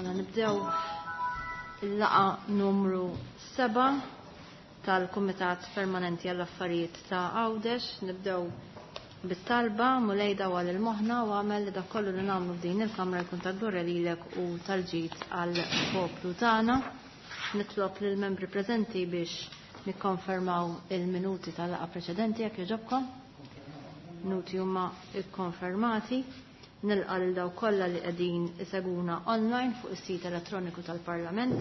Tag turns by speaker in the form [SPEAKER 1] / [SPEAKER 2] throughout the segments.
[SPEAKER 1] Mela nibdew il-laqgħa numru 7 tal-Kumitat Permanenti għall-Affarijiet ta' Għawdex. Nibdew bit-talba Mulej dawwal il-moħħna u għamel li dak kollu li nagħmlu f'din il-Kamra jkun ta' glorja lilek u tal-ġid għall-poplu tagħna. Nitlob lill-membri preżenti biex nikkonfermaw il-minuti tal-laqgħa preċedenti jekk jogħġobkom. Minuti huma kkonfermati. Nilqa' lil dawk kollha li qegħdin isegwuna online fuq is-sit elettroniku tal-Parlament,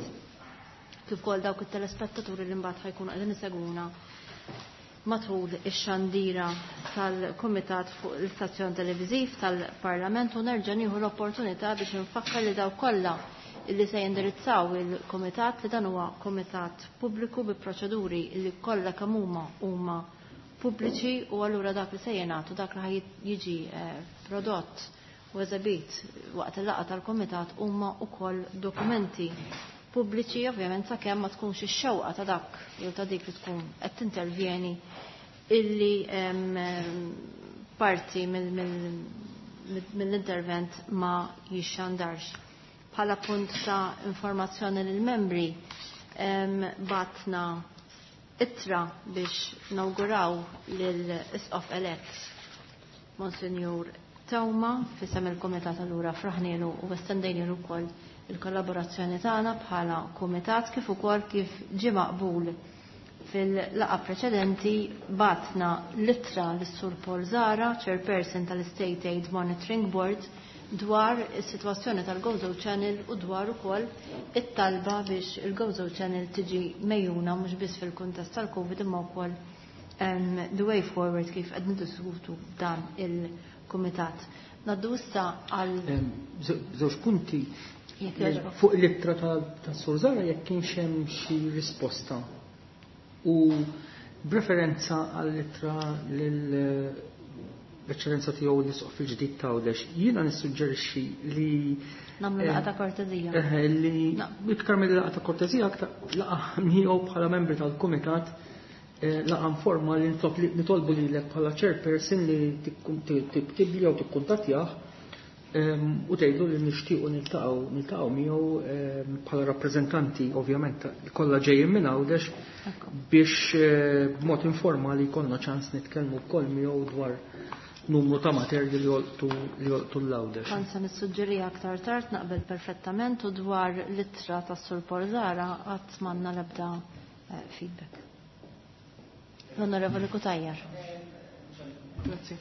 [SPEAKER 1] kif ukoll dawk it-telespettaturi li mbagħad ħajkunu qegħdin isegwuna matul ix-xandira tal-Kumitat fuq l-istazzjon televiżiv tal-Parlament u nerġa' nieħu l-opportunità biex infakkar li dawk kollha li se jindirizzaw il-Kumitat li dan huwa kumitat pubbliku bi proċeduri li kollha kemm huma huma pubbliċi u allura dak li se jingħad u dak li ħaj jiġi eh, prodott u eżebit waqt il-laqgħa tal-kumitat huma wkoll dokumenti pubbliċi ovvjament sakemm ma tkunx ix-xewqa ta' dak jew ta' dik li tkun qed tintervjeni illi parti mill-intervent ma jixxandarx. Bħala punt ta' informazzjoni lill-membri batna ittra biex nawguraw lill-Isqof elett Monsinjur Teuma f'isem il-Kumitat allura fraħnielu u estendejnielu wkoll il-kollaborazzjoni tagħna bħala kumitat kif ukoll kif ġie maqbul fil-laqgħa preċedenti batna l-ittra lis-Sur Paul Zara, Chairperson tal-State Aid Monitoring Board, dwar is-sitwazzjoni tal-Gozo Channel u dwar ukoll it-talba biex il-Gozo Channel tiġi mejjuna mhux biss fil-kuntest tal-Covid imma wkoll the way forward kif qed niddiskutu dan il-kumitat. Naddu issa għal
[SPEAKER 2] Żewġ punti fuq l-ittra ta' Sur Zara jekk kienx hemm xi risposta u b'referenza għall-ittra lil l-Eċċellenza tiegħu l-Isqof il-ġdid ta' Għawdex, jiena nissuġġerixxi li
[SPEAKER 1] Nagħmlu laqgħa ta' kortezija.
[SPEAKER 2] Eh, li iktar mill laqgħa ta' kortezija aktar laqgħa miegħu bħala membri tal-kumitat eh, laqgħa informali nitolbu lilek bħala chairperson li tiktibli jew tikkuntattjah u tgħidlu li nixtiequ niltaqgħu niltaqgħu miegħu bħala rappreżentanti ovvjament kollha ġejjin minn Għawdex biex eh, b'mod informali jkollna ċans nitkellmu wkoll miegħu dwar numru ta' materji li jolqtu li jolqtu l-Għawdex.
[SPEAKER 1] Kont se nissuġġerija aktar tard naqbel perfettament u dwar l-ittra tas-Sur Porzara qatt m'għandna l-ebda eh, feedback. L-Onorevoli Cutajar.
[SPEAKER 3] Grazzi.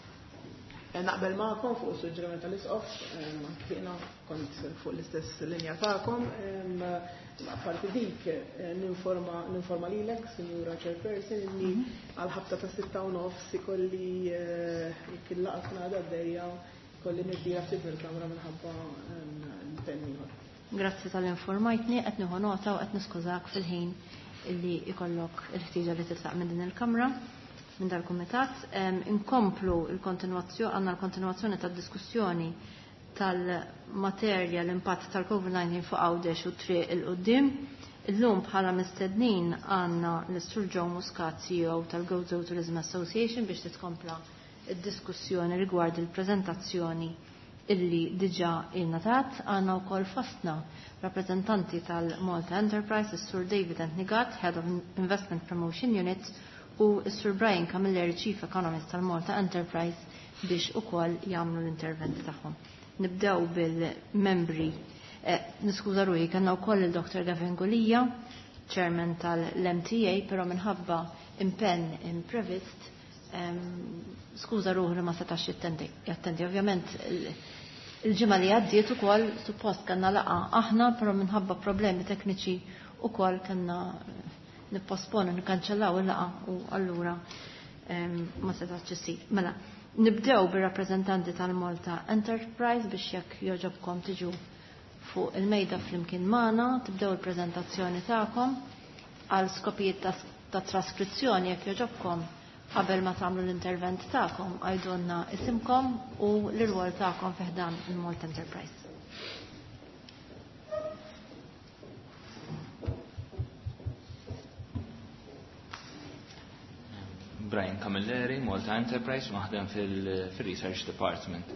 [SPEAKER 3] Eh, naqbel magħkom fuq is-suġġeriment tal-isqof, anki jiena kont fuq l-istess linja tagħkom. Apparti dik, eh, ninforma ninforma lilek, Sinjura Chairperson, inni mhm. għal ħabta ta' 6:30 ikolli eh, jekk il-laqgħa tkun għadha għaddejja, kolli nirtira ftit mill-kamra minħabba impenn ieħor.
[SPEAKER 1] Grazzi tal-informajtni, qed nieħu nota u qed niskużak fil-ħin illi ikollok il-ħtieġa li titlaq minn din il-kamra, minn dal-kumitat. Inkomplu l-kontinwazzjoni, għandna l-kontinwazzjoni tad-diskussjoni tal-materja l-impatt tal-COVID-19 fuq Għawdex u triq il-qudiem. Illum bħala mistednin għandna l-Sur Joe Muscat, CEO tal-Gozo Tourism Association biex titkompla id-diskussjoni rigward il-preżentazzjoni illi diġà ingħatat. Għandna wkoll fostna rappreżentanti tal-Malta Enterprise, is-Sur David Antnigat, Head of Investment Promotion Unit, u s-Sur Brian Camilleri, Chief Economist tal-Malta Enterprise, biex ukoll jagħmlu l-intervent tagħhom. Nibdew bil-membri. Eh, niskuża ruħi, kellna wkoll il-Dr. Gavin Gulia, Chairman tal-MTA, però minħabba impenn imprevist skuża ruħu li ma setax jattendi. Ovvjament il-ġimgħa li għaddiet ukoll suppost kellna laqgħa aħna, però minħabba problemi tekniċi ukoll kellna nipposponu, nikkanċellaw il-laqgħa u allura ma setax isir. Mela, nibdew bir-rappreżentanti tal-Malta Enterprise biex jekk jogħġobkom tiġu fuq il-mejda flimkien magħna, tibdew il-preżentazzjoni tagħkom għal skopijiet ta' traskrizzjoni jekk jogħġobkom qabel ma tagħmlu l-intervent tagħkom għajdulna isimkom u l-irwol tagħkom fi ħdan il-Malta Enterprise.
[SPEAKER 4] Brian Camilleri, Malta Enterprise, naħdem fil-Research Department.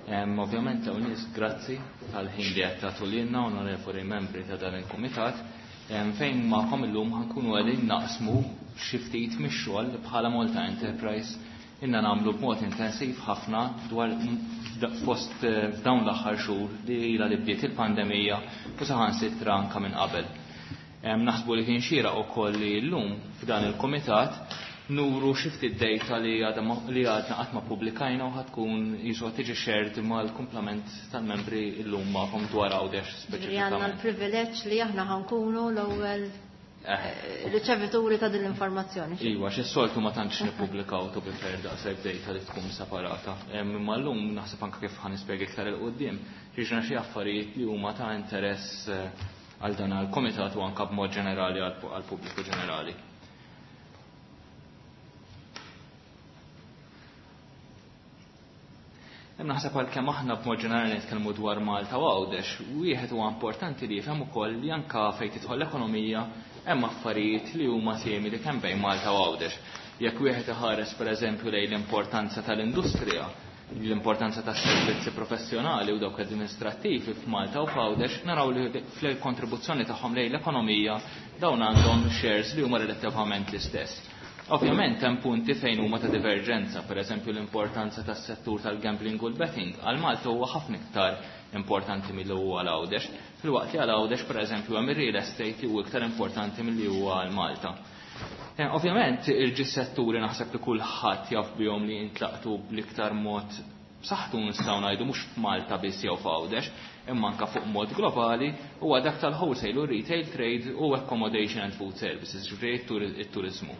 [SPEAKER 4] Ovvjament hawn nies grazzi tal-ħin li qed tagħtu lilna onorevoli membri ta' dan il-kumitat fejn magħkom illum ħankunu qegħdin naqsmu xi ftit mix-xogħol li bħala Malta Enterprise inna nagħmlu b'mod intensiv ħafna dwar fost f'dawn l-aħħar xhur li ilha li bdiet il-pandemija u saħansitra anke minn qabel. Naħsbu li kien xieraq ukoll li llum f'dan il-kumitat nuru xi ftit data li għadna qatt ma ppubblikajna u ħatkun jisu tiġi shared mal-kumplament tal-membri llum magħkom dwar Għawdex
[SPEAKER 1] speċifikament. Għandna l-privileġġ li aħna ħankunu l-ewwel riċevituri ta' din l-informazzjoni.
[SPEAKER 4] Iva, xi soltu ma tantx nippubblikaw to be fair daqshekk data li tkun separata. Imma llum naħseb anke kif ħa nispjega iktar 'il quddiem, jiġna xi affarijiet li huma ta' interess għal dan għall-kumitat u anke b'mod ġenerali għall-pubbliku ġenerali. Naħseb għalkemm aħna b'mod ġenerali nitkellmu dwar Malta u Għawdex, wieħed huwa importanti li jifhem ukoll li anke fejn tidħol l-ekonomija hemm affarijiet li huma simili kemm bejn Malta u Għawdex. Jekk wieħed iħares pereżempju lejn l-importanza tal-industrija, l-importanza tas-servizzi professjonali u dawk amministrattivi f'Malta u f'Għawdex, naraw li fl-kontribuzzjoni tagħhom lejn l-ekonomija dawn għandhom shares li huma relattivament l-istess. Ovvjament hemm punti fejn huma ta' diverġenza, pereżempju l-importanza tas-settur tal-gambling u l-betting għal Malta huwa ħafna iktar importanti milli huwa għal Għawdex, filwaqt li għal Għawdex pereżempju hemm ir-real estate li huwa iktar importanti milli huwa għal Malta. Ovvjament il-ġis setturi naħseb li kulħadd jaf bihom li jintlaqtu bl-iktar mod b'saħħtu nistgħu ngħidu mhux f'Malta biss jew f'Għawdex, imma anke fuq mod globali huwa dak tal-wholesale u retail trade u accommodation and food services, ġifieri it-turiżmu.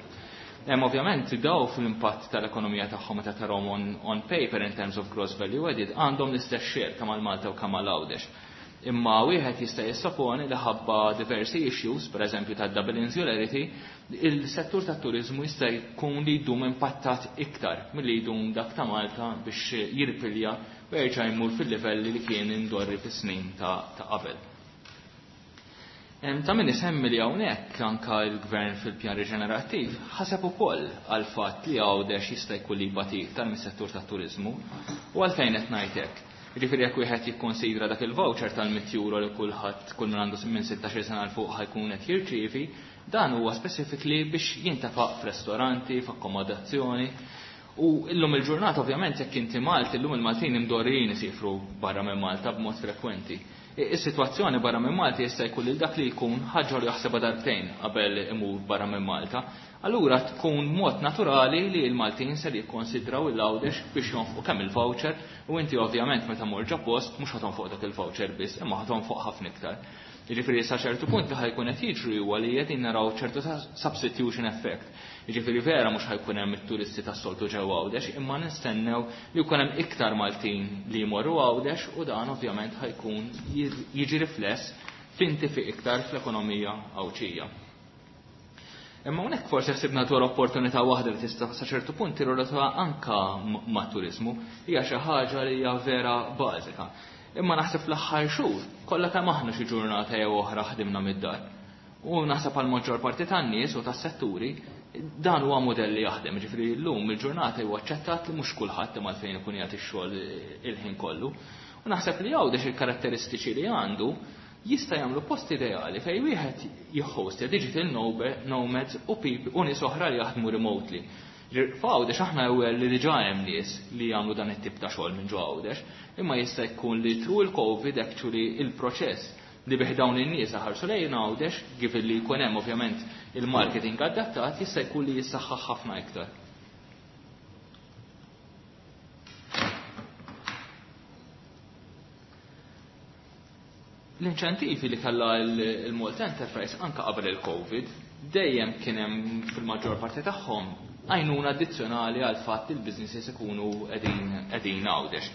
[SPEAKER 4] Ovvjament daw fl-impatt tal-ekonomija tagħhom meta tarahom on paper in terms of gross value added għandhom l-istess share kemm għal Malta u kemm għal Għawdex. Imma wieħed jista' jissoponi li ħabba diversi issues, pereżempju ta' double insularity, il-settur tat-turiżmu jista' jkun li jdum impattat iktar milli jdum dak ta' Malta biex jirpilja u jerġa' jmur fil-livelli li kien indorri fis-snin ta' qabel. Ta' min isemmi li hawnhekk anka l-gvern fil-pjan riġenerattiv ħaseb ukoll għal fatt li Għawdex jista' jkun li jbati iktar mis-settur tat-turiżmu u għalfejn qed ngħid hekk. Jiġifieri jekk wieħed jikkonsidra dak il-voucher tal-100 euro li kulħadd kull min għandu minn 16 sena 'l fuq ħajkun qed jirċievi, dan huwa specifically biex jintefaq f'restoranti, f'akkomodazzjoni. U illum il-ġurnata ovvjament jekk inti Malti, illum il-Maltin imdorrijin isifru barra minn Malta b'mod frekwenti. Is-sitwazzjoni barra minn Malta jista' jkun lil dak li jkun ħaġa li jaħsebha darbtejn qabel imur barra minn Malta. Allura tkun mod naturali li l-Maltin ser jikkonsidraw il-Għawdex biex jonfqu kemm il-voucher u inti ovvjament meta mur ġo post mhux ħa tonfoq dak il-voucher biss, imma ħa tonfoq ħafna iktar. Jiġifieri sa ċertu punt li ħajkun qed jiġri huwa li qegħdin naraw ċertu substitution effect. Jiġifieri vera mhux ħajkun hemm it-turisti tas-soltu ġewwa Għawdex, imma nistennew li jkun hemm iktar Maltin li jmorru Għawdex u dan ovvjament ħajkun jiġi rifless f'intifi iktar fl-ekonomija Għawdxija. Imma hawnhekk forsi ħsibna dwar opportunità waħda li tista' sa ċertu punt tirrelata anka mat-turiżmu, hija xi ħaġa li hija vera bażika. Imma naħseb fl-aħħar xhur kollha kemm aħna xi ġurnata jew oħra ħdimna mid-dar. U naħseb għal maġġor parti tan-nies u tas-setturi dan huwa mudell li jaħdem, ġifieri llum il-ġurnata huwa aċċettat li mhux kulħadd imma għalfejn ikun jagħti x-xogħol il-ħin kollu. U naħseb li Għawdex il-karatteristiċi li għandu jista' jagħmlu post ideali fejn wieħed jihhostja digital nomads u u nies oħra li jaħdmu remotely. F'Għawdex aħna ewwel li diġà hemm nies li jagħmlu dan it-tip ta' xogħol minn ġo Għawdex, imma jista' jkun li through il-COVID actually il-proċess li bih dawn in-nies ħarsu lejn Għawdex, given li jkun hemm ovvjament il-marketing adattat, jista' jkun li jissaħħaħ ħafna iktar. L-inċentivi li kellha il-Malta Enterprise anka qabel il-COVID dejjem kien hemm fil-maġġor parti tagħhom għajnuna addizzjonali għal fatt li l-businesses ikunu qegħdin Għawdex.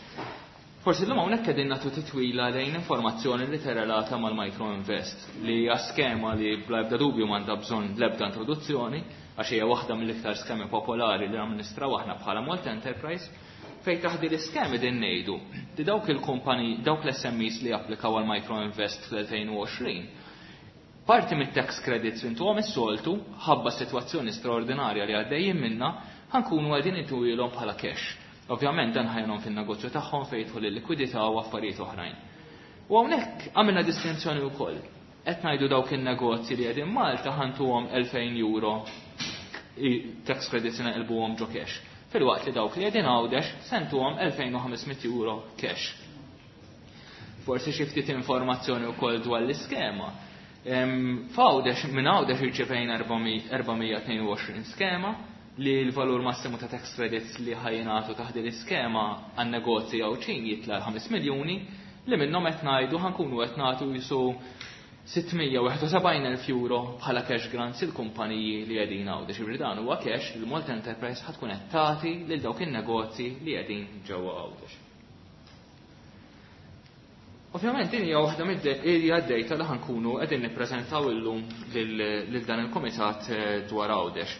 [SPEAKER 4] Forsi llum hawnhekk qegħdin nagħtu titwila lejn informazzjoni li terrelata mal-Micro Invest li hija skema li bla ebda dubju m'għandha bżonn l-ebda introduzzjoni għax hija waħda mill-iktar skemi popolari li amministraw aħna bħala Malta Enterprise, fejn taħdi l-iskemi din ngħidu li dawk il-kumpani, dawk l-SMEs li applikaw għal Micro Invest fl-2020, parti mit-tax credits intuhom is-soltu, ħabba sitwazzjoni straordinarja li għaddejjin minna, ħankunu għadin intuhilhom bħala cash. Ovvjament dan ħa jgħinhom fin-negozju tagħhom fejn jidħol il-likwidità u affarijiet oħrajn. U hawnhekk għamilna distinzjoni wkoll. Qed ngħidu dawk in-negozji li qegħdin Malta ħa ntuhom 2000 euro tax credits, naqilbuhom ġo cash. Filwaqt li dawk li qegħdin Għawdex se ntuhom 2500 euro cash. Forsi xi ftit informazzjoni wkoll dwar l-iskema. F'Għawdex, minn Għawdex irċevejna 422 skema li l-valur massimu ta' tax credits li ħa jingħatu taħt l-iskema għan negozji Għawdxin jitla' 5 miljuni, li minnhom qed ngħidu ħa nkunu qed nagħtu jisu 671,000 euro bħala cash grants il-kumpaniji li qegħdin Għawdex. Ġifieri dan huwa cash li Malta Enterprise ħa tkun qed tagħti lil dawk in-negozji li qegħdin ġewwa Għawdex. Ovvjament din hija waħda mid-hija d-data li ħa nkunu qegħdin nippreżentaw illum lil dan il-kumitat dwar Għawdex.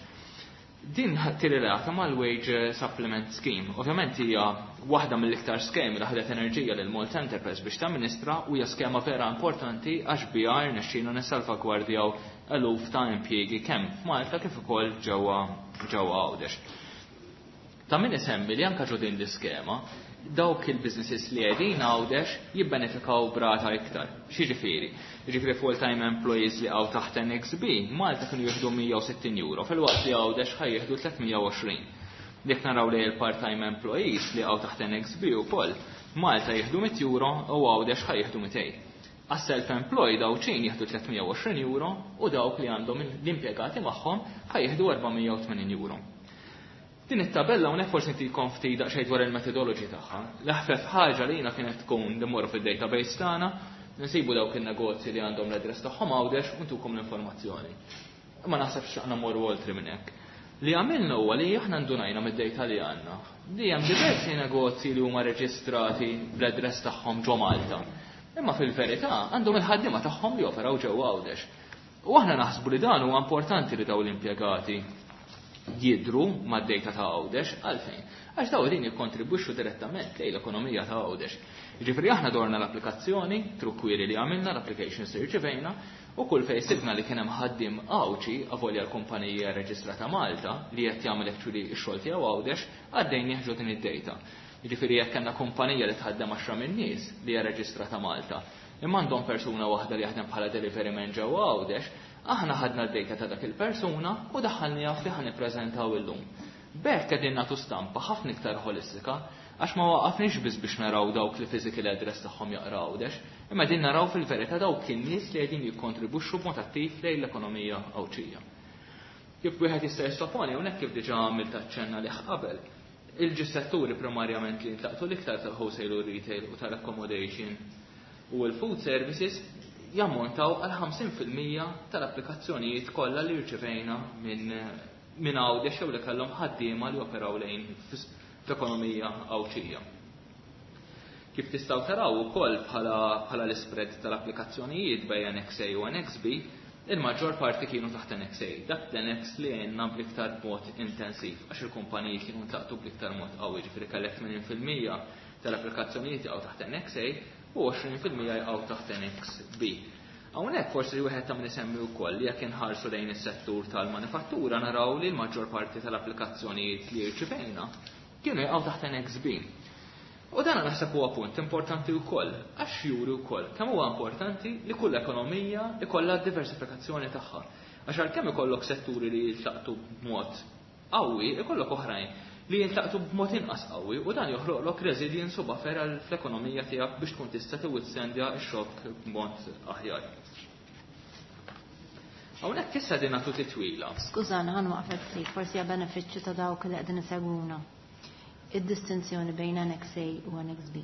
[SPEAKER 4] Din tirrelata mal-Wage Supplement Scheme. Ovvjament hija waħda mill-iktar skemi li ħadet enerġija lil Malta Enterprise biex tamministra u hija skema vera importanti għax biha rnexxina nissalvagwardjaw eluf ta' impjiegi kemm f'Malta kif ukoll ġewwa Għawdex. Ta' min isemmi li anka ġo din l-iskema dawk il-businesses li qegħdin Għawdex jibbenefikaw b'rata iktar. X'jiġifieri? Jiġifieri full-time employees li hawn taħt Annex B, Malta kienu jieħdu 160 euro, filwaqt li Għawdex ħa jieħdu 320. Jekk naraw li il-part-time employees li hawn taħt Annex B ukoll, Malta jieħdu 100 euro u Għawdex ħa jieħdu 200. Għas-self-employed Għawdxin jieħdu 320 euro u dawk li għandhom l-impjegati magħhom ħa jieħdu 480 euro. Din it-tabella hawnhekk forsi ntikom ftit daqsxejn dwar il-methodology tagħha. L-aħfef ħaġa li jiena kienet tkun li mmorru fid-database tagħna, nsibu dawk in-negozji li għandhom l-address tagħhom Għawdex u ntukom l-informazzjoni. Ma naħsebx aħna mmorru oltre minn hekk. Li għamilna huwa li aħna ndunajna mid-data li għandna li hemm diversi negozji li huma reġistrati bl-address tagħhom ġo Malta. Imma fil-verità għandhom il-ħaddiema tagħhom li operaw ġewwa Għawdex. U aħna naħsbu li dan huwa importanti li dawn l-impjegati jidru mad-data ta' Għawdex. Għalfejn? Għax dawn din jikkontribwixxu direttament lejn l-ekonomija ta' Għawdex. Ġifieri aħna dorna l-applikazzjoni, through query li għamilna, l-applications li rċevejna, u kull fejn sibna li kien hemm ħaddiem Għawdxi, avolja l-kumpanija reġistrata Malta, li qed jagħmel actually x-xogħol tiegħu Għawdex, għaddejna ġo din id-data. Ġifieri jekk kellna kumpanija li tħaddem 10 min-nies li hija reġistrata Malta, imma għandhom persuna waħda li jaħdem bħala delivery man ġewwa Għawdex, aħna ħadna d-data ta' dak il-persuna u daħħalniha fi ħa nippreżentaw illum. B'hekk qegħdin nagħtu stampa ħafna iktar ħolistika għax ma waqafniex biss biex naraw dawk li physical address tagħhom jaqra Għawdex, imma qegħdin naraw fil-verità dawk in-nies li qegħdin jikkontribwixxu b'mod attiv lejn l-ekonomija Għawdxija. Kif wieħed jista' jissoponi hawnhekk, kif diġà għamilt aċċenna lih qabel, il-żewġ setturi primarjament li ntlaqtu l-iktar tal-wholesale u retail u tal-accommodation u l-food services jammontaw għal 50% tal-applikazzjonijiet kollha li rċevejna minn Għawdex jew li kellhom ħaddiema li operaw lejn fl-ekonomija Għawdxija. Kif tistgħu taraw ukoll bħala l-spread tal-applikazzjonijiet bejn Annex A u Annex B, il-maġġor parti kienu taħt Annex A. Dak l-Annex li għenna bl-iktar mod intensiv, għax il-kumpaniji kienu ntlaqtu bl-iktar mod qawwi, ġifieri kellek 80% tal-applikazzjonijiet jaqgħu taħt Annex A u 20% jaqgħu taħt Annex B. Hawnhekk forsi wieħed ta' min isemmi wkoll li jekk inħarsu lejn is-settur tal-manifattura naraw li l-maġġor parti tal-applikazzjonijiet li rċivejna kienu jaqgħu taħt Annex B. U dan naħseb huwa punt importanti wkoll, għax juri wkoll kemm huwa importanti li kull ekonomija ikollha diversifikazzjoni tagħha. Għax għalkemm ikollok setturi li jiltaqtu b'mod qawwi, ikollok oħrajn li jintlaqtu b'mod inqas qawwi u dan joħloqlok resilience u buffer fl-ekonomija tiegħek biex tkun tista' tiwithstandja x-xokk b'mod aħjar. Hawnhekk issa din nagħtu titwila.
[SPEAKER 1] Skużana, ħa nwaqfek ftit, forsi għal benefiċċju ta' dawk li qegħdin isegwuna. Id-distinzjoni bejn Annex A u Annex B.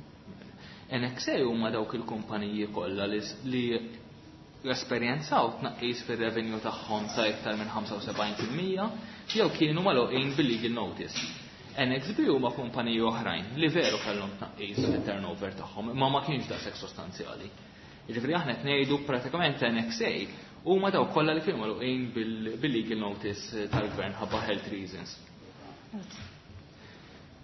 [SPEAKER 4] Annex A huma dawk il-kumpaniji kollha li esperjenzaw tnaqqis fir-revenue tagħhom ta' iktar minn 75% jew kienu magħluqin bil-legal notice. Annex B huma kumpaniji oħrajn li veru kellhom tnaqqis fit-turnover tagħhom, imma ma kienx daqshekk sostanzjali. Jiġifieri aħna qed ngħidu pratikament Annex A huma dawk kollha li kienu magħluqin bil-legal notice tal-gvern ħabba health reasons.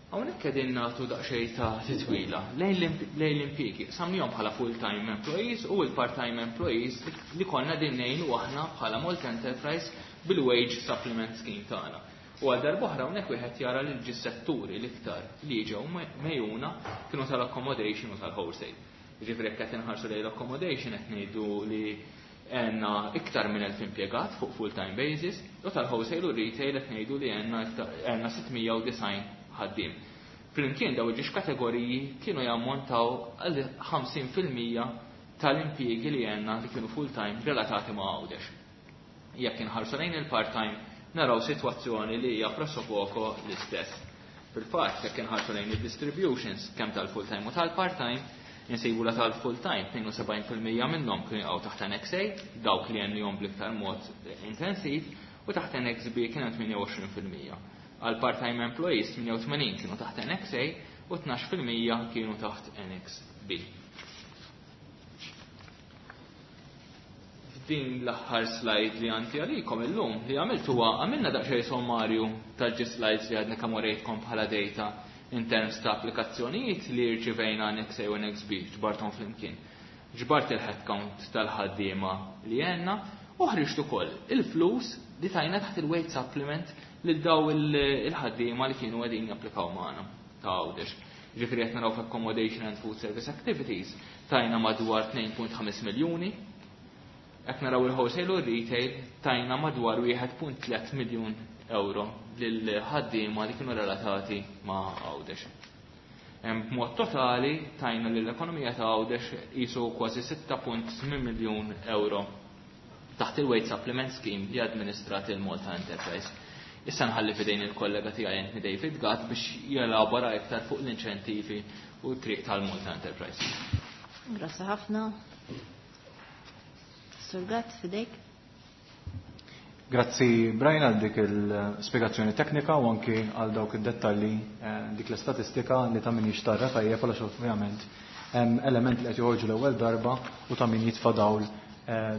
[SPEAKER 4] Hawnhekk qegħdin nagħtu daqsxejn ta' titwila lejn l-impjiegi. Qsamnihom bħala full-time employees u l-part-time employees li konna din ngħinu aħna bħala Malta Enterprise bil-wage supplement scheme tagħna. U għal darb'oħra hawnhekk wieħed jara li l setturi l-iktar li ġew megħjuna kienu tal-accommodation u tal-wholesale. Jiġifieri jekk qed inħarsu lejn l-accommodation qed ngħidu li għandna iktar minn 1000 impjegat fuq full-time basis u tal-wholesale u retail qed ngħidu li għandna 690 ħaddiem. Flimkien daw iż-żewġ kategoriji kienu jammontaw għal 50% tal-impjiegi li għandna li kienu full-time relatati ma' Għawdex. Jekk inħarsu lejn il-part-time naraw sitwazzjoni li hija pressappoco l-istess. Fil-fatt, jekk inħarsu lejn il-distributions kemm tal-full-time u tal-part-time, insibu la tal-full-time 72% minnhom kienu jaqgħu taħt Annex A, dawk li għenniehom bl-iktar mod intensiv, u taħt Annex B kien hemm 28%. Għal part-time employees 88 kienu taħt Annex A u 12% kienu taħt Annex B. F'din l-aħħar slide li għandi għalikom illum li għamilt huwa għamilna daqsxejn sommarju tal-ġi slides li għadna kemm urejtkom bħala data in terms ta' applikazzjonijiet li rċivejna Annex A u Annex B ġbarthom flimkien. Ġbart il-headcount tal-ħaddiema li għandna u ħriġt ukoll il-flus li tajna taħt il-wage supplement lil daw il-ħaddiema li kienu qegħdin japplikaw magħna ta' Għawdex. Ġifieri qed naraw f'accommodation and food service activities tajna madwar 2.5 miljuni. Qed naraw il-wholesale u retail tajna madwar 1.3 miljun euro lil ħaddiema li kienu relatati ma' Għawdex. B'mod totali tajna lill-ekonomija ta' Għawdex qisu kważi 6.8 miljun euro taħt il-Wage Supplement Scheme li administrat il-Malta Enterprise. Issa nħalli fidejn il-kollega tiegħi Anthony David Gatt biex jelabora iktar fuq l-inċentivi u t-triq tal-Malta Enterprise.
[SPEAKER 1] Grazzi ħafna. Sur Gatt, fidejk.
[SPEAKER 5] Grazzi Brian għal dik il-spiegazzjoni teknika u anki għal dawk id-dettalji, dik l-istatistika li ta' min jixtarra tajjeb għalax ovvjament hemm element li qed joħorġu l-ewwel darba u ta' min jitfa' dawl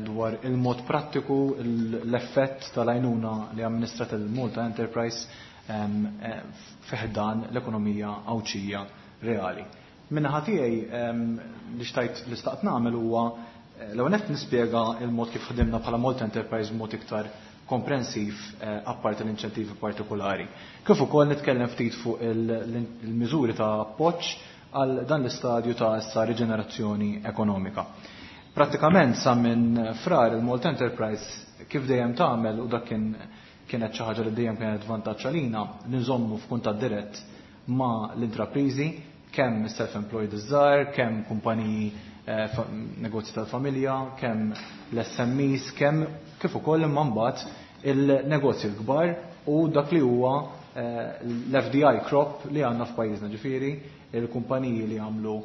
[SPEAKER 5] dwar il-mod prattiku l-effett tal-għajnuna li amministrat il-Malta Enterprise fi ħdan l-ekonomija Għawdxija reali. Min-naħa tiegħi li xtajt li staqt nagħmel huwa l-ewwel nett nispjega il-mod kif ħdimna bħala Malta Enterprise b'mod iktar komprensiv, apparti l-inċentivi partikolari. Kif ukoll nitkellem ftit fuq il-miżuri ta' appoġġ għal dan l-istadju ta' issa riġenerazzjoni ekonomika. Pratikament sa minn Frar il-Malta Enterprise kif dejjem tagħmel, u dak kien kienet xi ħaġa li dejjem kienet vantaġġ għalina, li nżommu f'kuntatt dirett ma' l-intrapriżi, kemm self-employed iż-żgħar, kemm kumpaniji, negozji tal-familja, kemm l-SMEs, kemm kif ukoll imma mbagħad il-negozji l-kbar u dak li huwa l-FDI crop li għandna f'pajjiżna, ġifieri il-kumpaniji li għamlu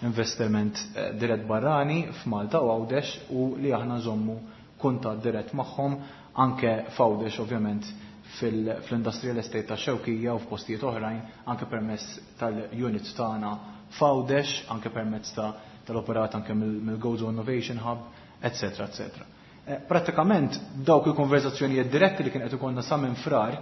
[SPEAKER 5] investiment dirett barrani f'Malta u Għawdex u li aħna nżommu kuntatt dirett magħhom anke f'Għawdex, ovvjament fl-industrial estate ta' Xewkija u f'postijiet oħrajn, anke permezz tal-units tagħna f'Għawdex, anke permezz tal-operat anke mill-Gozo Innovation Hub, eccetera, eccetera. Pratikament dawk il-konverzazzjonijiet diretti li kien qed ikollna sa minn Frar,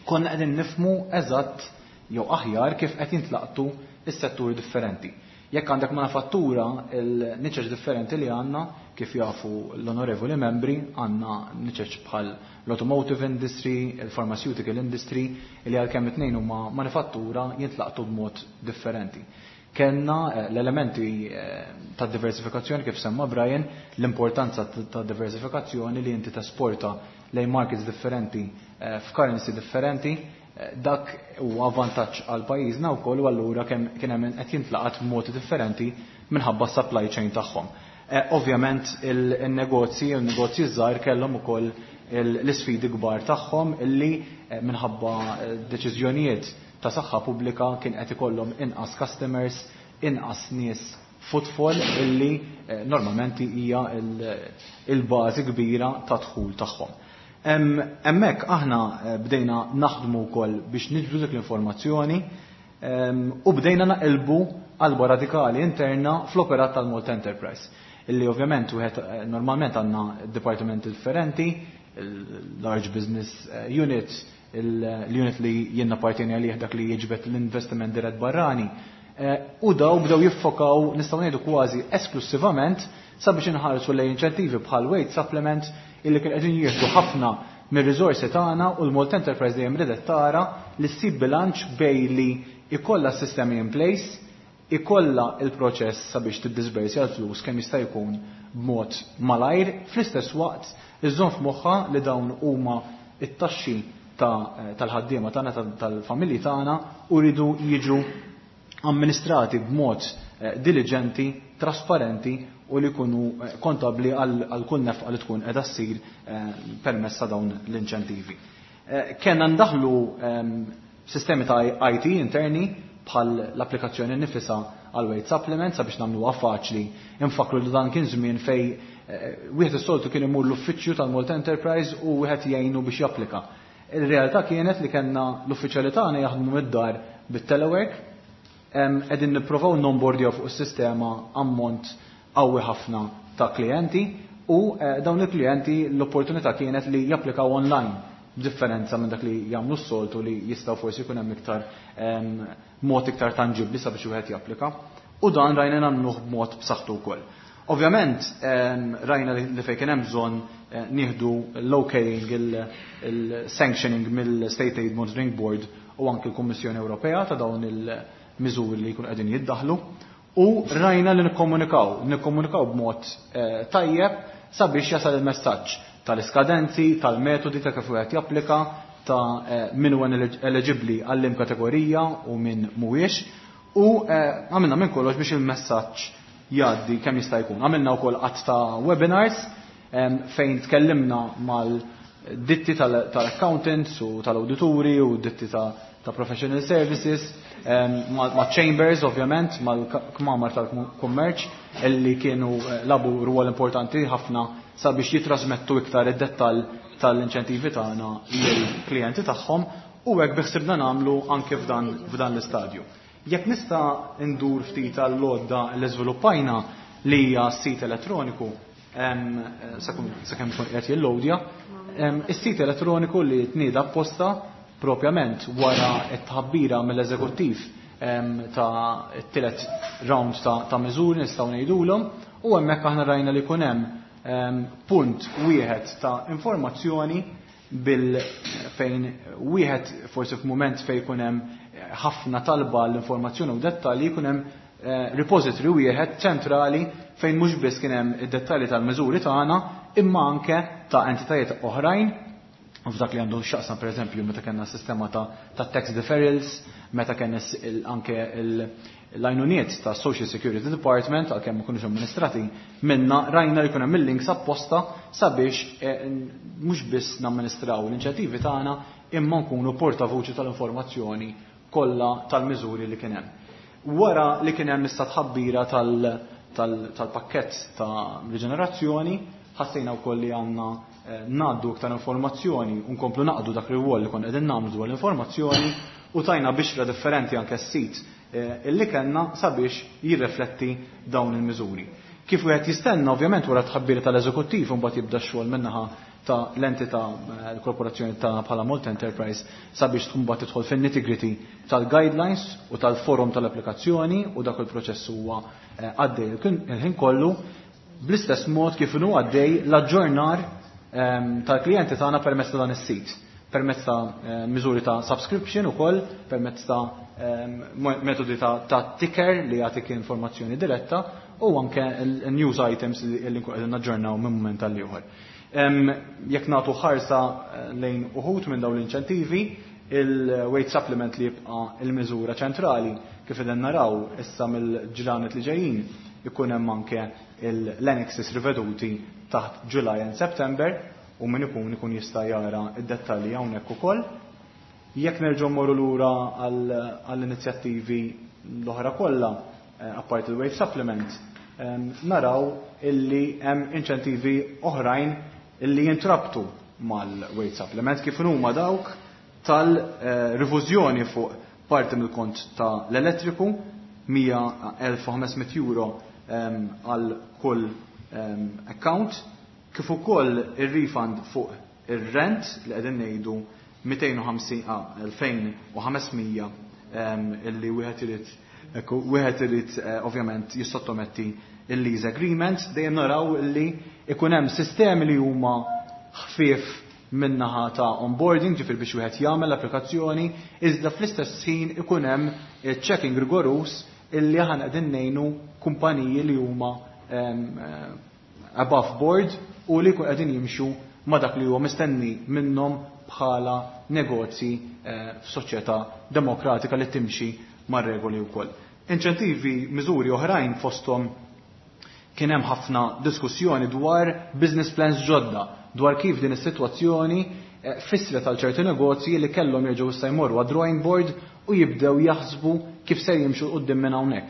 [SPEAKER 5] konna qegħdin nifhmu eżatt jew aħjar kif qed jintlaqtu is-setturi differenti. Jekk għandek manifattura, il-niċeċ differenti li għandna, kif jafu l-onorevoli membri, għandna niċeċ bħal l-automotive industry, il-pharmaceutical industry, li għalkemm it-tnejn huma manifattura jintlaqtu b'mod differenti. Kenna l-elementi ta' diversifikazzjoni kif semma Brian, l-importanza ta' diversifikazzjoni li inti tesporta lejn markets differenti, f'currency differenti, dak huwa vantaġġ għal pajjiżna wkoll, u allura kemm kien hemm qed jintlaqat b'modi differenti minħabba supply chain tagħhom. Ovvjament il-negozji u n-negozji żgħar kellhom ukoll l-isfidi kbar tagħhom illi minħabba deċiżjonijiet ta' saħħa pubblika kien qed ikollhom inqas customers, inqas nies footfall illi normalment hija il-bażi kbira ta' dħul tagħhom. Hemmhekk aħna bdejna naħdmu wkoll biex niġbdu dik l-informazzjoni u bdejna naqilbu qalba radikali interna fl-operat tal-Malta Enterprise. Illi ovvjament wieħed normalment għandna dipartimenti differenti, il-Large Business Unit, l-unit li jien nappartieni għalih, dak li jiġbed l-investiment dirett barrani. U daw bdew jiffokaw, nistgħu ngħidu, kważi esklusivament sabiex inħarsu lejn inċentivi bħal wage supplement illi kien qegħdin jieħdu ħafna. mir-riżorsi tagħna u l-Malta Enterprise dejjem ridet tara li ssib bilanċ bejn li ikollha sistemi in place, ikollha il-proċess sabiex tiddisbersja l-flus kemm jista' jkun b'mod malajr, fl-istess waqt iżżomm f'moħħha li dawn huma it-taxxi tal-ħaddiema tagħna, tal-familji tagħna, u rridu jiġu amministrati b'mod diligenti, trasparenti u li jkunu kontabli għal kull nefqa li tkun qiegħda ssir permezz ta' dawn l-inċentivi. Kellna ndaħlu sistemi ta' IT interni bħal l-applikazzjoni nifisha għal wage supplement sabiex nagħmluha faċli. Infakru li dan kien żmien fej wieħed is-soltu kien imur l-uffiċċju tal-Malta Enterprise u wieħed jgħinu biex japplika. Il-realtà kienet li kellna l-uffiċjali tagħna jaħdmu mid-dar bit-telework, qegħdin nipprovaw nonboardjaw fuq is-sistema ammont qawwi ħafna ta' klijenti u dawn il-klijenti l-opportunità kienet li japplikaw online, b'differenza minn dak li jagħmlu s-soltu li jistgħu forsi jkun hemm iktar mod iktar tanġibbli sabiex wieħed japplika. U dan rajna nagħmluh b'mod b'saħħtu wkoll. Ovvjament rajna li fejn kien hemm bżonn nieħdu l-okaying, il-sanctioning mill-State Aid Monitoring Board u anke l-Kummissjoni Ewropea ta' dawn il-miżuri li jkunu qegħdin jiddaħlu. U rajna li nikkomunikaw b'mod tajjeb sabiex jasal il-messaġġ tal-iskadenzi, tal-metodi ta' kif wieħed japplika, ta' min huwa eligibbli għall-im kategorija u min mhuwiex. U għamilna minn kollox biex il-messaġġ jgħaddi kemm jista' jkun. Għamilna wkoll qatt ta' webinars fejn tkellimna mal-ditti tal-accountants u tal-awdituri u ditti ta' professional services, ma' chambers ovvjament, mal-kmamar tal-kummerċ illi kienu labu rwol importanti ħafna sabiex jitrasmettu iktar id-dettall tal-inċentivi tagħna lill-klijenti tagħhom, u hekk biħsibna nagħmlu anke f'dan l-istadju. Jekk nista' ndur ftit għall-għodda li żviluppajna li hija s-sit elettroniku, sakemm ikun qiegħed jillowdja, is-sit elettroniku li tnieda apposta propjament wara t-tħabbira mill-eżekuttiv ta' t-tielet round ta' miżuri nistgħu ngħidulhom, u hemmhekk aħna rajna li jkun hemm punt wieħed ta' informazzjoni bil fejn wieħed forsi f'mument fejn jkun hemm ħafna talba l-informazzjoni u dettalji, jkun hemm repository wieħed ċentrali fejn mhux biss kien hemm id-dettalji tal-miżuri tagħna imma anke ta' entitajiet oħrajn. U f'dak li għandu x'jaqsam pereżempju meta kellna sistema ta' tax deferrals, meta kellna anke l-għajnuniet ta' Social Security Department, għalkemm ma kunux amministrati minna, rajna li jkun hemm il-links apposta sabiex mhux biss namministraw l-inċentivi tagħna imma nkunu portavoċi tal-informazzjoni kollha tal-miżuri li kien hemm. Wara li kien hemm issa tħabbira tal-pakkett ta' riġenerazzjoni, ħassejna wkoll li għandna ngħaddu iktar informazzjoni u nkomplu naqdu dak ir-rwol li konna qegħdin nagħmlu dwar l-informazzjoni, u tajna bixra differenti anke s-sit illi kellna sabiex jirrifletti dawn il-miżuri. Kif wieħed jistenna ovvjament wara tħabbira tal-eżekuttiv u mbagħad jibda x-xogħol min-naħa ta' l-entità, l-korporazzjoni ta' bħala Malta Enterprise sabiex tkun mbagħad tidħol fin-nitty-gritty tal-guidelines u tal-forum tal-applikazzjoni, u dak il-proċess huwa għaddej il-ħin kollu, bl-istess mod kif inhu għaddej l-aġġornar tal-klijenti tagħna permezz ta' dan is-sit, permezz ta' miżuri ta' subscription ukoll, permezz ta' metodi ta' ticker li jagħtik informazzjoni diretta, u anke il-news items li nkun qegħdin naġġornaw minn mument għal ieħor. Jekk nagħtu ħarsa lejn uħud minn dawn l-inċentivi, il-wage supplement li jibqa' il-miżura ċentrali kif qegħdin naraw issa mill-ġranet li ġejjin ikun hemm anke l-annexes riveduti taħt July and September, u min ikun jista' jara id-dettalji hawnhekk ukoll. Jekk nerġgħu mmorru lura għall-inizjattivi l-oħra kollha, apparti il-wage supplement, naraw illi hemm inċentivi oħrajn illi jintrabtu mal-wage supplement, kif huma dawk tal-rifużjoni fuq parti mill-kont ta' l-elettriku, 100,500 euro għal kull account, kif ukoll ir-refund fuq ir-rent li qegħdin ngħidu 250, 2500, illi wieħed irid, ekku, wieħed irid ovvjament jissottometti il-lease agreement. Dejjem naraw illi ikun hemm sistemi li huma ħfief min-naħa ta' onboarding, ġifieri biex wieħed jagħmel l-applikazzjoni, iżda fl-istess ħin ikun hemm checking rigorus illi aħna qegħdin ngħinu kumpaniji li huma above board u li jkun qegħdin jimxu ma' dak li huwa mistenni minnhom bħala negozji f'soċjetà demokratika li timxi mar-regoli wkoll. Inċentivi, miżuri oħrajn fosthom kien hemm ħafna diskussjoni dwar business plans ġodda, dwar kif din is-sitwazzjoni fissret għal ċerti negozji li kellhom jerġgħu issa jmorru għad-drawing board u jibdew jaħsbu kif se jimxu quddiem minn hawnhekk.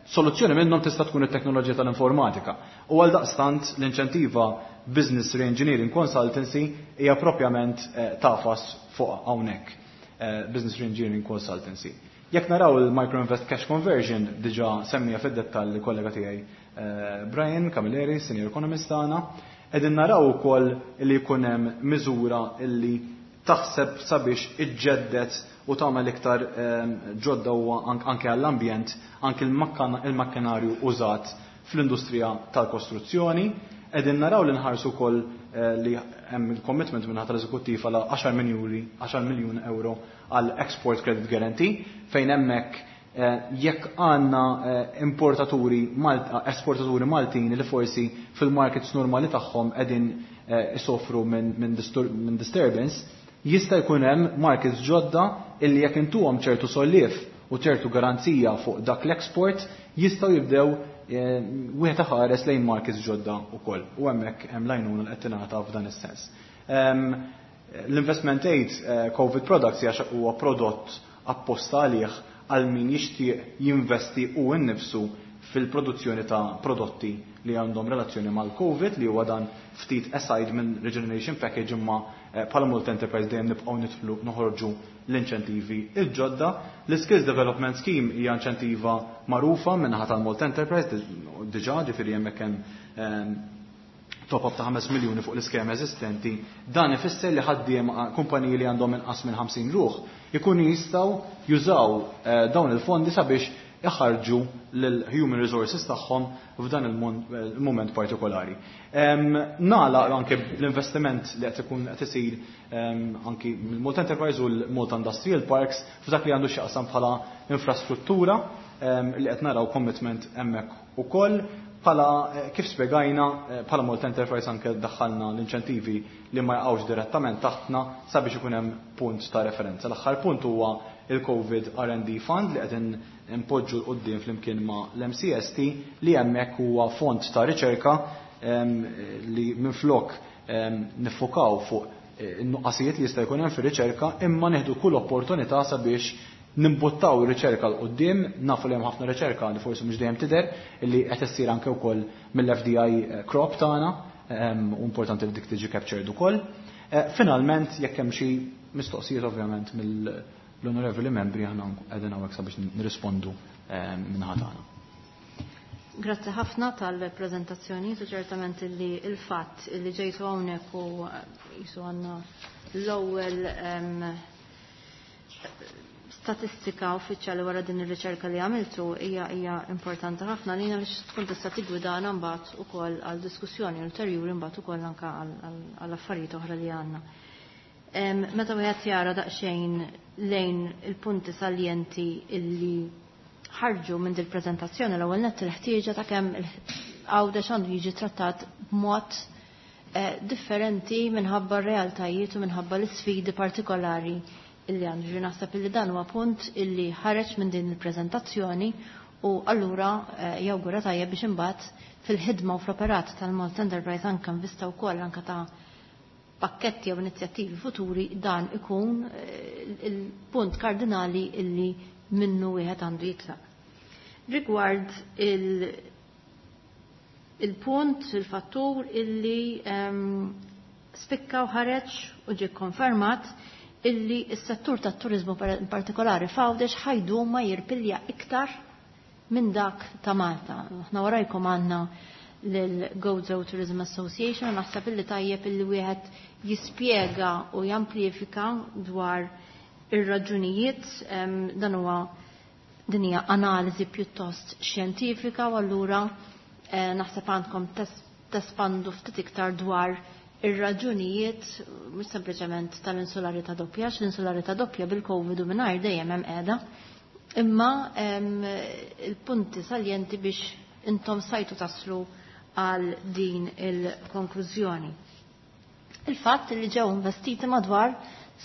[SPEAKER 5] Soluzzjoni minnhom tista' tkun it-teknoloġija tal-informatika. U għal daqstant l-inċentiva Business Reengineering Consultancy hija propjament tafas fuq hawnhekk. Business Reengineering Consultancy. Jekk naraw il-Microinvest Cash Conversion diġà semmija fid-dettall il-kollega tiegħi Brian Camilleri, senior economist tagħna, qegħdin naraw ukoll li jkun hemm miżura illi taħseb sabiex iġġedded u tagħmel iktar ġodda u anke għall-ambjent, anke il-makkinarju użat fl-industrija tal-kostruzzjoni. Qegħdin naraw li nħarsu wkoll li hemm il-commitment minn tal-eżekuttiv għal 10 miljuni, 10 miljun euro għal Export Credit Guarantee, fejn hemmhekk jekk għandna importaturi esportaturi Maltin li forsi fil-markets normali tagħhom qegħdin isofru minn disturbance, jista' jkun hemm markets ġodda illi jekk intuhom ċertu solliev u ċertu garanzija fuq dak l-export jistgħu jibdew wieħed iħares lejn markets ġodda wkoll. U hemmhekk hemm l-għajnuna li qed tingħata f'dan is-sens. L-investment aid COVID products hija huwa prodott apposta għalih għal min jixtieq jinvesti u nnifsu fil-produzzjoni ta' prodotti li għandhom relazzjoni mal-COVID, li huwa dan ftit aside minn Regeneration Package, imma bħala Malta Enterprise dejjem nibqgħu nidħlu noħorġu l-inċentivi il-ġodda. L-Skills Development Scheme hija inċentiva magħrufa min-naħa tal-Malta Enterprise diġà, ġifieri hemmhekk hemm top-up ta' 5 miljuni fuq l-iskema eżistenti. Dan ifisser li ħaddiem kumpaniji li għandhom inqas minn 50 ruħ ikunu jistgħu jużaw dawn il-fondi sabiex iħarġu l-human resources tagħhom f'dan il-moment partikolari. Nagħlaq anke l-investiment li qed ikun qed isir anki mill-Malta Enterprise u l-Malta Industrial Parks f'dak li għandu x'jaqsam bħala infrastruttura li qed naraw commitment hemmhekk ukoll. Bħala kif spjegajna, bħala Malta Enterprise anke daħħalna l-inċentivi li ma jaqgħux direttament taħtna sabiex ikun hemm punt ta' referenza. L-aħħar punt huwa il-COVID R&D Fund li qed impoġġu 'l quddiem flimkien ma' l-MCST, li hemmhekk huwa fond ta' riċerka li minflok nifokaw fuq in-nuqqasijiet li jista' jkun hemm fir-riċerka, imma nieħdu kull opportunità sabiex nimbuttaw ir-riċerka 'l quddiem. Nafu li hemm ħafna riċerka li forsi mhux dejjem tidher, li qed issir anke wkoll mill-FDI crop tagħna, u importanti li dik tiġi captured ukoll. Finalment, jekk hemm xi mistoqsijiet ovvjament mill-onorevoli membri, aħna qegħdin hawnhekk sabiex nirrispondu min-naħa tagħna.
[SPEAKER 1] Grazzi ħafna tal-prezentazzjoni, u ċertament li il-fatt li ġejtu hawnhekk u jisu għandna l-ewwel statistika uffiċjali wara din ir-riċerka li għamiltu hija importanti ħafna lina biex tkun tista' tiggwidana mbagħad ukoll għal diskussjoni ulterjuri mbagħad ukoll anke għal affarijiet oħra li għandna. Meta wieħed jara daqsxejn lejn il-punti saljenti illi ħarġu minn dil preżentazzjoni, l-ewwel nett il-ħtieġa ta' kemm Għawdex għandu jiġi trattat b'mod differenti minħabba r-realtajiet u minħabba l-isfidi partikolari illi għandu. Ġi naħseb illi dan huwa punt illi ħareġ minn din il-preżentazzjoni u allura jawgura tajjeb biex imbagħad fil-ħidma u fl-operat tal-Malta Enterprise anke nvista wkoll anke ta' pakketti jew inizjattivi futuri dan ikun il-punt kardinali illi minnu wieħed għandu jitlaq. Rigward il-punt, il-fattur illi spikka u ħareġ u ġie konfermat illi s-settur tat-turizmu in partikolari f'Għawdex ħajdum ma jirpilja iktar minn dak ta' Malta. Aħna warajkom għandna l-Gozo Tourism Association, naħseb illi tajjeb illi wieħed jispjega u jamplifika dwar ir-raġunijiet, dan huwa din hija analiżi pjuttost xjentifika u allura naħseb għandkom tespandu ftit iktar dwar ir-raġunijiet mhux sempliċement tal-insularità doppja, għax l-insularità doppja bil-Covid u mingħajr dejjem hemm qiegħda, imma il-punti saljenti biex intom sajtu taslu għal din il-konklużjoni. Il-fatt li ġew investiti madwar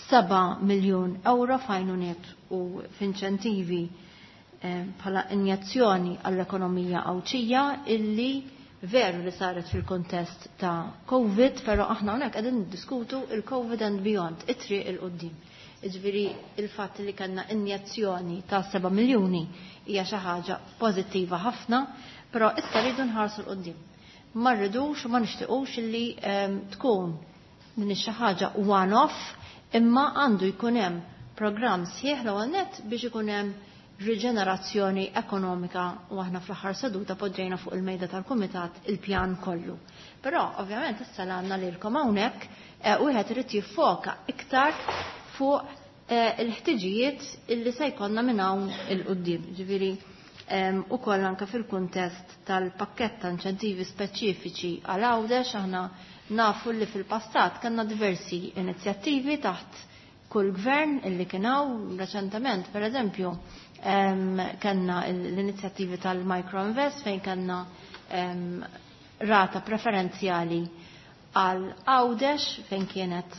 [SPEAKER 1] 7 miljun euro f'għajnuniet u f'inċentivi bħala injezzjoni għall-ekonomija Għawdxija illi veru li saret fil-kontest ta' Covid, pero aħna hawnhekk qegħdin niddiskutu il-Covid and beyond, it-triq il-qoddim. Jiġifieri il-fatt li kellna injezzjoni ta' 7 miljuni hija xi ħaġa pożittiva ħafna, però issa rridu nħarsu 'l quddiem. Ma rridux u ma nixtiequx li tkun din xi ħaġa one-off, imma għandu jkun hemm programm sħiħ l-ewwel nett biex ikun hemm riġenerazzjoni ekonomika u aħna fl-aħħar seduta poġġejna fuq il-mejda tal-kumitat il-pjan kollu. Però ovvjament issa għandna lilkom hawnhekk wieħed irid jiffoka iktar fuq il-ħtiġijiet illi se jkollna minn hawn il-quddiem. Ġifieri ukoll anke fil-kuntest tal-pakkett ta' inċentivi speċifiċi għal Għawdex aħna nafu li fil-passat kellna diversi inizjattivi taħt kull gvern illi kien hawn reċentement, per eżempju, kellna l-inizjattivi tal-Microinvest fejn kellna rata preferenzjali għal Għawdex fejn kienet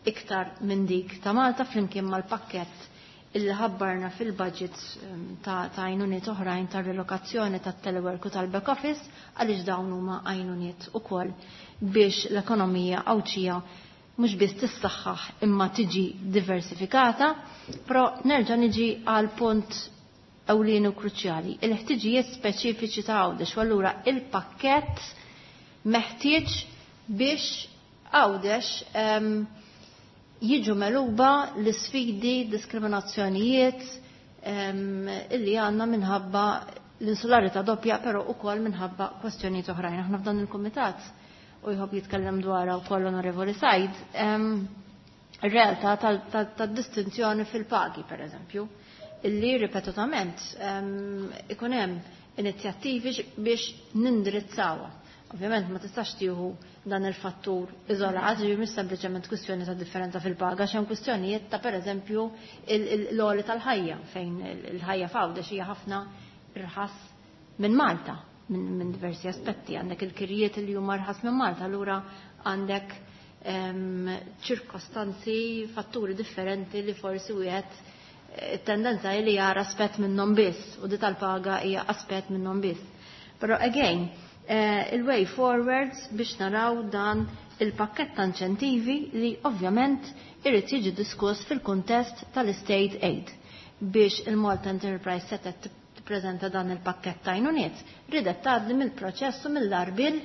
[SPEAKER 1] iktar minn dik ta' Malta flimkien mal-pakkett illi ħabbarna fil-budget ta' għajnuniet oħrajn ta' relokazzjoni ta' telework u tal-back office għaliex dawn huma għajnuniet ukoll biex l-ekonomija Għawdxija mhux biss tissaħħaħ imma tiġi diversifikata, però nerġa' niġi għal punt ewlieni u kruċjali, il-ħtiġijiet speċifiċi ta' Għawdex, u allura il-pakkett meħtieġ biex Għawdex jiġu meluba l-sfidi, diskriminazzjonijiet illi għandna minħabba l-insularità doppja, però ukoll minħabba kwestjonijiet oħrajn. Aħna f'dan il-kumitat u jħobb jitkellem dwarha wkoll Onorevoli Said, ir-realtà tad-distinzjoni fil-pagi, per eżempju, illi ripetutament ikun hemm inizjattivi biex nindirizzawha. Ovvjament ma tistax tieħu dan il-fattur iżolat, ġifieri mhux sempliċement kwistjoni ta' differenza fil-paga, x'hemm kwistjonijiet ta' pereżempju l-għoli tal-ħajja fejn il-ħajja f'Għawdex hija ħafna irħas minn Malta minn diversi aspetti. Għandek il-kirjiet li huma rħas minn Malta, allura għandek ċirkostanzi, fatturi differenti li forsi wieħed it-tendenza li jara aspett minnhom biss u di tal-paga hija aspett minnhom biss. Però again, il-way forward biex naraw dan il-pakket ta' inċentivi li ovvjament irid jiġi diskuss fil-kuntest tal-state aid biex il-Malta Enterprise setet tippreżenta dan il-pakket ta' għajnuniet, ridet tgħaddi mill-proċess u mill-arbil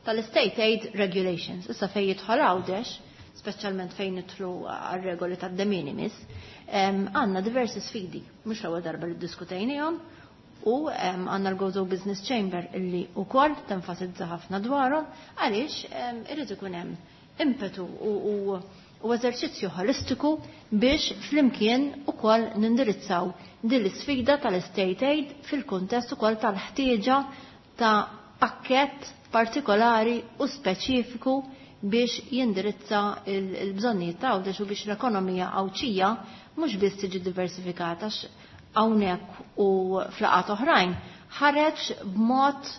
[SPEAKER 1] tal-State Aid Regulations. Issa fejn jidħol Għawdex, speċjalment fejn nidħlu għar-regoli tad-de minimis, għandna diversi sfidi, mhux l-ewwel darba li ddiskutejnihom, u għandna l-Gozo Business Chamber illi wkoll tenfasizza ħafna dwarhom għaliex irid ikun hemm impetu u eżerċizzju holistiku biex flimkien ukoll nindirizzaw din l-isfida tal-state aid fil-kuntest ukoll tal-ħtieġa ta' pakkett partikolari u speċifiku biex jindirizza il-bżonnijiet ta' Għawdex u biex l-ekonomija Għawdxija mhux biss tiġi diversifikata hawnhekk u flaqat oħrajn ħareġ b'mod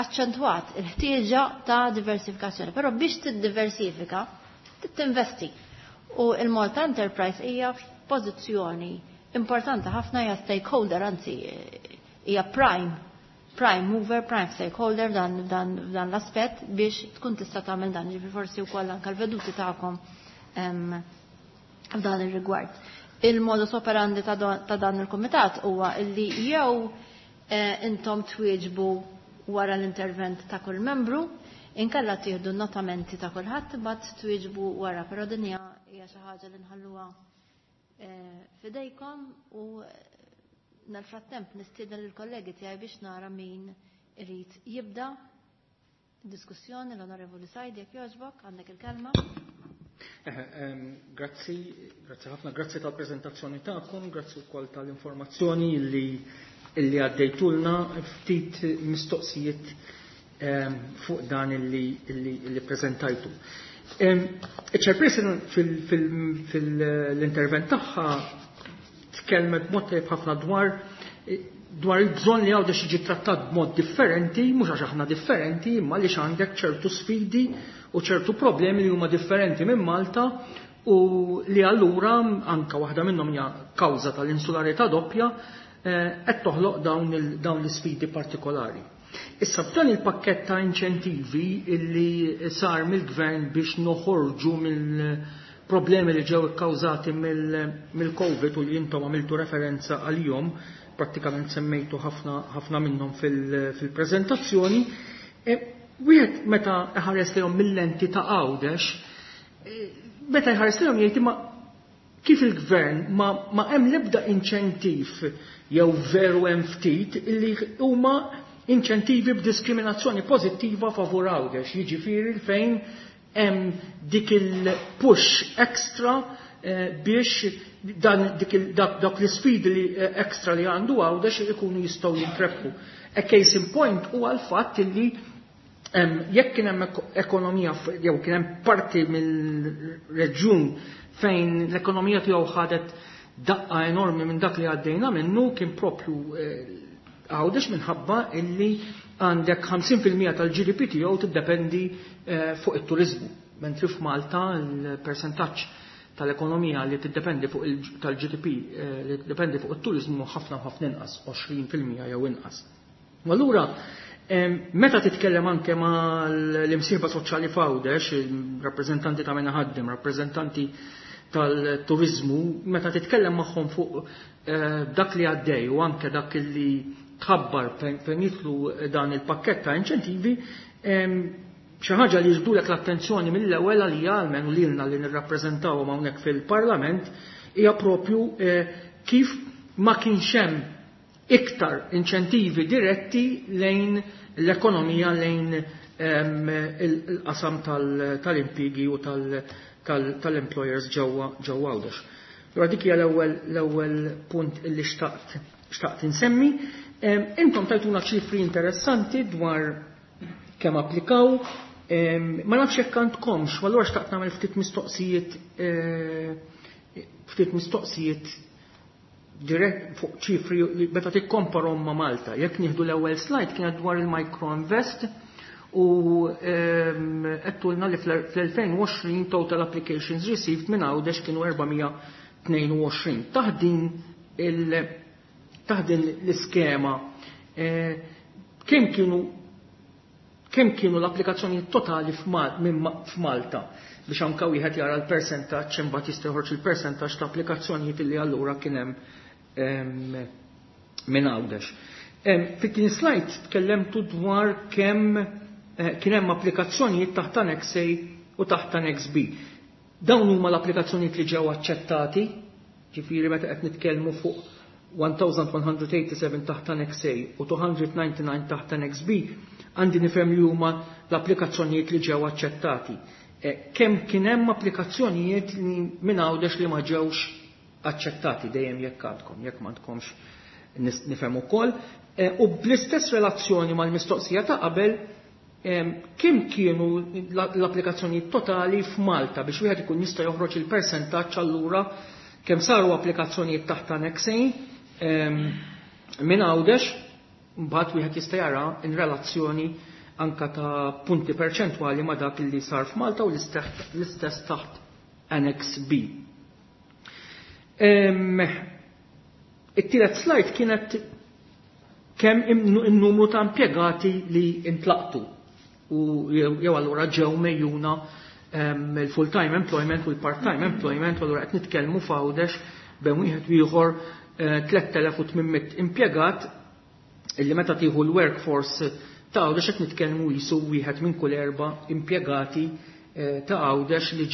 [SPEAKER 1] aċċentwat il-ħtieġa ta' diversifikazzjoni. Però biex tiddiversifika tinvesti. U il-Malta Enterprise hija f'pożizzjoni importanti ħafna, hija stakeholder, anzi hija prime mover, prime stakeholder dan l-aspett biex tkun tista' tagħmel dan, ġifieri forsi wkoll anke l-veduti tagħkom f'dan ir-rigward. Il-modus operandi ta' dan il-kumitat huwa illi jew intom twieġbu wara l-intervent ta' kull membru, inkella tieħdu notamenti ta' kulħadd imbagħad twieġbu wara, però din hija xi ħaġa li nħalluha fidejkom u nal-frattemp nistieden lill-kollegi tiegħi biex nara min irid jibda diskussjoni. L-Onorevoli Said, jekk jogħġbok, għandek il-kelma.
[SPEAKER 2] Grazzi, grazzi ħafna, grazzi tal-prezentazzjoni tagħkom, grazzi wkoll tal-informazzjoni illi għaddejtulna. Ftit mistoqsijiet fuq dan illi prezentajtu. Iċ-chairperson fil-intervent tagħha tkellmet b'mod tajjeb ħafna dwar il-bżonn li Għawdex jiġi trattat b'mod differenti, mhux għax aħna differenti, imma għaliex għandek ċertu sfidi u ċertu problemi li huma differenti minn Malta u li allura anka waħda minnhom hija kawża tal-insularità doppja qed toħloq dawn l-isfidi partikolari. Issa f'dan il-pakkett ta' inċentivi illi sar mill-gvern biex noħorġu mill-problemi li ġew ikkawżati mill-Covid u li intom għamiltu referenza għalihom, prattikament semmejtu ħafna minnhom fil-preżentazzjoni, wieħed meta iħares lejhom mill-lenti ta' Għawdex, meta jħares lejhom jgħid imma kif il-gvern ma hemm l-ebda inċentiv jew veru hemm ftit illi huma inċentivi b'diskriminazzjoni pożittiva favur Għawdex, jiġifieri fejn hemm dik il-push extra biex dan dak l-isfidi li extra li għandu Għawdex ikunu jistgħu jintrebħu. A case in point huwa l-fatt illi jekk kien hemm ekonomija jew kien hemm parti mill-reġjun fejn l-ekonomija tiegħu ħadet daqqa enormi minn dak li għaddejna minnu kien propju Għawdex minħabba illi għandek 50% tal-GDP tiegħu tiddependi fuq it-turizmu. Mentri f'Malta l-persentaġġ tal-ekonomija li tiddependi fuq tal-GDP li tiddependi fuq it-turizmu ħafna u ħafna inqas, 20% jew inqas. U allura meta titkellem anke ma' l-imsieħba soċjali f'Għawdex, rappreżentanti ta' min iħaddem, rappreżentanti tal-turizmu, meta titkellem magħhom fuq dak li għaddej u anke dak li tħabbar fejn jidħlu dan il-pakkett ta' inċentivi, xi ħaġa li jiġbdulek l-attenzjoni mill-ewwel għalija almenu lilna li nirrappreżentawhom hawnhekk fil-Parlament hija propju kif ma kienx hemm iktar inċentivi diretti lejn l-ekonomija, lejn il-qasam tal-impjiegi u tal-employers ġewwa Għawdex. Allura dik hija l-ewwel punt illi xtaqt insemmi. Intom tajtuna ċifri interessanti dwar kemm applikaw. Ma nafx jekk għandkomx, u allura xtaqt nagħmel ftit mistoqsijiet ftit mistoqsijiet dirett fuq ċifri li meta tikkomparhom ma' Malta. Jekk nieħdu l-ewwel slide kienet dwar il-Micro Invest u għedtulna li fl-2020 total applications received minn Għawdex kienu 422. Taħt din l-iskema kemm kienu l-applikazzjoni totali f'Malta biex anka wieħed jara l-persentaġġ imbagħad jista' joħroġ il-persentaġġ ta' applikazzjonijiet li allura kien hemm minn Għawdex. Fit-tieni slide tkellemtu dwar kemm kien hemm applikazzjonijiet taħt Annex A u taħt Annex B. Dawn huma l-applikazzjonijiet li ġew aċċettati, ġifieri meta qed nitkellmu fuq 1187 taħt Annex A u 299 taħt Annex B, għandi nifhem li huma l-applikazzjonijiet li ġew aċċettati. Kemm kien hemm applikazzjonijiet li minn Għawdex li ma ġewx aċċettati dejjem jekk għandkom, jekk m'għandkomx nifhem ukoll. U bl-istess relazzjoni mal-mistoqsija ta' qabel, kemm kienu l-applikazzjonijiet totali f'Malta biex wieħed ikun jista' joħroġ il-persentaġġ allura kemm saru applikazzjonijiet taħt Annex A minn Għawdex, mbagħad wieħed jista' jara in relazzjoni anka ta' punti perċentwali ma' dak li sar f'Malta u l-istess taħt Annex B. It-tielet slide kienet kemm in-numru ta' impjegati li intlaqtu u jew allura ġew mejjuna il-full-time employment u l-part-time employment, u allura qed nitkellmu f'Għawdex bejn wieħed u ieħor 3800 impjegat illi meta tieħu l-workforce ta' Għawdex qed nitkellmu jisu wieħed minn kull 4 impjegati ta' Għawdex li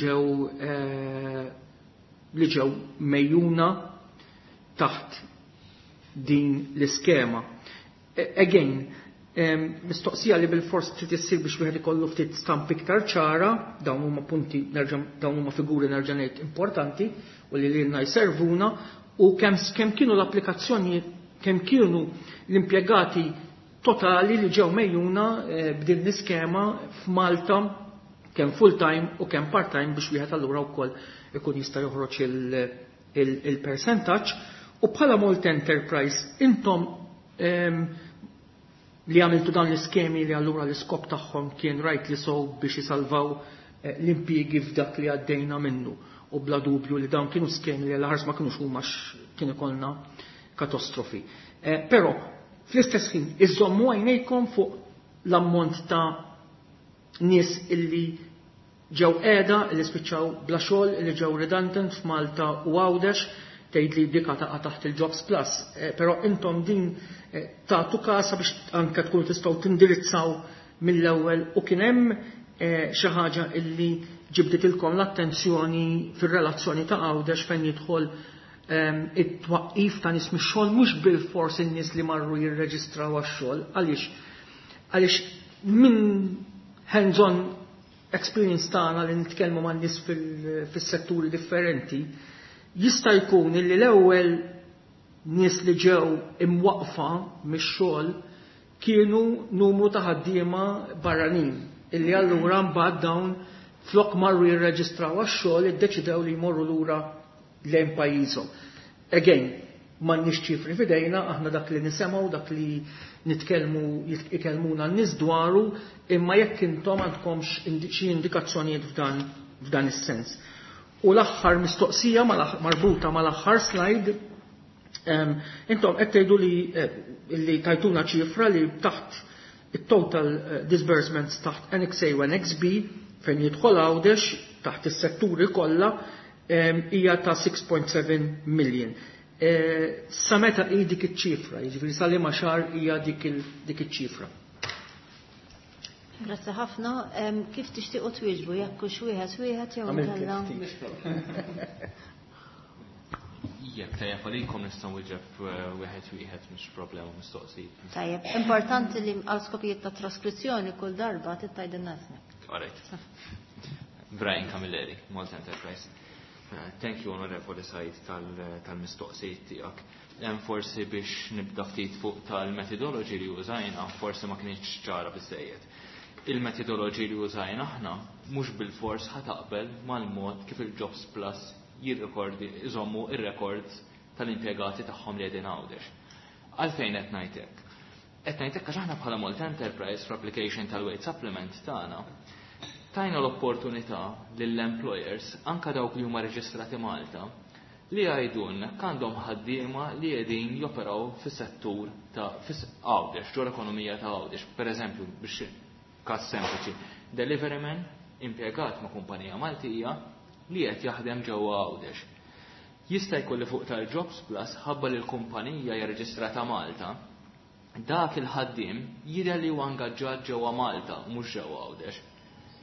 [SPEAKER 2] ġew mejjuna taħt din l-iskema. Again, mistoqsija li bil-fors trid issir biex wieħed ikollu ftit stamp iktar ċara, dawn huma punti nerġa' dawn huma figuri nerġa' ngħid importanti u li lilna jservuna, u kemm kienu l-applikazzjoni, kemm kienu l-impjegati totali li ġew mejjuna b'din l-iskema f'Malta, kemm full-time u kemm part-time, biex wieħed allura wkoll ikun jista' joħroġ il-percentaġġ? U bħala Malta Enterprise, intom li għamiltu dan l-iskemi li allura l-iskop tagħhom kien rightly so biex jisalvaw l-impjiegi f'dak li għaddejna minnu, u bla dubju li dawn kienu skemi li għal ma kienux huma kien ikollna katastrofi. Però fl-istess ħin iżommu għajnejkom fuq l-ammont ta' nies illi ġew qiegħda, li spiċċaw bla xogħol, li ġew redundant f'Malta u Għawdex? Tgħid li dika taqa' taħt il-Jobs Plus, però intom din tagħtu kasa biex anke tkunu tistgħu tindirizzaw mill-ewwel, u kien hemm xi ħaġa illi ġibditilkom l-attenzjoni fir-relazzjoni ta' Għawdex fejn jidħol it-twaqqif ta' nies mix-xogħol, mhux bil-fors in-nies li marru jirreġistraw għax-xogħol? Għaliex minn hands-on experience tagħna li nitkellmu man nies fis-setturi differenti, jista' jkun illi l-ewwel nies li ġew imwaqfa mix-xogħol kienu numru ta' ħaddiema barranin illi allura mbagħad dawn, flok marru jirreġistraw għax-xogħol, iddeċidew li jmorru lura lejn pajjiżhom. Again, m'għandniex ċifri f'idejna, aħna dak li nisimgħu, dak li nitkellmu, ikellmuna n-nies dwaru, imma jekk intom għandkomx xi indikazzjonijiet f'dan is-sens. U l-aħħar mistoqsija marbuta mal-aħħar slide, intom qed tgħidu li tajtuna ċifra li taħt it-total disbursements taħt Annex A u Annex B fejn jidħol Għawdex taħt is-setturi kollha hija ta' 6.7 million. Sa meta hi dik iċ-ċifra, jiġifieri sa liema xahar hija dik iċ-ċifra?
[SPEAKER 1] Grazzi ħafna. Kif tixtiequ twieġbu, jekk hux wieħed wieħed jew inkella?
[SPEAKER 4] Jekk tajjeb għalikom, nistgħu nwieġeb wieħed wieħed, mhux problema mistoqsijiet.
[SPEAKER 1] Tajjeb, importanti li għal skopijiet ta' traskrizzjoni kull darba tgħidilna ismek.
[SPEAKER 4] All right. Brian Camilleri, Malta Enterprise. Thank you, Onorevoli Said, tal-mistoqsijiet tiegħek. Hemm forsi biex nibda ftit fuq tal-methodology li użajna, forsi ma kienx ċara biżejjed. Il-methodology li użajna aħna mhux bil-fors ħa taqbel mal-mod kif il-Jobs Plus jirrekordi, iżommu ir-records tal-impjegati tagħhom li qegħdin Għawdex. Għalfejn qed ngħid hekk? Qed ngħid hekk għax aħna bħala Malta Enterprise, fl-application tal-wage supplement tagħna, tajna l-opportunità lill-employers, anka dawk li huma reġistrati Malta, li jgħidulna għandhom ħaddiema li qegħdin joperaw fis-settur ta' Għawdex, ġo l-ekonomija ta' Għawdex. Per eżempju, biex każ sempliċi, deliveryman impjegat ma' kumpanija Maltija li qed jaħdem ġewwa Għawdex. Jista' jkun li fuq tal-Jobs Plus, ħabba li l-kumpanija hija reġistrata Malta, dak il-ħaddiem jidher li huwa ingaġġat ġewwa Malta u mhux ġewwa Għawdex.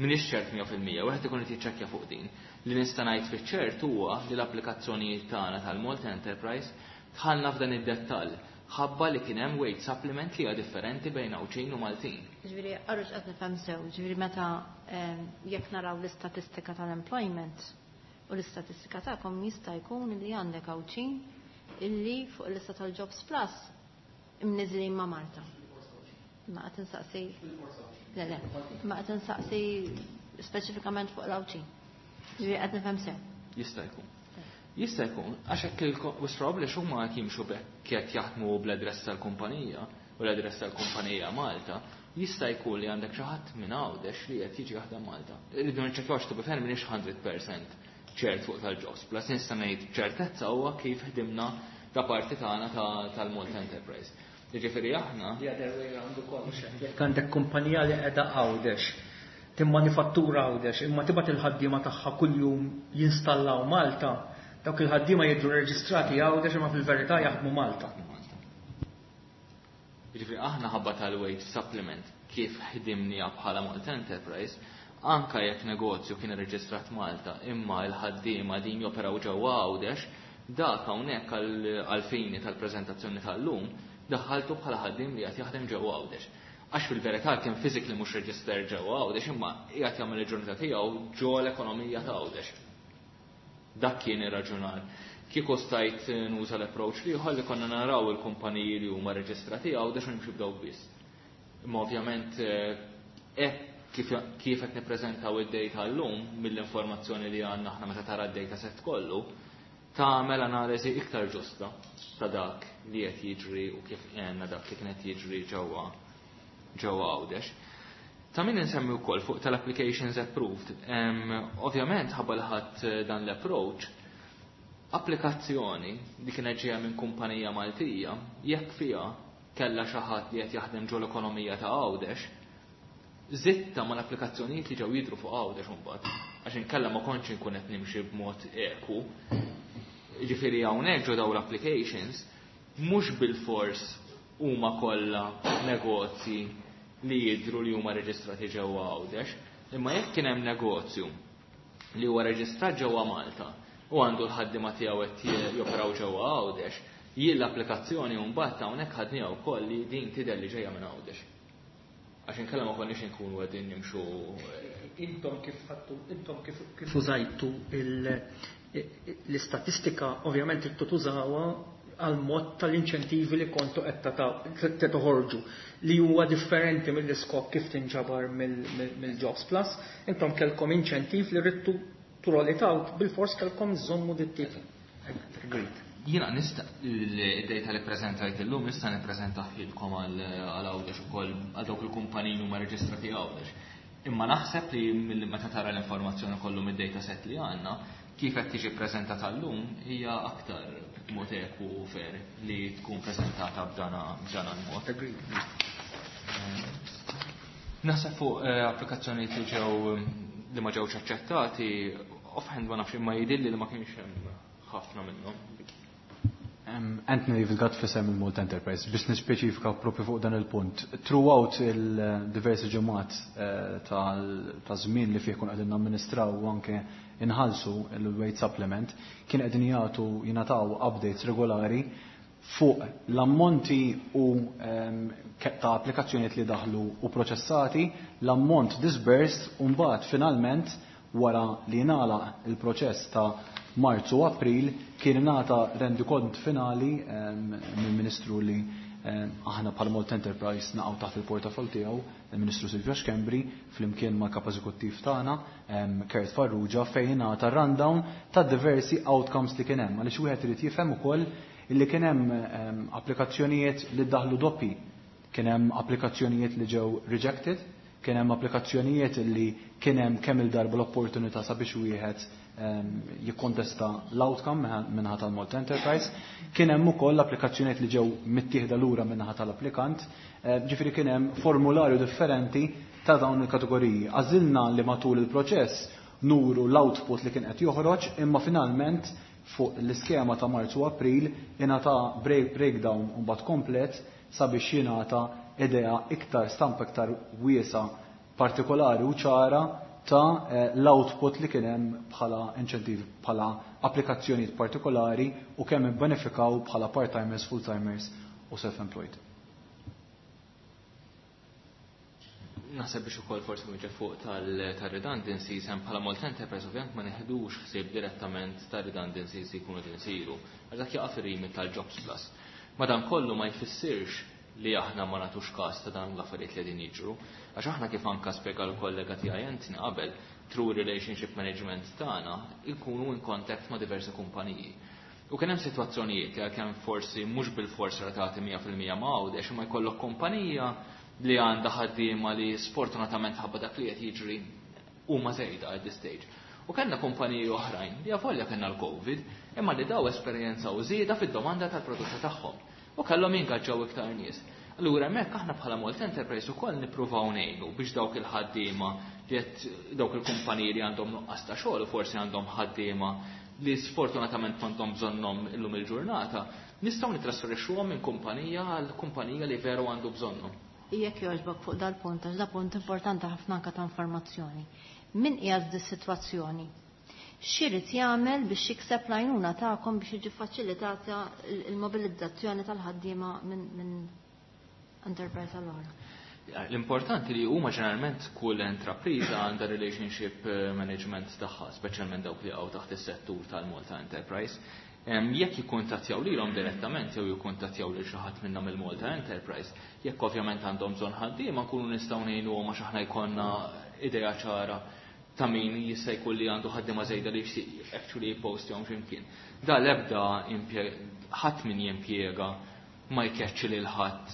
[SPEAKER 4] M'iniex ċert 100%, wieħed ikun qed jiċċekkja fuq din. Li nista' ngħid fiċ-ċert huwa li l-applikazzjonijiet tagħna tal-Malta Enterprise dħalna f'dan id-dettall ħabba li kien hemm wage supplement li hija differenti bejn Għawdxin u Maltin.
[SPEAKER 1] Ġifieri, għarux qed nifhem sew, ġifieri meta jekk naraw l-istatistika tal-employment u l-istatistika tagħkom, jista' jkun li għandek Għawdxin illi fuq il-lista tal-Jobs Plus imniżlin ma' Malta. Ma qed insaqsi. Le, ma qed insaqsi speċifikament fuq l-Għawdxin. Ġifieri qed nifhem sew?
[SPEAKER 4] Jista' jkun. Jista' jkun, għax hekk il-probabbli x'huma qed jimxu qed jaħdmu bl-adress tal-kumpanija u l-adress tal-kumpanija Malta, jista' jkun li għandek xi ħadd minn Għawdex li qed jiġi jaħdem Malta. Irridu niċċekkjaw, to be fair m'iniex 100% ċert fuq tal-Jobs Plus, nista' ngħid ċertezza huwa kif ħdimna ta' parti tagħna tal-Malta Enterprise. Jiġifieri aħna
[SPEAKER 2] The other way round ukoll. Jekk għandek kumpanija li qiegħda Għawdex, timmanifattura Għawdex, imma tibgħat il-ħaddiema tagħha kuljum jinstallaw Malta, dawk il-ħaddiema jidhru reġistrati Għawdex imma fil-verità jaħdmu Malta.
[SPEAKER 4] Jiġifieri aħna ħabba tal-wage supplement kif ħdimnija bħala Malta Enterprise, anka jekk negozju kien irreġistrat Malta imma l-ħaddiema din joperaw ġewwa Għawdex, dak hawnhekk għal-fini tal-preżentazzjoni tal-lum daħħaltu bħala ħaddiem li qed jaħdem ġewwa Għawdex. Għax fil-verità kien physically mhux register ġewwa Għawdex imma qiegħed jagħmel il-ġurnata tiegħu ġo l-ekonomija ta' Għawdex. Dak kien ir-raġunar. Kieku stajt nuża l-approach li li konna naraw il-kumpaniji li huma reġistrati Għawdex u nimxu b'dawk biss. Imma ovvjament hekk kif qed nippreżentaw id-data llum mill-informazzjoni li għandna aħna meta tara d-data set kollu, tagħmel analiżi iktar ġusta ta' dak li qed jiġri u kif għenna dak li kien qed jiġri ġewwa ġewwa Għawdex. Ta' min insemmi wkoll fuq tal-applications approved. Ovvjament ħabba li ħadd dan l-approach, applikazzjoni li kienet ġejja minn kumpanija Maltija, jekk fiha kellha xi ħadd li qed jaħdem ġol ekonomija ta' Għawdex, zitta ma l-applikazzjonijiet li ġew jidru fuq Għawdex imbagħad, għax inkella ma kontx inkun qed nimxi b'mod eku. Jiġifieri hawnhekk ġo dawn l-applications mhux bilfors huma kollha negozji li jidhru li huma reġistrati ġewwa Għawdex, imma jekk kien hemm negozju li huwa reġistrat ġewwa Malta u għandu l-ħaddiema tiegħu qed joperaw ġewwa Għawdex, jien l-applikazzjoni mbagħad hawnhekk ħadniha wkoll li din tidher li ġejja minn Għawdex. Għax inkella ma konniex inkunu qegħdin nimxu.
[SPEAKER 2] Intom kif ħadtu, intom kif użajtu l-istatistika, ovvjament tridtu tużawha għal mod tal-inċentivi li kontu qed toħorġu li huwa differenti mill-iskop kif tinġabar mill-Jobs Plus. Intom kellkom inċentiv li ridtu to roll it out, bil-fors kellkom żommu dit-tip. Agreed.
[SPEAKER 4] Jiena nista' l-data li preżentajt illum nista' nippreżentahilkom għal Għawdex ukoll għal dawk il-kumpaniji huma reġistrati Għawdex. Imma naħseb li meta tara l-informazzjoni kollu mid-data set li għandna, kif qed tiġi ppreżentata llum hija aktar mod eku u fair li tkun preżentata b'dana l-mod. Naħseb fuq applikazzjonijiet li ġew li ma ġewx aċċettati, offhand ma nafx imma jidhirli li ma kienx hemm ħafna minnhom.
[SPEAKER 5] Anthony David Gatt f'isem il-Malta Enterprise, biex nispeċifika propju fuq dan il-punt. Throughout il-diversi ġimgħat ta' żmien li fih kun qegħdin namministraw u anke inħallsu il-wage supplement, kien qegħdin jagħtu jingħataw updates regolari fuq l-ammonti u ta' applikazzjonijiet li daħlu u proċessati, l-ammont disbursed u mbagħad finalment wara li ngħalaq il-proċess ta' Marzu u April kien ingħata rendikont finali mill-Ministru li aħna bħala Malta Enterprise naqgħu taħt il-portafol tiegħu, il-Ministru Silvio Schembri, flimkien mal-kap eżekuttiv tagħna Kurt Farrugia, fejn ingħata rundown ta' diversi outcomes li kien hemm, għaliex wieħed irid jifhem ukoll illi kien hemm applikazzjonijiet li daħlu doppi, kien hemm applikazzjonijiet li ġew rejected, kien hemm applikazzjonijiet li kien hemm kemm il-darba l-opportunità sabiex wieħed jikkontesta l-outcome minnaħa tal-Malta Enterprise, kien hemm ukoll applikazzjonijiet li ġew mittieħda lura minnaħa tal-applikant, ġifieri kien hemm formularju differenti ta' dawn il-kategoriji. Għażilna li matul il-proċess nuru l-output li kien qed joħroġ, imma finalment fuq l-iskema ta' Marzu u April ingħata breakdown u mbagħad komplet sabiex jingħata idea iktar stampa iktar wiesa partikolari u ċara ta' l-output li kien hemm bħala inċentiv, bħala applikazzjonijiet partikolari u kemm ibbenefikaw bħala part-timers, full-timers u self-employed.
[SPEAKER 4] Naħseb biex ukoll forsi nwieġeb fuq tal-redundancies, hemm bħala Malta Enterprise ovvjament ma neħdux ħsieb direttament ta' redundancies li jkunu qed isiru, għax dak jaqa' fir-remit tal-Jobs Plus. Madankollu ma jfissirx li aħna ma nagħtux każ ta' dan l-affarijiet li qegħdin jiġru, għax aħna kif anka spjega l-kollega tiegħi Anthony qabel, through relationship management tagħna nkunu in contact ma' diversi kumpaniji. U kien hemm sitwazzjonijiet li għalkemm forsi mhux bil-fors relatati 100% ma' Għawdex, imma jkollok kumpanija li għandha ħaddiema li sfortunatament ħabba dak li qed jiġri huma żejda at this stage. U kellna kumpaniji oħrajn li avolja kellna l-Covid, imma li daw esperjenzaw żieda fid-domanda tal-prodotti tagħhom u kellhom jingaġġaw iktar nies. Allura hemmhekk aħna bħala Malta Enterprise ukoll nippruvaw ngħinu biex dawk il-ħaddiema li qed dawk il-kumpaniji li għandhom nuqqas ta' xogħol u forsi għandhom ħaddiema li sfortunatament m'għandhom bżonnhom illum il-ġurnata, nistgħu nitrasferixxuhom minn kumpanija għal kumpanija li veru għandu bżonnhom.
[SPEAKER 1] Jekk jogħġbok fuq dal-punt, għax da punt importanti ħafna anke ta' informazzjoni. Min qiegħed dis-sitwazzjoni? X'irid jagħmel biex jikseb l-għajnuna tagħkom biex jiġi faċilitata l-mobilizzazzjoni tal-ħaddiema minn enterprise għall-oħra?
[SPEAKER 4] L-importanti li huma ġeneralment kull intrapriża għandha relationship management tagħha, speċjalment dawk li għaw taħt is-settur tal-Malta Enterprise. Jekk jikkuntattjaw lilhom direttament jew jikkuntattjaw lil xi ħadd minnhom il-Malta Enterprise, jekk ovvjament għandhom bżonn ħaddiema nkunu nistgħu ngħinuhom għax aħna jkollna idea ċara ta' min jista' jkun li għandu ħaddiema żejda li jixtieq actually jippostjahom x'imkien. Da l-ebda ħadd min jimpjega ma jkeċċi lil ħadd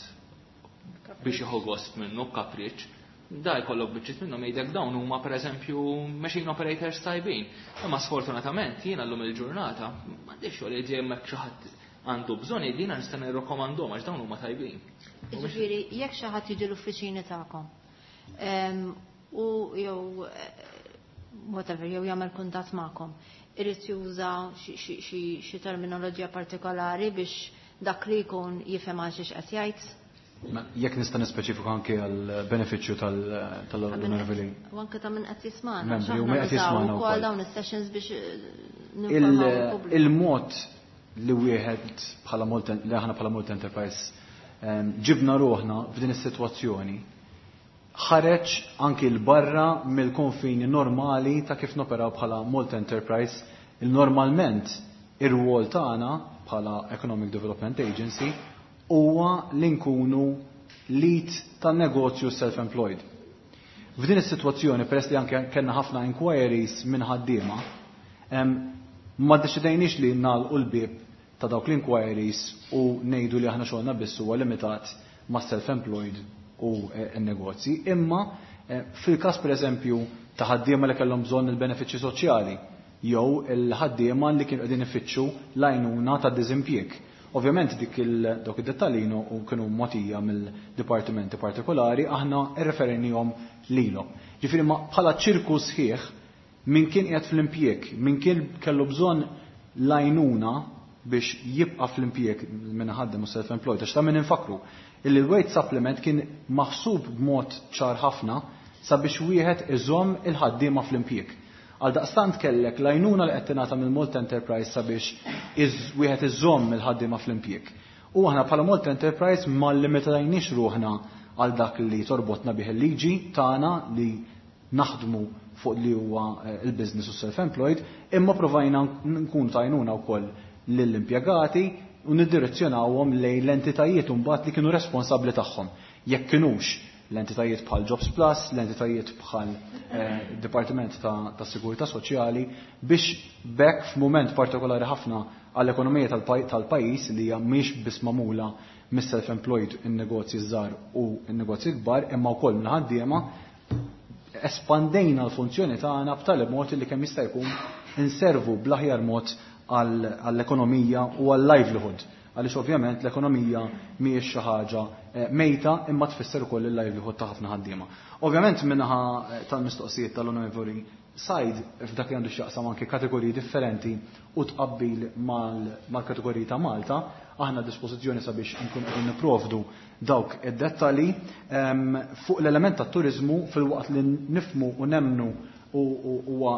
[SPEAKER 4] biex jieħu gost minnu b'kapriċċ. Da jkollok biċċiet minnhom jgħidlek dawn huma pereżempju machine operators tajbin. Imma sfortunatament jiena llum il-ġurnata m'għandix xogħol jgħid jekk xi ħadd għandu bżonn jgħid jiena nista' nirrakkomandhom għax dawn huma tajbin.
[SPEAKER 1] Jiġifieri jekk xi ħadd jiġi l-uffiċini tagħkom u jew whatever jew jagħmel kuntatt magħkom, irid juża xi terminoloġija partikolari biex dak li jkun jifhem għal xiex qed jgħid?
[SPEAKER 5] Jekk nista' nispeċifika anke għal benefiċċju tal-onorevoli.
[SPEAKER 1] U anke ta' min qed jismana.
[SPEAKER 5] Membri u min qed jismana
[SPEAKER 1] wkoll dawn is-sessions biex ninformaw il-pubbliku.
[SPEAKER 5] Il-mod li wieħed bħala Malta, li aħna bħala Malta Enterprise ġibna ruħna f'din is-sitwazzjoni ħareġ anki l-barra mill-konfini normali ta' kif noperaw bħala Malta Enterprise. Il-normalment ir-rwol tagħna bħala Economic Development Agency huwa li nkunu lead tan-negozju self-employed. F'din is-sitwazzjoni, peress li anke kellna ħafna inquiries minn ħaddiema, ma ddeċidejniex li nagħlqu l-bieb ta' dawk l-inquiries u ngħidu li aħna xogħolna biss huwa limitat ma' self-employed u n-negozji, imma fil-każ pereżempju ta' ħaddiema li kellhom bżonn il-benefiċċji soċjali jew il-ħaddiema li kienu qegħdin ifittxu l-għajnuna ta' diżimpjieg. Ovvjament dawk id-dettalji u kienu mogħtija mill-dipartimenti partikolari, aħna rreferenihom lilhom. Ġifieri ma bħala ċirku sħiħ min kien qiegħed fl-impjieg, min kien kellu bżonn l-għajnuna biex jibqa' fl-impjieg minn ħaddem u self-employed, għax ta' min infakru illi l-wage supplement kien maħsub b'mod ċar ħafna sabiex wieħed iżomm il-ħaddiema fl-impjieg. Għal daqstant kellek l-għajnuna li qed tingħata mill-Malta Enterprise sabiex wieħed iżomm il-ħaddiema fl-impjieg. U aħna bħala Malta Enterprise ma limitajniex ruħna għal dak li torbotna bih il-liġi tagħna li naħdmu fuq li huwa il-business u self-employed, imma provajna nkunu tajnuna wkoll lill-impjegati u niddirezzjonawhom lejn l-entitajiet mbagħad li kienu responsabbli tagħhom. Jekk kinux l-entitajiet bħal Jobs Plus, l-entitajiet bħal Dipartiment ta' Sigurtà Soċjali, biex bekk f'mument partikolari ħafna għall-ekonomija tal-pajjiż li hija mhix biss magħmula mis-self-employed in-negozji żgħar u n-negozji kbar, imma wkoll mill-ħaddiema, espandejna l-funzjoni tagħna b'tali mod li kemm jista' jkun inservu bl-aħjar mod għall-ekonomija u għall-livelihood. Għaliex ovvjament l-ekonomija mhijiex xi ħaġa mejta imma tfisser ukoll il-livelihood ta' ħafna ħaddiema. Ovvjament minnaħa tal-mistoqsijiet tal-Onorevoli Said f'dak li għandu x'jaqsam anke kategoriji differenti u tqabbil mal-kategoriji ta' Malta, aħna dispożizzjoni sabiex nkun qegħdin nipprovdu dawk id-dettalji fuq l-element tat-turiżmu fil-waqt li nifmu u nemnu u huwa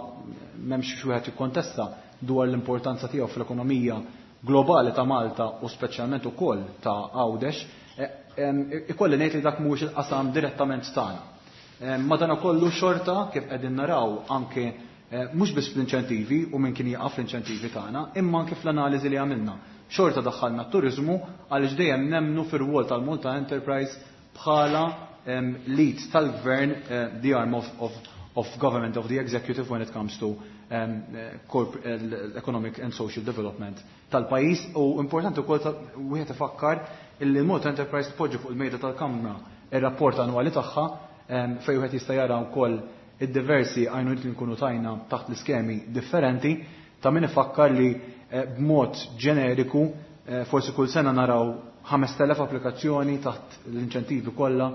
[SPEAKER 5] m'hemmx xi wieħed jikkontesta dwar l-importanza tiegħu fl-ekonomija globali ta' Malta u speċjalment ukoll ta' Għawdex, ikolli ngħid li dak mhuwiex il-qasam direttament tagħna. Madanakollu xorta kif qegħdin naraw anke mhux biss fl-inċentivi u min kien jaqaf fl-inċentivi tagħna, imma anke fl-analiżi li għamilna. Xorta daħħalna t-turiżmu għaliex dejjem nemnu fir-rwol tal-Malta Enterprise bħala lead tal-gvern, the arm of government, of the executive when it comes to economic and social development tal-pajjiż. U importanti wkoll wieħed ifakkar illi l-Malta Enterprise tpoġġi fuq il-mejda tal-Kamra ir-rapport annwali tagħha fejn wieħed jista' jara wkoll id-diversi għajnuniet li nkunu tajna taħt l-iskemi differenti. Ta' min ifakkar li b'mod ġeneriku forsi kull sena naraw 5,000 applikazzjoni taħt l-inċentivi kollha.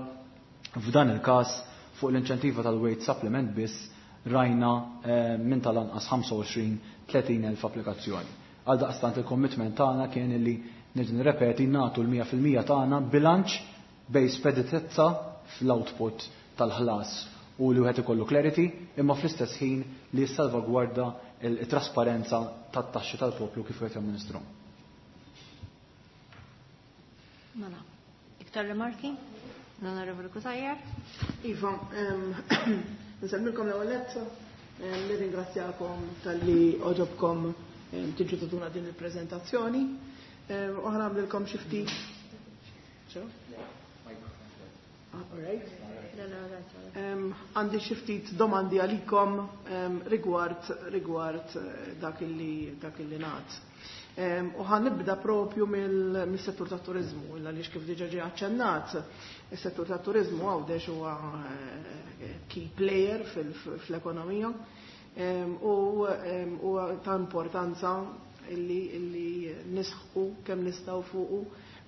[SPEAKER 5] F'dan il-każ fuq l-inċentiva tal-wage supplement biss rajna minn tal-anqas 25-30 elf applikazzjoni. Għal daqstant il-commitment tagħna kien illi nerġa' nirrepeti nagħtu l-mija fil-mija tagħna bilanċ bejn speditezza fl-output tal-ħlas u li wieħed ikollu clarity, imma fl-istess ħin li jissalvagwarda il-trasparenza tat-taxxi tal-poplu kif wieħed jamministru.
[SPEAKER 1] Mela, iktar rimarki? L-Onorevoli Cutajar?
[SPEAKER 3] Iva, nsemmilkom l-ewwel nett, nirringrazzjakom talli oġobkom tiġu tagħtuna din il-preżentazzjoni. U ħa nagħmlilkom xi ftit. Għandi xi ftit domandi għalikom rigward rigward dak illi dak illi ngħad. U ħa nibda propju mill-settur tat-turiżmu, għaliex kif diġà ġie aċċennat, is-settur tat-turiżmu Għawdex huwa key player fl-ekonomija u huwa ta' importanza illi nisħqu kemm nistgħu fuqu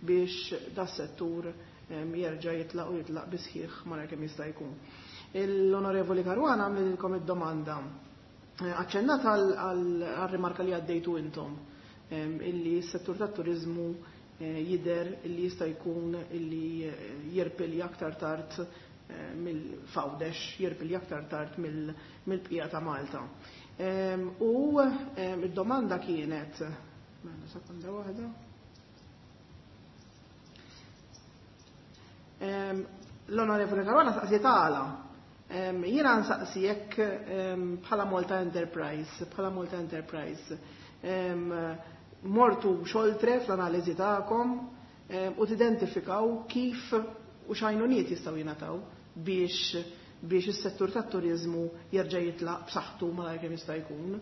[SPEAKER 3] biex das-settur jerġa' jitlaq u jitlaq bisħiħ malajr kemm jista' jkun. L-Onorevoli Caruana għamlilkom id-domanda. Aċċennat għal-rimarka li għaddejtu intom illi s-settur tat-turiżmu jidher illi jista' jkun illi jirpilja aktar tard mill-Għawdex, jirpilja aktar tard mill-bqija ta' Malta. U id-domanda kienet, mela sekonda waħda. L-Onorevoli Caruana saqsiet għala. Jiena nsaqsi jekk bħala Malta Enterprise, bħala Malta Enterprise, mortu xoltre fl-analiżi tagħkom u tidentifikaw kif u x'għajnuniet jistgħu jingħataw biex is-settur tat-turiżmu jerġa' jitlaq b'saħħtu malajr kemm jista' jkun.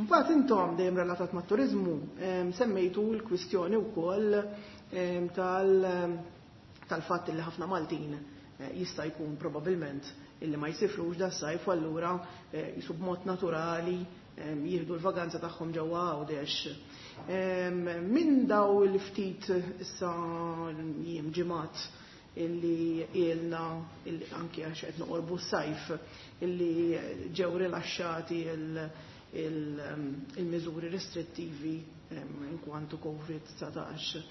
[SPEAKER 3] Mbagħad intom dejjem relatat mat-turiżmu semmejtu l-kwistjoni wkoll tal-fatt li ħafna Maltin jista' jkun probabbilment illi ma jsifrux da sajf u allura jisu b'mod naturali jieħdu l-vaganza tagħhom ġewwa Għawdex. Minn daw il-ftit issa jiem ġimgħat illi ilna anki għax qed noqorbu s-sajf illi ġew rilaxxati il-miżuri restrittivi inkwantu COVID-19.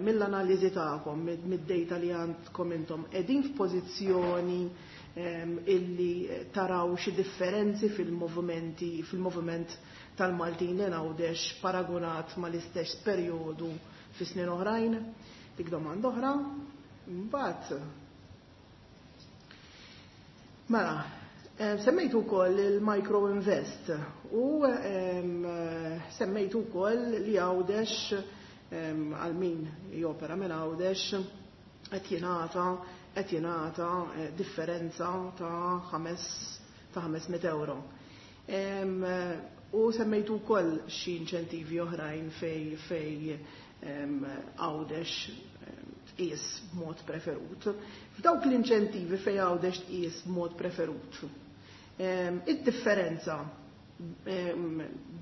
[SPEAKER 3] Mill-analiżi tagħkom, mid-data li għandkom intom, qegħdin f'pożizzjoni illi taraw xi differenzi fil-movimenti, fil-moviment tal-Maltin li Għawdex paragonat mal-istess perjodu fi snin oħrajn? Dik domanda oħra. Mbagħad mela, semmejtu wkoll il-Micro Invest u semmejtu wkoll li Għawdex għal min jopera minn Għawdex qed jingħata differenza ta' 500 euro. U semmejtu wkoll xi inċentivi oħrajn fej Għawdex tqis b'mod preferut. F'dawk l-inċentivi fej Għawdex tqis b'mod preferut, id-differenza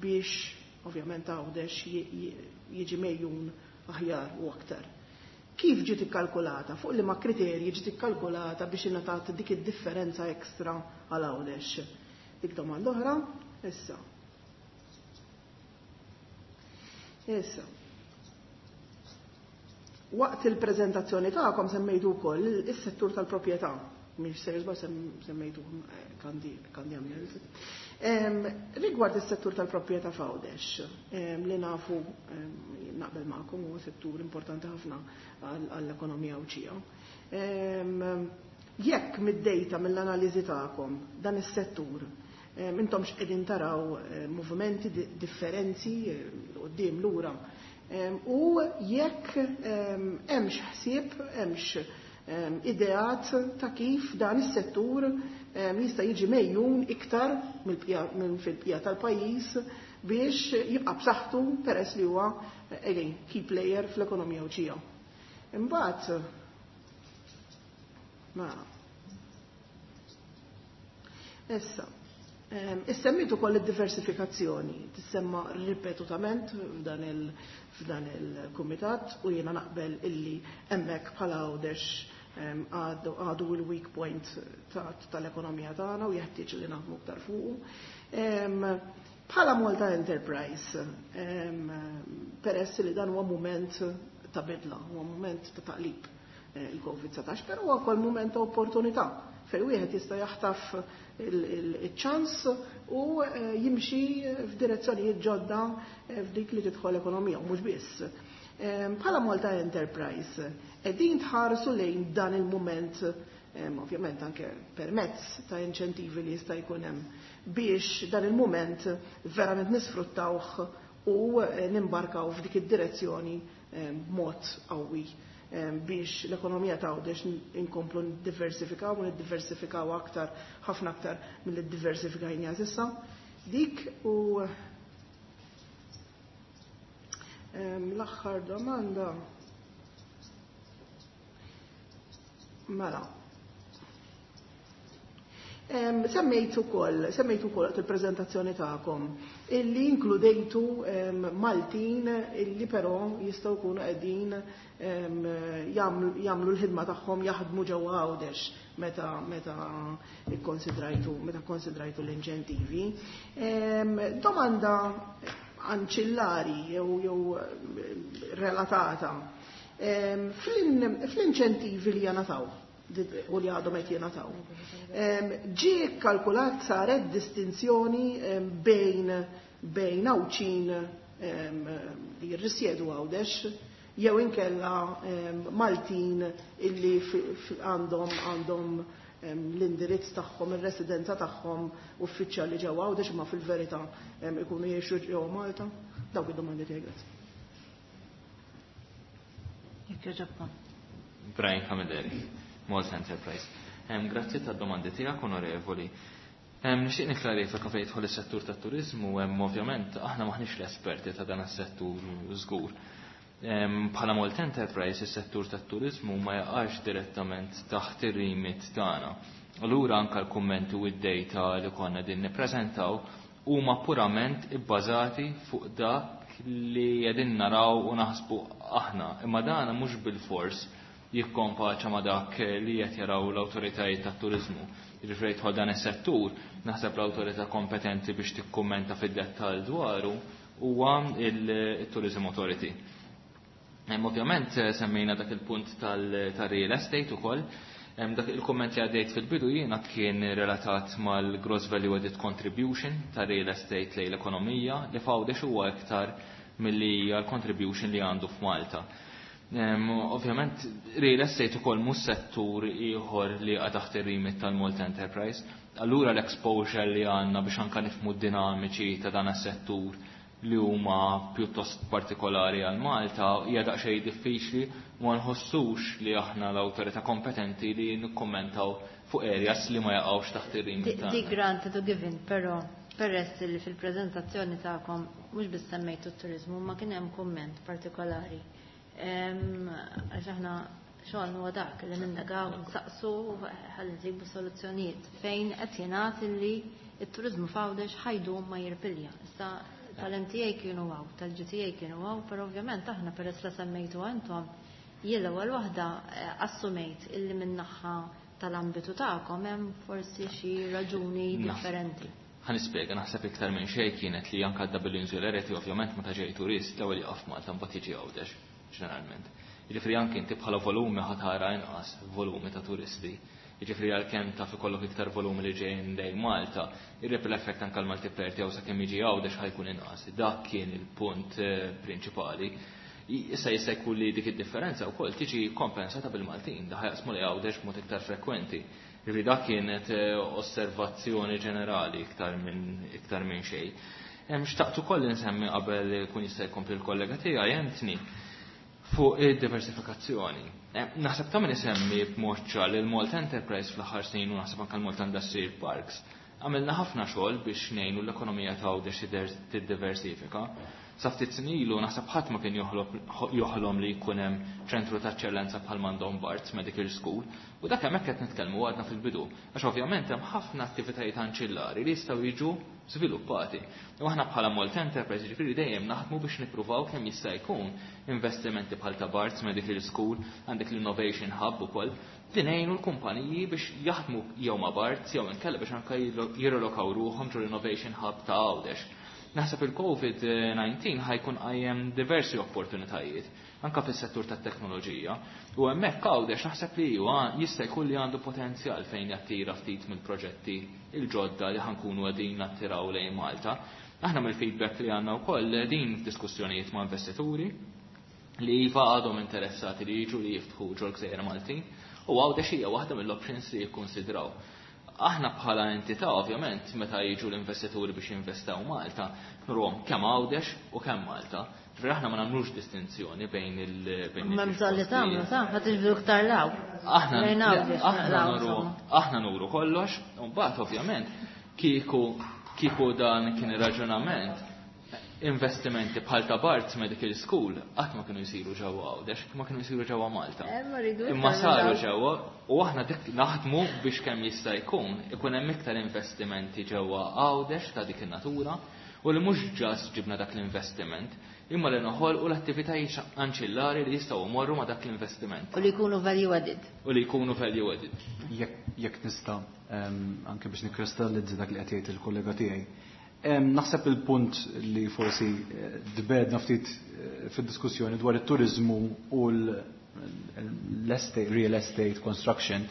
[SPEAKER 3] biex ovvjament Għawdex jiġi megħjun aħjar u aktar. Kif ġiet ikkalkulata? Fuq liema kriterji ġiet ikkalkulata biex ingħatat dik id-differenza ekstra għal Għawdex? Dik domanda oħra, issa. Issa. Waqt il-preżentazzjoni tagħkom semmejtu wkoll is-settur tal-proprjetà. Mhix ser semmejtu kandi kandi għamil. Rigward is-settur tal-proprjetà f'Għawdex, li nafu, naqbel magħkom, huwa settur importanti ħafna għall-ekonomija Għawdxija. Jekk mid-data mill-analiżi tagħkom dan is-settur intom x'qegħdin taraw movimenti, differenzi quddiem lura u jekk hemmx ħsieb, hemmx ideat ta' kif dan is-settur jista' jiġi megħjun iktar minn fil-bqija tal-pajjiż biex jibqa' b'saħħtu peress li huwa again key player fl-ekonomija Għawdxija. Imbagħad ma issa Issemmitu koll id-diversifikazzjoni, tissemma ripetutament f'dan il-kumitat u jiena naqbel illi hemmhekk bħala Għawdex għadu il-weak point tal-ekonomija tagħna u jeħtieġ li naħdmu aktar fuqu. Bħala Malta Enterprise, peress li dan huwa moment ta' bidla, huwa moment ta' taqlib il-COVID-19, però huwa wkoll moment ta' opportunità fejn wieħed jista' jaħtaf il-ċans u jimxi f'direzzjonijiet ġodda f'dik li tidħol ekonomija, u mhux biss. Bħala Malta Enterprise, qegħdin tħarsu lejn dan il-moment. ovvjament anke permezz ta' inċentivi li jista' jkun hemm biex dan il-mument verament nisfruttawh u nimbarkaw f'dik id-direzzjoni b'mod qawwi biex l-ekonomija ta' Għawdex inkomplu niddiversifikaw u niddiversifikaw aktar, ħafna aktar milli ddiversifikajniha s'issa. Dik u l-aħħar domanda. Mela. Semmejt ukoll, semmejt ukoll waqt il-preżentazzjoni tagħkom illi inkludejtu Maltin illi però jistgħu jkunu qegħdin jagħmlu l-ħidma tagħhom jaħdmu ġewwa Għawdex meta meta ikkonsidrajtu meta kkonsidrajtu l-inċentivi. Domanda anċillari jew jew relatata. Fl-inċentivi li jingħataw u li għadhom qed jingħataw. Ġie kkalkulat, saret distinzjoni bejn Għawdxin li jirrisjedu Għawdex jew inkella Maltin illi għandhom l-indirizz tagħhom, ir-residenza tagħhom uffiċjali ġewwa Għawdex imma fil-verità ikunu jgħixu ġewwa Malta? Dawk id-domandi tiegħi, grazzi.
[SPEAKER 1] Jekk jogħġobkom.
[SPEAKER 4] Brian Camilleri, Malta Enterprise. Grazzi tad-domandi tiegħek, onorevoli. Nixtieq nikklarifika fejn jidħol is-settur tat-turiżmu, ovvjament aħna maħniex l-esperti ta' dan is-settur żgur. Bħala Malta Enterprise, is-settur tat-turiżmu ma jaqax direttament taħt ir-remit tagħna. Allura anke l-kummenti u d-data li konna din nippreżentaw huma purament ibbażati fuq dak li qegħdin naraw u naħsbu aħna. Imma dana mhux bil-fors jikkompaċa ma' dak li qed jaraw l-awtoritajiet tat-turiżmu. Jiġifieri jidħol dan is-settur, naħseb l-awtorità kompetenti biex tikkummenta fid-dettall dwaru huwa il-Tourism Authority. Ovvjament semmejna dak il-punt tal-real estate ukoll. Dak il-komment li għaddejt fil-bidu jiena kien relatat mal-gross value added contribution ta' real estate lejn l-ekonomija li f'Għawdex huwa iktar milli l-contribution li għandu f'Malta. Ovvjament, real estate ukoll mhux settur ieħor li jaqa' taħt ir-remit tal-Malta Enterprise. Allura l-exposure li għandna biex anka nifhmu d-dinamiċi ta' dan is-settur li huma pjuttost partikolari għal Malta hija daqsxejn diffiċli u ma nħossux li aħna l-awtorità kompetenti li nikkommentaw fuq areas li ma jaqgħux taħt ir-remit tagħna.
[SPEAKER 1] Di granted u given, però peress li fil-preżentazzjoni tagħkom mhux biss semmejtu t-turiżmu ma kien hemm kumment partikolari. Għax aħna xogħol huwa dak li nindagaw, nsaqsu ħalli nsibu soluzzjonijiet fejn qed jingħad li t-turiżmu f'Għawdex ħa jdum ma jirpilja. Issa tal-MTA kienu hawn, tal-GTA kienu hawn, però ovvjament aħna peress li semmejtu intom, jien l-ewwel waħda assumejt illi min-naħa tal-ambitu tagħkom hemm forsi xi raġuni differenti.
[SPEAKER 4] Ħa nispjega, naħseb iktar minn xejn kienet li anke double insularity ovvjament meta ġej turist l-ewwel jaqaf Malta mbagħad jiġi Għawdex ġeneralment. Jiġifieri anke inti bħala volumi ħa tara inqas volumi ta' turisti. Jiġifieri għalkemm taf ikollok iktar volumi li ġejjin lejn Malta, ir-ripple effect anke l-multiplier tiegħu sakemm jiġi Għawdex ħa jkun inqas. Dak kien il-punt prinċipali. Issa jista' jkun li dik id-differenza wkoll tiġi kompensata bil-Maltin, da ħa jaqsmu lejn Għawdex b'mod iktar frekwenti. Jiġifieri dak kienet osservazzjoni ġenerali iktar minn xejn. Xtaqt ukoll insemmi qabel kun jista' jkompli l-kollega tiegħi Anthony fuq id-diversifikazzjoni. Naħseb ta' min isemmi b'mod ċar li l-Malta Enterprise fl-aħħar snin u naħseb anke l-Malta Industrial Parks għamilna ħafna xogħol biex ngħinu l-ekonomija ta' Għawdex tiddiversifika. Sa ftit snin ilu naħseb ħadd ma kien joħlom li jkun hemm ċentru ta' eċċellenza bħal m'għandhom Barts Medical School u dak hemmhekk qed nitkellmu għadna fil-bidu. Għax ovvjament hemm ħafna attivitajiet anċillari li jistgħu jiġu żviluppati. U aħna bħala Malta Enterprise ġifieri dejjem naħdmu biex nippruvaw kemm jista' jkun investimenti bħal ta' Barts Medical School, għandek l-Innovation Hub ukoll, li ngħinu l-kumpaniji biex jaħdmu jew ma' Barts jew inkella biex anke jirrelokaw ruħhom ġol Innovation Hub ta' Għawdex. Naħseb il-COVID-19 ħa jkun qajjem diversi opportunitajiet, anka fis-settur tat-teknoloġija. U hemmhekk Għawdex naħseb li huwa jista' jkun li għandu potenzjal fejn jattira ftit mill-proġetti il-ġodda li ħa nkunu qegħdin nattiraw lejn Malta. Aħna mill-feedback li għandna wkoll din f'diskussjonijiet ma' investituri li iva għadhom interessati li jiġu li jiftħu ġol gżejjer Maltin. U Għawdex hija waħda mill-options li jikkonsidraw. Aħna bħala entità ovvjament meta jiġu l-investituri biex jinvestaw Malta, nurhom kemm Għawdex u kemm Malta. Ġifieri aħna ma nagħmlux distinzjoni bejn il- bejn
[SPEAKER 1] Ma bżonn li tagħmlu, sa, ħa tiġbdu iktar law.
[SPEAKER 4] Aħna
[SPEAKER 1] Lejn Għawdex,
[SPEAKER 4] aħna
[SPEAKER 1] law,
[SPEAKER 4] nuru
[SPEAKER 1] insomma.
[SPEAKER 4] aħna nuru kollox, u mbagħad ovvjament kieku dan kien ir-raġunament investimenti bħal ta' Barts Medical School qatt ma kienu jsiru ġewwa Għawdex, ma kienu jsiru ġewwa Malta.
[SPEAKER 1] Ma rridu iktar
[SPEAKER 4] Imma saru
[SPEAKER 1] minn
[SPEAKER 4] ġewwa u aħna dik naħdmu biex kemm jista' jkun ikun hemm iktar investimenti ġewwa Għawdex ta' dik in-natura u li mhux ġas ġibna dak l-investiment, imma li noħolqu l-attivitajiet anċillari li jistgħu jmorru ma' dak l-investiment.
[SPEAKER 1] U li jkunu value added.
[SPEAKER 4] U li jkunu value added.
[SPEAKER 5] Jekk nista' anke biex nikkristallizza dak li qed jgħid il-kollega tiegħi. Naħseb il-punt li forsi dbedna ftit fid-diskussjoni dwar it-turizmu u l-estate, real estate construction,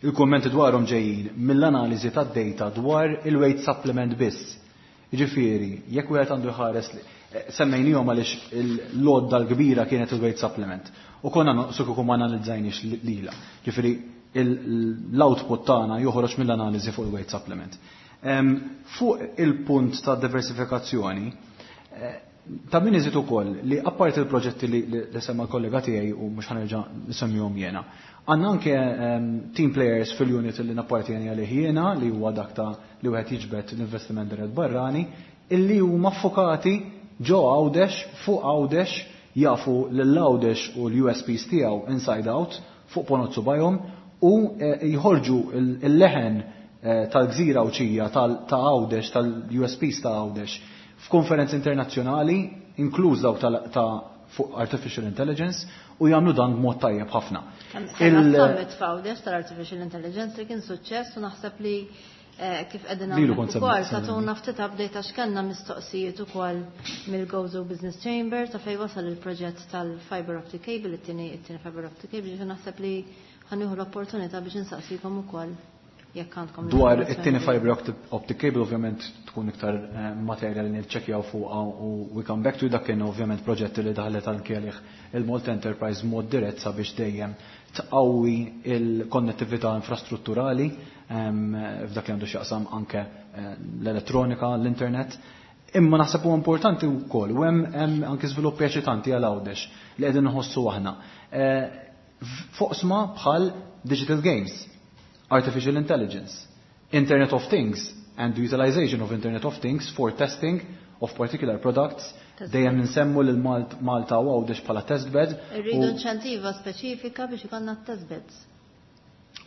[SPEAKER 5] il-kommenti dwarhom ġejjin mill-analiżi tad-data dwar il-weight supplement biss. Jiġifieri, jekk wieħed għandu jħares li semmejnihom għaliex l-lodda l-kbira kienet il-weight supplement. U konna noqsu kieku ma analizzajniex lila. Jiġifieri, l-output tagħna joħroġ mill-analiżi fuq il-weight supplement. Fuq il-punt ta' diversifikazzjoni, ta' min iżid ukoll li apparti il-proġetti li semma l-kollega tiegħi u mhux ħanerġa' nisemmihom jiena, għandna anke team players fil-unit li nappartieni għalih jiena li huwa dak ta' li wieħed jiġbed l-investiment dirett barrani, illi huma ffokati ġo Għawdex, fuq Għawdex, jafu lil Għawdex u l-U S Ps tiegħu inside out fuq ponot subajhom u jħorġu il-leħen tal-gżira Għawdxija ta' Għawdex, tal-U S Ps ta' Għawdex f'konferenzi internazzjonali, inkluż dawk ta' fuq Artificial Intelligence, u jagħmlu dan b'mod tajjeb ħafna.
[SPEAKER 1] Kemm summit f'Għawdex tal-Artificial Intelligence li kien suċċess u naħseb li kif qegħdin
[SPEAKER 5] Lilu
[SPEAKER 1] hawnhekk
[SPEAKER 5] kont
[SPEAKER 1] ukoll
[SPEAKER 5] semmi.
[SPEAKER 1] tagħtuna ftit update għax kellna mistoqsijiet ukoll mill-Gozo Business Chamber ta' fejn wasal il-proġett tal-fiber optic cable, it-tieni fiber optic cable, ġifieri naħseb li ħanieħu l-opportunità biex insaqsikom ukoll jekk għandkom
[SPEAKER 5] Dwar
[SPEAKER 1] l-informazzjoni.
[SPEAKER 5] it-tieni fiber optic cable ovvjament tkun iktar materja li niċċekkjaw fuqha u we come back to dak kien ovvjament proġett li daħlet anke għalih il-Malta Enterprise mod dirett sabiex dejjem tqawwi il-konnettività infrastrutturali f'dak li għandu x'jaqsam anke l-elettronika, l-internet. Imma naħseb huwa importanti wkoll u hemm anke żviluppi eċitanti għal Għawdex li qegħdin nħossu aħna. Foqsma bħal digital games, artificial intelligence, Internet of Things and the utilization of Internet of Things for testing of particular products.
[SPEAKER 1] Test
[SPEAKER 5] Dejjem
[SPEAKER 1] bed.
[SPEAKER 5] nsemmu lil Malta u Għawdex bħala test bed.
[SPEAKER 1] Irridu inċentiva speċifika biex ikollna test beds.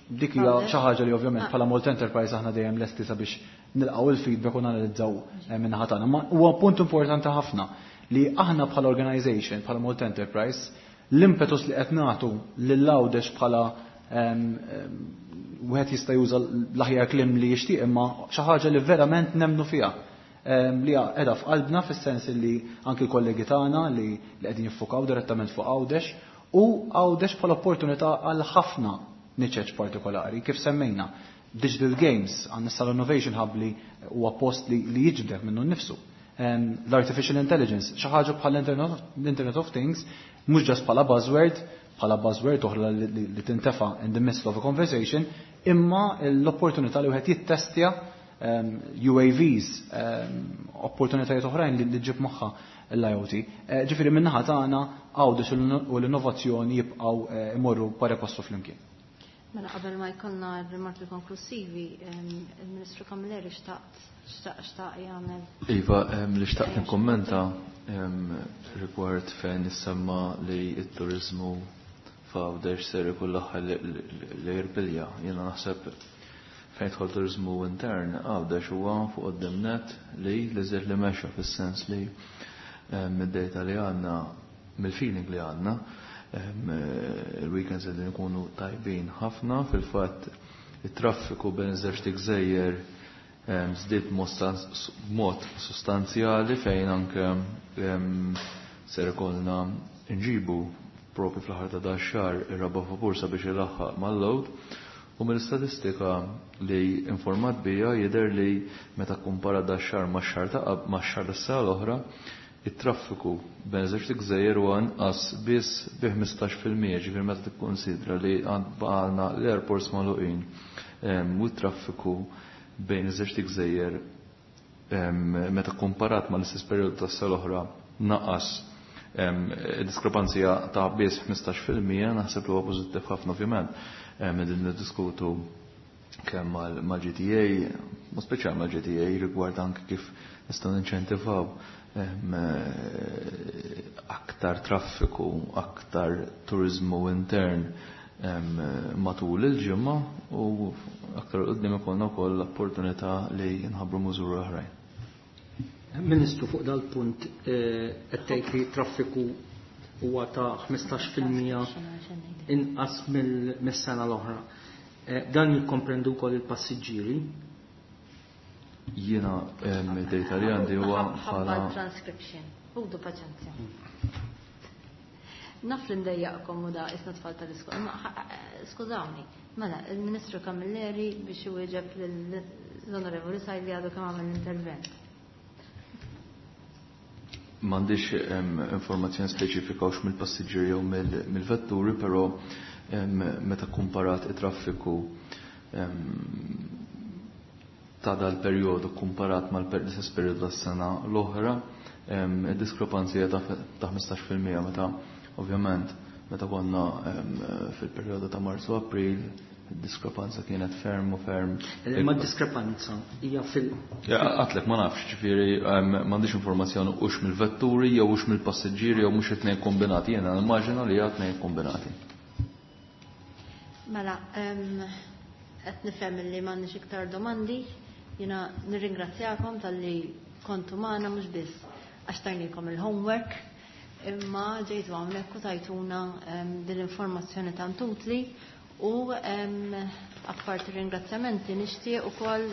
[SPEAKER 5] Dik hija
[SPEAKER 1] Għawdex.
[SPEAKER 5] xi ħaġa li ovvjament
[SPEAKER 1] Ah.
[SPEAKER 5] bħala Malta Enterprise aħna dejjem lesti sabiex nilqgħu il-feedback u nanalizzaw min-naħa tagħna. Ma huwa punt importanti ħafna li aħna bħala organization, bħala Malta Enterprise, l-impetus li qed nagħtu lil Għawdex bħala wieħed jista' juża l-aħjar kliem li jixtieq, imma xi ħaġa li verament nemmnu fiha. Li qiegħda f'qalbna fis-sens li anki l-kollegi tagħna li qegħdin jiffukaw direttament fuq Għawdex u Għawdex bħala opportunità għal ħafna niċeċ partikolari, kif semmejna. Digital Games, għandna sal Innovation Hub li huwa post li jiġbdek minnu nnifsu. L-Artificial Intelligence, xi ħaġa bħal l-Internet of Things, mhux ġast bħala buzzword, bħala buzzword oħra li tintefa' in the midst of a conversation, imma l-opportunità li wieħed jittestja U A Vs, opportunitajiet oħrajn li ġib magħha l-I O T. Ġifieri min-naħa tagħna Għawdex u l-innovazzjoni jibqgħu imorru pari passu flimkien.
[SPEAKER 1] Mela qabel ma jkollna r-rimarki konklusivi, il-Ministru Camilleri xtaq jagħmel.
[SPEAKER 6] Iva, li xtaqt nikkommenta rigward fejn nissemma li t-turizmu f'Għawdex ser ikun l-aħħar li jirbilja. Jiena naħseb fejn jidħol turizmu intern, Għawdex huwa fuq quddiem net li żied li mexa fis-sens li mid-data li għandna, mill-feeling li għandna, il-weekends qegħdin ikunu tajbin ħafna, fil-fatt it-traffiku bejn iż-żewġ gżejjer żdied b'mod sostanzjali fejn anke ser ikollna nġibu propju fl-aħħar ta' dan x-xahar ir-raba' vapur sabiex ilaħħaq mal-load. U mill-istatistika li informat bija jidher li meta kumpara da xahar ma' xahar ta' qab, ma' xahar tas-sena l-oħra, it-traffiku bejn żewġ gżejjer huwa inqas biss bi 15%, ġifieri meta tikkonsidra li baqalna l-airports magħluqin u t-traffiku bejn iż-żewġ gżejjer meta komparat ma l-istess perjodu tas-sena l-oħra naqas diskrepanzija ta' biss 15%, naħseb li huwa pożittiv ħafna. Ovvjament qegħdin niddiskutu kemm mal-GTA, u speċjal mal-GTA, rigward anke kif nistgħu ninċentivaw aktar traffiku, aktar turizmu intern matul il-ġimgħa, u aktar qudiem ikollna wkoll l-opportunità li nħabbru miżuri oħrajn.
[SPEAKER 2] Ministru, fuq dal-punt, qed tgħid li traffiku huwa ta' 15% inqas mill-sena l-oħra. Dan jikkomprendu wkoll il-passiġġieri?
[SPEAKER 6] Jiena id-data li għandi huwa bħala
[SPEAKER 1] transcription. Ħudu paċenzja. Naf li ndejjaqkom u da isna tfal tal-iskola, ma skużawni. Mela, il-Ministru Camilleri biex iwieġeb l-Onorevoli Said li għadu kemm għamel l-intervent.
[SPEAKER 6] M'għandix informazzjoni speċifika hux mill-passiġġieri jew mill-vetturi, però meta komparat it-traffiku ta' dal-perjodu komparat mal-istess perjodu tas-sena l-oħra, id-diskrepanzi ta' 15%, meta ovvjament meta konna fil-perjodu ta' Marzu, April, id-diskrepanza kienet ferm u ferm.
[SPEAKER 2] Ma diskrepanza hija fil-
[SPEAKER 6] Għedtlek ma nafx, ġifieri m'għandix informazzjoni hux mill-vetturi jew hux mill-passiġġieri jew mhux it-tnejn kombinati, jiena nimmaġina li hija tnejn kombinati.
[SPEAKER 1] Mela, qed nifhem li m'għandniex iktar domandi. Jiena nirringrazzjakom talli kontu magħna, mhux biss għax tajnikom il-homework, imma ġejtu hawnhekk u tajtuna din l-informazzjoni tant utli, u apparti ringrazzjamenti nixtieq ukoll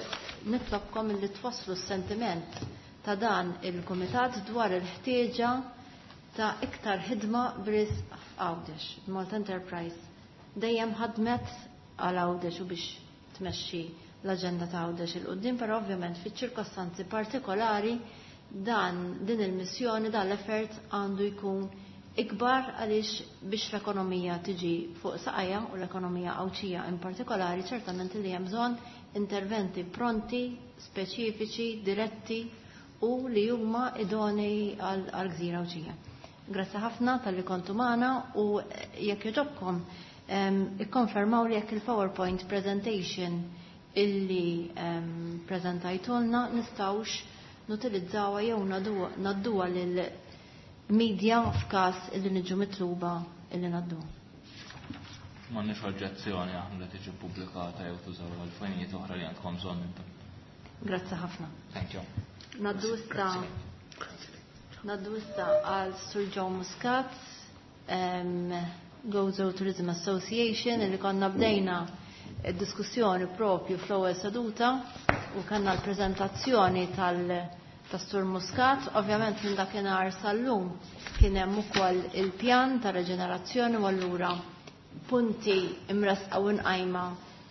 [SPEAKER 1] nitlobkom illi twasslu s-sentiment ta' dan il-kumitat dwar il-ħtieġa ta' iktar ħidma b'risq Għawdex. Malta Enterprise dejjem ħadmet għal Għawdex u biex tmexxi l-aġenda ta' Għawdex 'il quddiem, però ovvjament fiċ-ċirkostanzi partikolari dan din il-missjoni, dan l-effort għandu jkun ikbar, għaliex biex l-ekonomija tiġi fuq saqajha, u l-ekonomija Għawdxija in partikolari, ċertament li hemm bżonn interventi pronti, speċifiċi, diretti u li huma idonei għal gżira Għawdxija. Grazzi ħafna talli kontu magħna u jekk jogħġobkom ikkonfermaw li jekk il-PowerPoint presentation illi prezentajtulna nistgħux nutilizzawa jew ngħadduha lil media f'każ illi niġu mitluba illi ngħaddu.
[SPEAKER 4] M'għandniex oġġezzjoni aħna li tiġi pubblikata jew tużaw għal finijiet oħra li għandkom bżonn intom.
[SPEAKER 1] Grazzi ħafna.
[SPEAKER 4] Thank you.
[SPEAKER 1] Ngħaddu issa għal Sir Joe Muscat, Gozo Tourism Association, illi konna bdejna diskussjoni propju fl-ewwel seduta u kellna l-preżentazzjoni tas-Sur Muscat. Ovvjament minn dakinhar sal-lum kien hemm ukoll il-pjan ta' reġenerazzjoni u allura punti imresqa u nqajma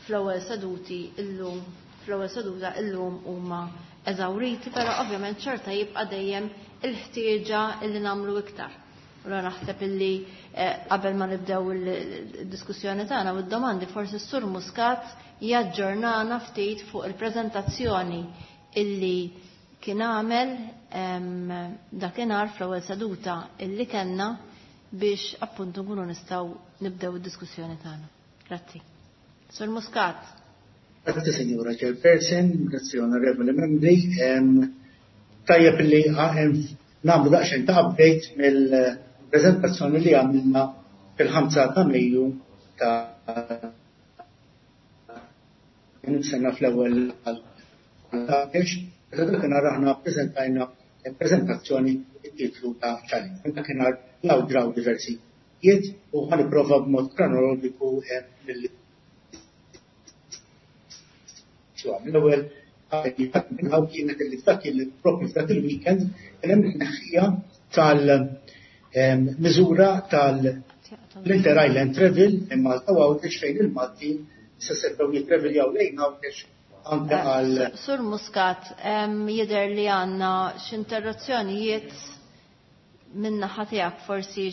[SPEAKER 1] fl-ewwel seduti illum fl-ewwel seduta illum huma eżawriti, però ovvjament xorta jibqa' dejjem il-ħtieġa illi nagħmlu iktar. U naħseb illi qabel ma nibdew il-diskussjoni tagħna u d-domandi, forsi s-Sur Muscat jaġġornana ftit fuq il-preżentazzjoni illi kien għamel dakinhar fl-ewwel seduta illi kellna, biex appuntu nkunu nistgħu nibdew id-diskussjoni tagħna. Grazzi. Sur Muscat.
[SPEAKER 7] Grazzi, Signora Chairperson, grazzi, onorevoli membri. Tajjeb li nagħmlu daqsxejn ta' update mill-prezentazzjoni li għamilna fil-5 ta' Mejju ta' sena fl-ewwel għal. Dakinhar aħna preżentajna prezentazzjoni titlu ta' challenge. Dakinhar law draw diversi jiet u ħa nipprova b'mod kronologiku mill L-ewwel kienet li f'dak il-propju f'dak il-weekend kien hemm tneħħija tal-miżura tal-Inter Island Travel minn Malta u Għawdex, fejn il-Maltin se setgħu jitraveljaw lejn Għawdex anke għal
[SPEAKER 1] Sur Muscat, jidher li għandna x'interruzzjonijiet. Min-naħa tiegħek forsi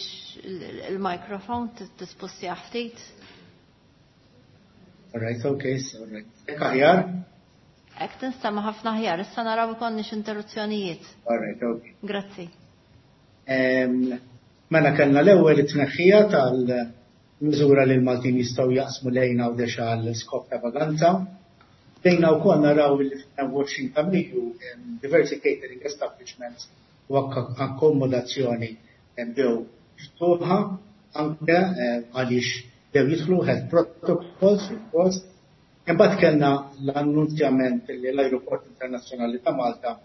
[SPEAKER 1] il-mikrofon tispussja ftit.
[SPEAKER 7] All right, okay, so right. Hekk aħjar?
[SPEAKER 1] Hekk tinstema' ħafna aħjar, issa naraw ikollniex interruzzjonijiet.
[SPEAKER 7] All right, okay.
[SPEAKER 1] Grazzi.
[SPEAKER 7] Mela kellna l-ewwel it-tneħħija tal-miżura li l-Maltin jistgħu jaqsmu lejn Għawdex għal skop ta' vaganza. Bdejna wkoll naraw li fit-22 ta' Mejju diversi catering establishments u akkomodazzjoni bdew miftuħa anke għaliex bdew jidħlu health protocols fil-post. Imbagħad kellna l-annunzjament li l-Ajruport Internazzjonali ta' Malta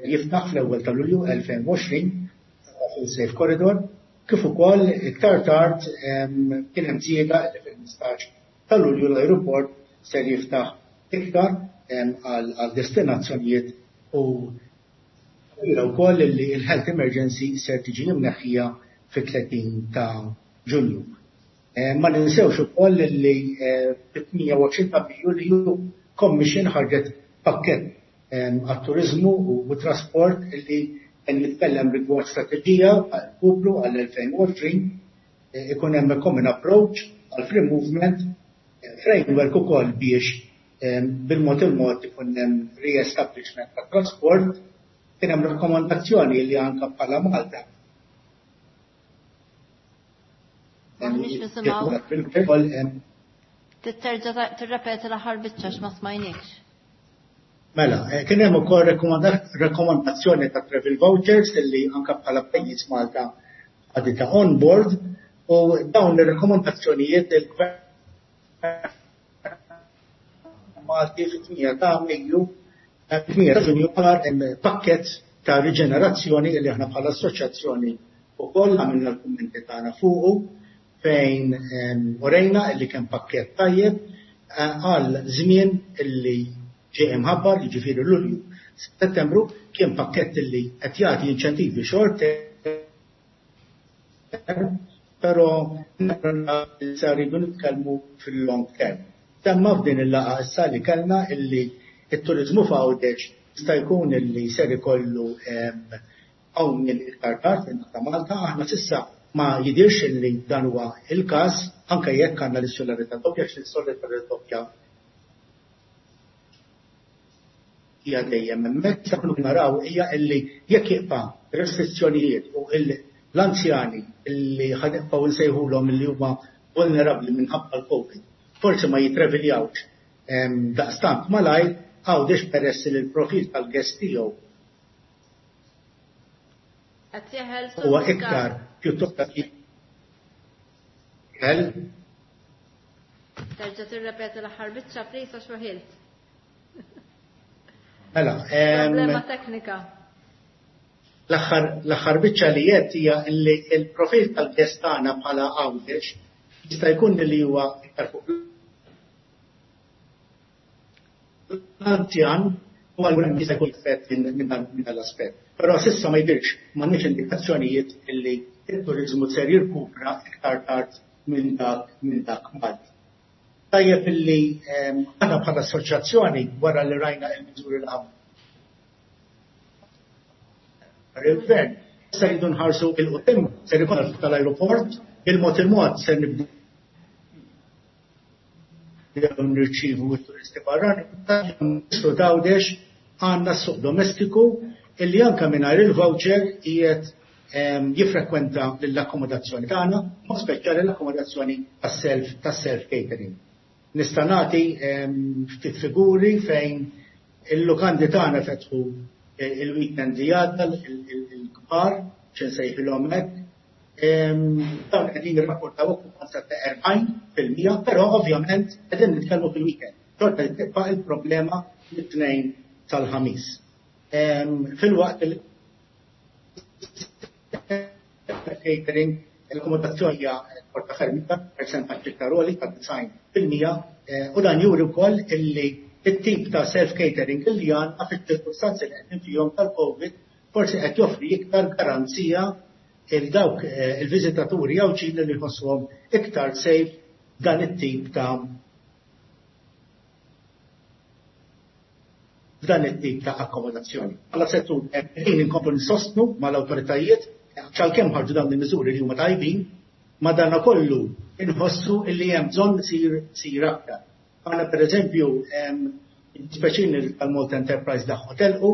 [SPEAKER 7] jiftaħ fl-ewwel ta' Lulju 2020 fil-Safe Corridor, kif ukoll iktar tard kien hemm żieda li fil-15 ta' Lulju l-ajruport ser jiftaħ iktar għal destinazzjonijiet u wkoll li l-health emergency ser tiġi imneħħija fit-30 ta' Ġunju. Ma ninsewx ukoll li fit-28 ta' Mejju li Commission ħarġet pakkett għat-turiżmu u trasport li kien jitkellem rigward strateġija għall-poplu għall-2020, ikun hemm common approach għal free movement, framework ukoll biex bil-mod il-mod ikun hemm re-establishment tat trasport. Kien hemm rakkomandazzjoni li anke bħala Malta.
[SPEAKER 1] M'aħniex nisimgħu. Titterġa' tirrepeti l-aħħar biċċa x'ma smajnikx.
[SPEAKER 7] Mela, kien hemm ukoll rakkomandazzjoni ta' travel vouchers illi anke bħala pajjiż Malta ħaditha on board u dawn ir-rakkomandazzjonijiet il-Gvern Malti fit-8 ta' Mejju, 8 ta' Ġunju pakkett ta' riġenerazzjoni li aħna bħala assoċjazzjoni wkoll għamilna l-kummenti tagħna fuqu fejn urejna li kien pakkett tajjeb għal żmien illi ġie imħabbar, jiġifieri Lulju Settembru, kien pakkett illi qed jagħti inċentivi short term, però issa rridu nitkellmu fil-long term. Semma f'din il-laqgħa issa li kellna illi t-turiżmu f'Għawdex jista' jkun illi ser ikollu qawmien iktar tard minn ta' Malta. Aħna s'issa ma jidhirx illi dan huwa il-każ, anke jekk għandna l-insularità doppja, għax l-insularità doppja hija dejjem hemmhekk. Issa kull naraw hija illi jekk jibqa' restrizzjonijiet u l-anzjani illi ħa nibqgħu nsejħulhom illi huma vulnerabbli minħabba l-Covid forsi ma jitreviljawx daqstant malajr, Għawdex peress li l-profil tal-guest tiegħu
[SPEAKER 1] Qed jeħel
[SPEAKER 7] huwa iktar pjuttost jeħel.
[SPEAKER 1] Terġa' tirrepeti l-aħħar biċċa please għax weħilt.
[SPEAKER 7] Mela,
[SPEAKER 1] Problema teknika.
[SPEAKER 7] L-aħħar biċċa li qed hija li l-profil tal-guest tagħna bħala Għawdex jista' jkun li huwa iktar fuq l-anzjan u allura jista' jkun effett minn dan l-aspett. Però s'issa ma jidhirx, m'għandniex indikazzjonijiet illi t-turiżmu ser jirkupra iktar tard minn dak minn dak Malti. Tajjeb illi aħna bħala assoċjazzjoni wara li rajna l-miżuri li il-gvern se rridu nħarsu 'l quddiem, ser ikun tal-ajruport, bil-mod il-mod ser nibdew nirċievu t-turisti barranin. T'Għawdex għandna s-suq domestiku illi anke mingħajr il-voucher qiegħed jiffrekwenta l-akkomodazzjoni tagħna, mod speċjali l-akkomodazzjoni tas-self tas-self catering. Nista' nagħti ftit figuri fejn il-lukandi tagħna fetħu il-weekend li għadda, il-kbar, x'insejħilhom hekk. Dawn qegħdin jirrapportaw okkupanza ta' 40%, però ovvjament qegħdin nitkellmu fil-weekend. Xorta li tibqa' il-problema mit-Tnejn tal-Ħamis. Filwaqt il catering l-akkomodazzjoni hija porta ferm iktar, persentaġġ iktar għoli ta' 90%, u dan juri wkoll illi it-tip ta' self-catering illi għandna fiċ-ċirkustanzi li qegħdin fihom tal-Covid forsi qed joffri iktar garanzija il dawk il-viżitaturi Għawdxin li jħossuhom iktar safe dan it-tip ta' f'dan it-tip ta' akkomodazzjoni. Bħala settur qegħdin inkomplu nsostnu mal-awtoritajiet Għalkemm ħarġu dawn il-miżuri li huma tajbin, madanakollu inħossu illi hemm bżonn isir aktar. Aħna pereżempju speċini tal-Malta Enterprise daħħu telqu,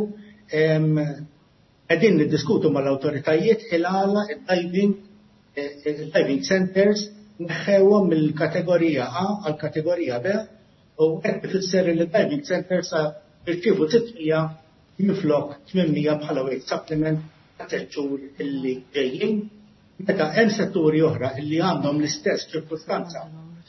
[SPEAKER 7] qegħdin niddiskutu mal-awtoritajiet il-għala il-diving centers neħħewhom mill-kategorija A għal kategorija B u hekk ifisser li diving centers sa jirċievu 600 minflok 800 bħala wage supplement ta' xhur illi ġejjin. Meta hemm setturi oħra illi għandhom l-istess ċirkustanza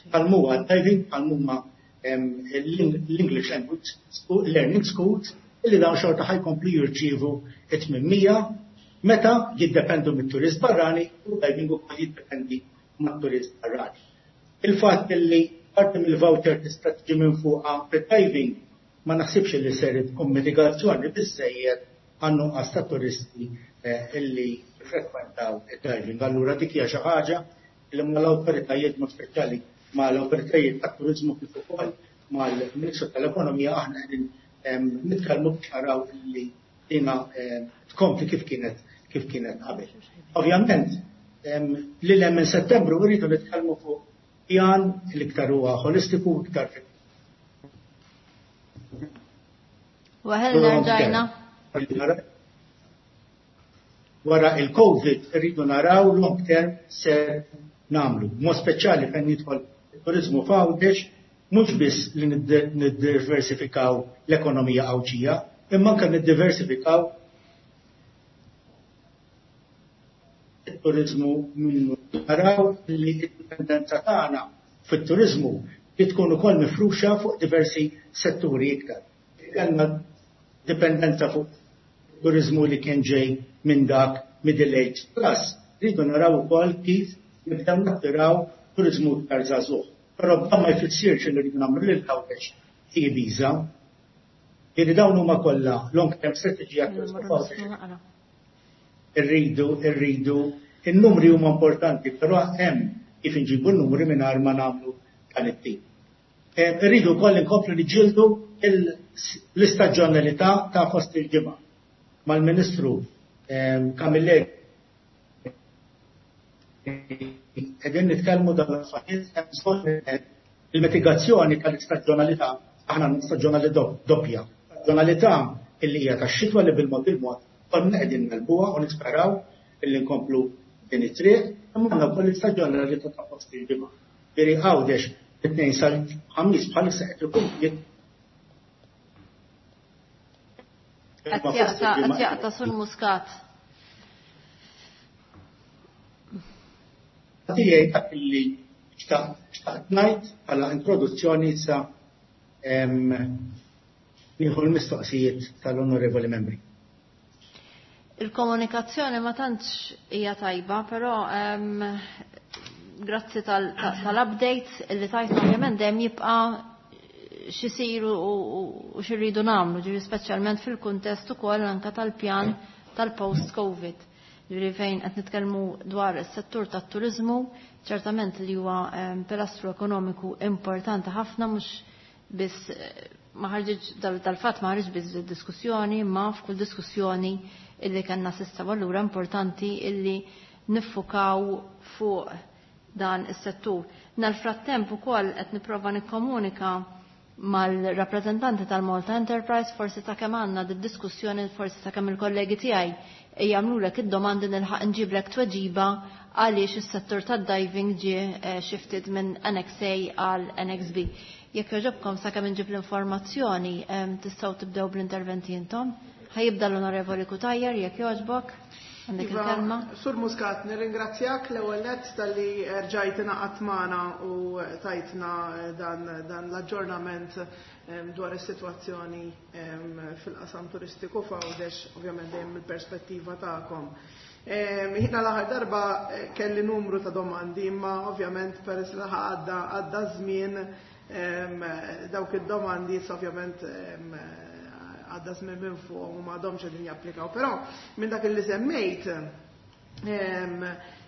[SPEAKER 7] bħal huwa diving, bħal huma l-English Language Learning Schools, illi dawn xorta ħa jkomplu jirċievu 800 meta jiddependu mit-turist barrani u diving ukoll jiddependi mat-turist barrani. Il-fatt illi parti mill-voucher tista' tiġi minn fuqha fid-diving ma naħsibx li ser tkun mitigazzjoni biżejjed għan-nuqqas ta' turisti illi frekwentaw id-diving. Allura dik hija xi ħaġa li mal-awtoritajiet, mod speċjali mal-awtoritajiet tat-turiżmu kif ukoll mal-Ministru tal-Ekonomija, aħna qegħdin nitkellmu biex naraw illi dina tkompli kif kienet qabel. Ovvjament, li l minn Settembru rridu nitkellmu fuq pjan l-iktar huwa holistiku, iktar
[SPEAKER 1] Waħelna rġajna.
[SPEAKER 7] Wara il-Covid rridu naraw long term ser nagħmlu. Mod speċjali fejn jidħol turizmu f'Għawdex, mhux biss li niddiversifikaw l-ekonomija Għawdxija, imma anke niddiversifikaw il-turizmu minnu. Naraw li d-dipendenza tagħna fit-turizmu li tkun ukoll mifruxa fuq diversi setturi iktar. Kellna dipendenza fuq turizmu li kien ġej minn dak middle age plus. Rridu naraw ukoll kif nibdew nattiraw turizmu iktar żagħżugħ. Però dan ma jfissirx li rridu nagħmlu lil Għawdex Ibiza. Jiġifieri dawn huma kollha long term strategy għat-turizmu f'Għawdex. Irridu, il-numri huma importanti, però hemm kif inġibu n-numri mingħajr ma nagħmlu dan it-tip. Irridu wkoll inkomplu niġġieldu l-istaġjonalità ta' fost il-ġimgħa. Mal-Ministru Camilleri qegħdin nitkellmu dan l-affarijiet, il-mitigazzjoni tal-istaġjonalità, aħna staġjonalità doppja. Staġjonalità illi hija tax-xitwa li bil-mod il-mod konna qegħdin negħlbuha u nisperaw illi nkomplu din it-triq, imma għandna wkoll l-istaġjonalità ta' fost il-ġimgħa. Jiġifieri Għawdex it-Tnejn sal-Ħamis bħalissa qed ikun
[SPEAKER 1] Qed jaqta', Sur Muscat.
[SPEAKER 7] Tiegħi dak li xtaqt ngħid bħala introduzzjoni. Issa nieħu l-mistoqsijiet tal-onorevoli membri.
[SPEAKER 1] Il-komunikazzjoni ma tantx hija tajba, però grazzi tal-updates illi tajtna. Ovvjament dejjem jibqa' x'isiru u x'irridu nagħmlu, ġifieri speċjalment fil-kuntest ukoll anke tal-pjan tal-post-Covid. Ġifieri fejn qed nitkellmu dwar is-settur tat-turiżmu, ċertament li huwa pilastru ekonomiku importanti ħafna, mhux biss ma ħarġitx dal-fatt, ma ħarġ biss diskussjoni, ma f'kull diskussjoni illi kellna s'issa. Allura importanti illi niffukaw fuq dan is-settur. Nal-frattemp ukoll qed nipprova nikkomunika mal-rappreżentanti tal-Malta Enterprise, forsi ta' kemm għandna diskussjoni, forsi ta' kemm il-kollegi tiegħi jagħmlulek id-domandi nilħaq nġiblek tweġiba għaliex is-settur tad-diving ġie shifted minn Annex A għal Annex B. Jekk jogħġobkom, sakemm inġib l-informazzjoni, tistgħu tibdew bl-interventi intom. Ħa jibda l-Onorevoli Cutajar, jekk jogħġbok. Għandek
[SPEAKER 3] Iva,
[SPEAKER 1] il-kelma.
[SPEAKER 3] Sur Muscat, nirringrazzjak l-ewwel nett talli rġajt ingħaqadt magħna u tajtna dan l-aġġornament dwar is-sitwazzjoni fil-qasam turistiku f'Għawdex, ovvjament dejjem mill-perspettiva tagħkom. Jiena l-aħħar darba kelli numru ta' domandi, imma ovvjament peress li għadda żmien, dawk id-domandi issa ovvjament għadda żmien minn fuq u m'għadhomx qegħdin japplikaw. Però minn dak li semmejt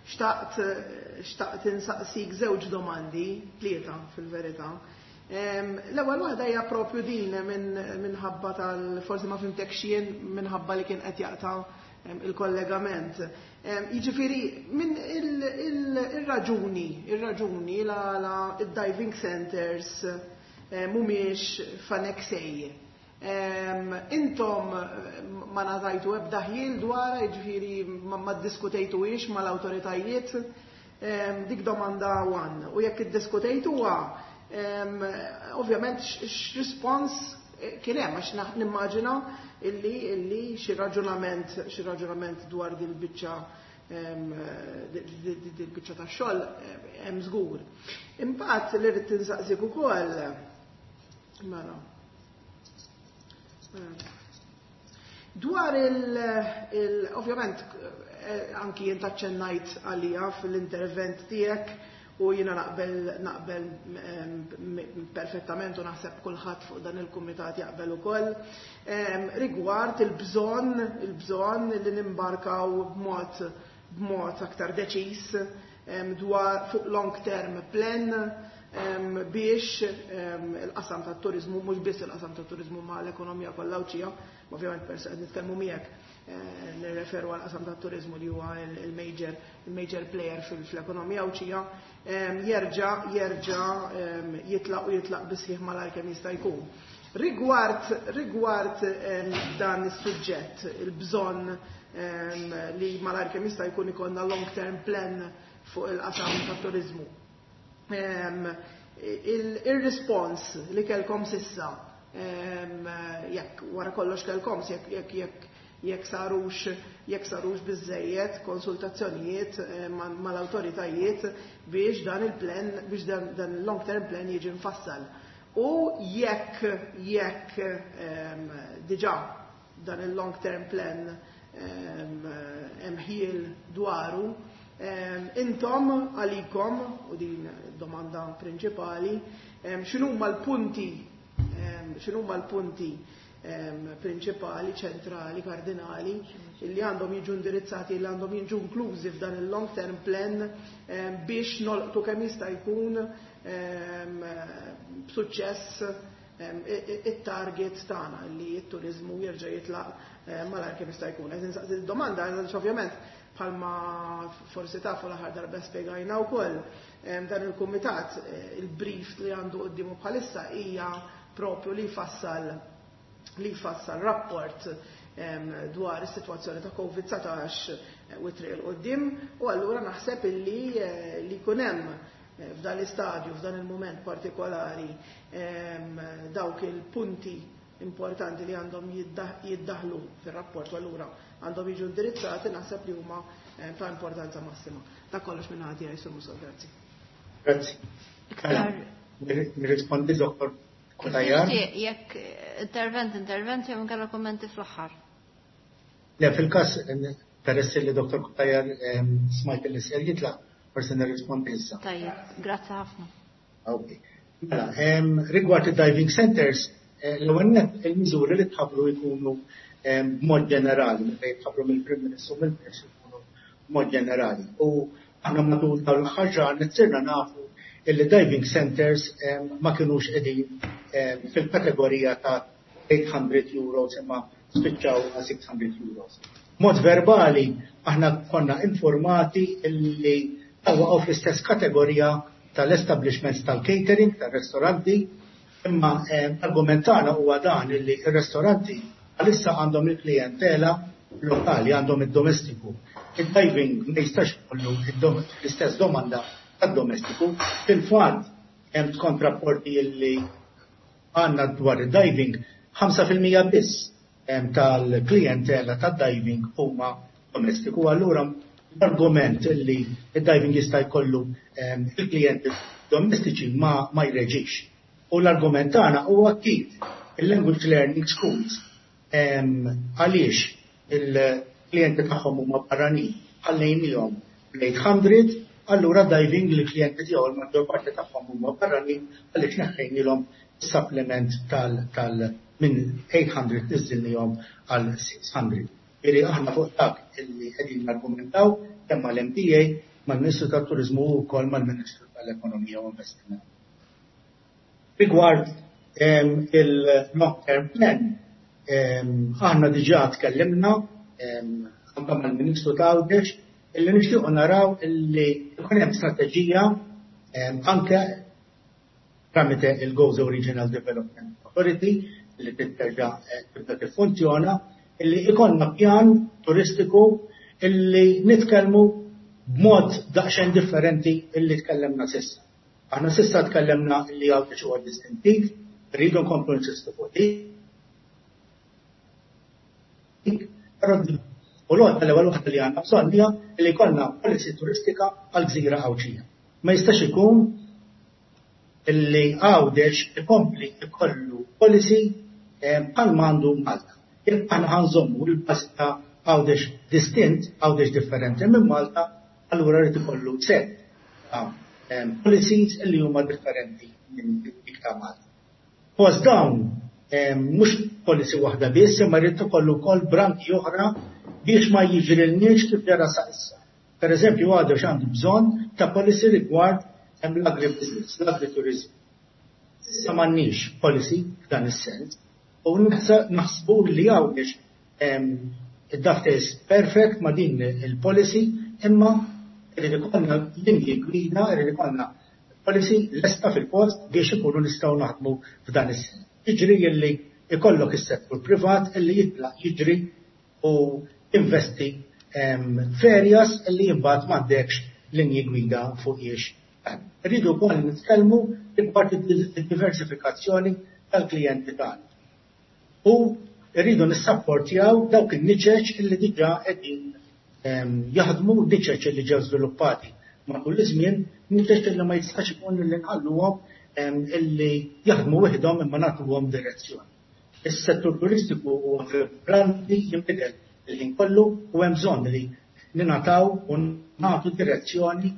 [SPEAKER 3] xtaqt insaqsik żewġ domandi, tlieta fil-verità. L-ewwel waħda hija propju din, minħabba tal forsi ma fhimtekx jien minħabba li kien qed jaqta' il-kollegament. Jiġifieri minn ir-raġuni, ir-raġuni la id-diving centers mhumiex f'Annex A. Intom ma ngħatajtu ebda ħjiel dwarha, jiġifieri ma ddiskutejtuhiex mal-awtoritajiet? Dik domanda one. U jekk iddiskutejtuha, ovvjament x'rispons kien hemm, għax nimmaġina illi xi raġunament xi raġunament dwar din biċċa din biċċa ta' xogħol hemm żgur. Imbagħad li rrid tinsaqsik ukoll, mela, dwar il ovvjament anki jien taċċennajt għalija fil-intervent tiegħek u jiena naqbel perfettament u naħseb kulħadd fuq dan il-kumitat jaqbel ukoll rigward il-bżonn li nimbarkaw b'mod aktar deċiż dwar fuq long term plan biex il-qasam tat-turizmu, mhux biss il-qasam tat-turizmu ma l-ekonomija kollha Għawdxija, ovvjament peress qed nitkellmu miegħek nirreferu għal qasam tat-turizmu li huwa il-major player fl-ekonomija Għawdxija, jerġa' jitlaq u jitlaq bisħiħ malajr kemm jista' jkun. Rigward dan is-suġġett, il-bżonn li malajr kemm jista' jkun ikollna long term plan fuq il-qasam tat-turizmu, il-respons li kelkom s'issa, jekk wara kollox kelkom, jekk sarux biżejjed konsultazzjonijiet mal-awtoritajiet biex dan il-plan, biex dan il-long term plan jiġi mfassal. U jekk diġà dan il-long term plan hemm ħjiel dwaru, intom għalikom, u din domanda prinċipali, x'inhuma l-punti prinċipali, ċentrali, kardinali, li għandhom jiġu indirizzati, li għandhom jiġu inklużi f'dan il-long term plan biex nolqtu kemm jista' jkun b'suċċess it-target tagħna li t-turizmu jerġa' jitlaq malajr kemm jista' jkun. Qed insaqsi domanda għax ovvjament, bħalma forsi tafu, l-aħħar darba spjegajna wkoll, dan il-kumitat il-brief li għandu quddiemu bħalissa hija propju li jfassal rapport dwar is-sitwazzjoni ta' COVID-19 u triq 'il quddiem, u allura naħseb illi li jkun hemm f'dan l-istadju, f'dan il-moment partikolari, dawk il-punti importanti li għandhom jiddaħlu fil-rapport u allura għandhom jiġu indirizzati, naħseb li huma ta' importanza massima. Ta' kollox minn għandi għaj, Sur Muscat, grazzi.
[SPEAKER 7] Grazzi. Nirrispondi, Dottor Cutajar?
[SPEAKER 1] Jekk intervent jew inkella kommenti fl-aħħar.
[SPEAKER 7] Le, fil-każ, peress li Dottor Cutajar smajt li ser jitlaq, forsi nirrispondi issa.
[SPEAKER 1] Tajjeb, grazzi ħafna.
[SPEAKER 7] Ok. Mela, rigward il-diving centers, l-ewwel nett il-miżuri li tħabbru jkunu b'mod ġenerali, meta jitħabbru mill-Prim Ministru, mill-Ministru, jkunu b'mod ġenerali. U aħna matul tal-aħħar ġranet sirna nafu illi diving centers ma kinux qegħdin fil-kategorija ta' €800 imma spiċċaw għal €600. Mod verbali aħna konna informati illi waqgħu fl-istess kategorija tal-establishments tal-catering, tal-ristoranti, imma argument tagħna huwa dan illi il-ristoranti għalissa għandhom il-klientela lokali, għandhom id-domestiku. Il-diving ma jistax kollu l-istess domanda tad-domestiku. Fil-fatt, hemm skont rapporti illi għandna dwar il-diving, 5% biss tal-klientela tad-diving huma domestiku. Allura l-argument illi il-diving jista' jkollu il-klijenti domestiċi ma jreġix. U l-argument tagħna huwa kif il-language learning schools, għaliex il-klijenti tagħhom huma barranin, ħallejnihom bl-800, allura diving li klijenti tiegħu l-maġġor parti tagħhom huma barranin, għaliex neħħejnilhom supplement tal minn 800 niżilnihom għal 600? Iri aħna fuq dak illi qegħdin nargumentaw kemm mal-MTA, mal-Ministru tat-Turizmu u wkoll mal-Ministru tal-Ekonomija u Investiment. Rigward il-long term plan, aħna diġà tkellimna. anke mal-Ministru ta' Għawdex illi nixtiequ naraw illi jkun hemm strateġija anke tramite il-Gozo Regional Development Authority li titterġa' tibda tiffunzjona, illi ikollna pjan turistiku illi nitkellmu b'mod daqsxejn differenti illi tkellemna s'issa. Aħna s'issa tkellemna illi Għawdex huwa distintiv, rridu nkomplu ninsistu fuq dik, però u l-għodda l-ewwel waħda li għandna bżonn hija li jkollna policy turistika għall-gżira Għawdxija. Ma jistax ikun illi Għawdex ikompli jkollu policy bħalma għandu Malta. Jekk aħna ħa nżommu l-bażi ta' Għawdex distint, Għawdex differenti minn Malta, allura rrid ikollu set ta' policies illi huma differenti minn dik ta' Malta. Fost dawn mhux policy waħda biss, imma jrid ikollu wkoll branki oħra biex ma jiġrilniex kif ġara sa issa. Per eżempju, Għawdex għandu bżonn ta' policy rigward l-agribusiness, l-agriturizmu. S'issa m'għandniex policy f'dan is-sens u naħsbu li Għawdex id-dovetails perfect ma' din il-policy, imma irid ikollna linji gwida, irid ikollna policy lesta fil-post biex ikunu nistgħu naħdmu f'dan is-sens. Jiġri illi ikollok is-settur privat illi jitlaq jiġri u investi f'areas illi imbagħad m'għandekx linji gwida fuq jiex. Rridu wkoll nitkellmu rigward id-diversifikazzjoni tal-klijenti tagħna. U rridu nissapportjaw dawk in-niċeċ illi diġà qegħdin jaħdmu, niċeċ illi ġew żviluppati matul iż-żmien, niċeċ illi ma jistax ikun illi nħalluhom illi jaħdmu waħedhom imma nagħtuhom direzzjoni. Is-settur turistiku huwa vibranti, jinbidel il-ħin kollu u hemm bżonn li ningħataw u nagħtu direzzjoni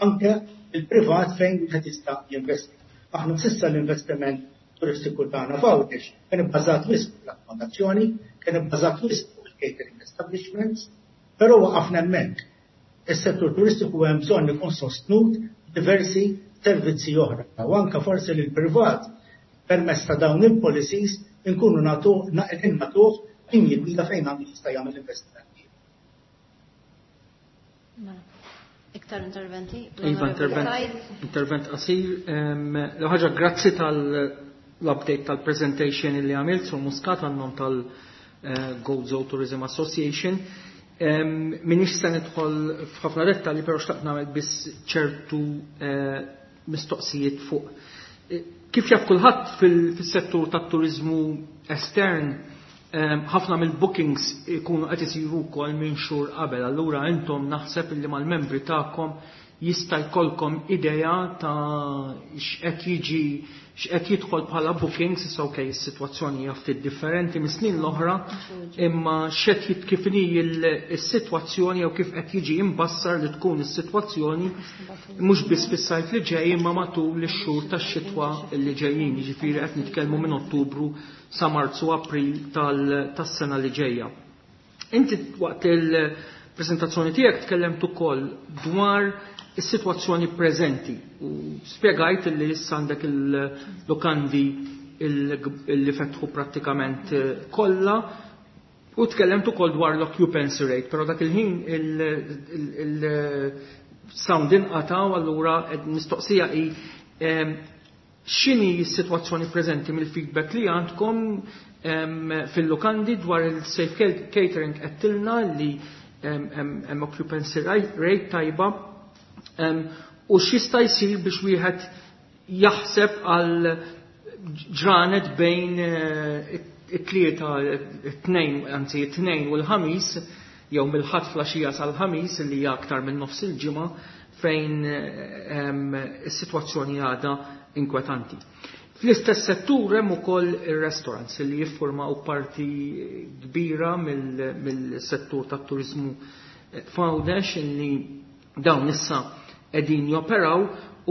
[SPEAKER 7] anke il-privat fejn wieħed jista' jinvesti. Aħna s'issa l-investiment turistiku tagħna f'Għawdex kien ibbażat wisq fuq l-akkomodazzjoni, kien ibbażat wisq fuq il-catering establishments, però waqafna hemmhekk. Is-settur turistiku hemm bżonn ikun sostnut diversi servizzi oħra u anke forsi lil privat permezz ta' dawn il-policies inkunu nagħtu qegħdin nagħtuh linji gwida fejn għandu jista' jagħmel investiment.
[SPEAKER 1] Mela. Iktar interventi?
[SPEAKER 2] Iva, intervent qasir. L-ħaġa, grazzi tal-update tal-presentation li għamilt sur Muscat għan-nom tal-Gozo Tourism Association. Minix se nidħol f'ħafna dettalji, però xtaqt nagħmel biss ċertu mistoqsijiet fuq. Kif jaf kulħadd fis-settur tat-turizmu estern, ħafna mill-bookings ikunu qed isiru wkoll minn xhur qabel. Allura intom naħseb illi mal-membri tagħkom jista' jkollkom idea ta' x'qed jiġi, x'qed jidħol bħala bookings. Issa okej, is-sitwazzjoni hija ftit differenti mis-snin l-oħra, imma x'qed kif inhi is-sitwazzjoni jew kif qed jiġi imbassar li tkun is-sitwazzjoni mhux biss fis-sajf li ġej imma matul ix-xhur tax-xitwa li ġejjin, jiġifieri qed nitkellmu minn Ottubru sa Marzu, April tas-sena li ġejja. Inti waqt il-preżentazzjoni tiegħek tkellemt ukoll dwar is-sitwazzjoni preżenti u spjegajt li issa għandek il-lukandi li fetħu prattikament kollha u tkellemt ukoll dwar l-occupancy rate, però dak il-ħin il-sound inqata' u allura mistoqsija hi x'inhi s-sitwazzjoni preżenti mill-feedback li għandkom fil-lukandi dwar il-safe catering? Għedtilna li hemm occupancy rate tajba, u x'jista' jsir biex wieħed jaħseb għal ġranet bejn it-Tlieta, it-Tnejn, anzi it-Tnejn u l-Ħamis, jew mill-Ħadd flaxija sal-Ħamis, li hija aktar minn nofs il-ġimgħa, fejn is-sitwazzjoni għadha inkwetanti. Fl-istess settur hemm ukoll ir-restaurants li jiffurmaw parti kbira mill-settur tat-turiżmu f'Għawdex, illi dawn issa qegħdin joperaw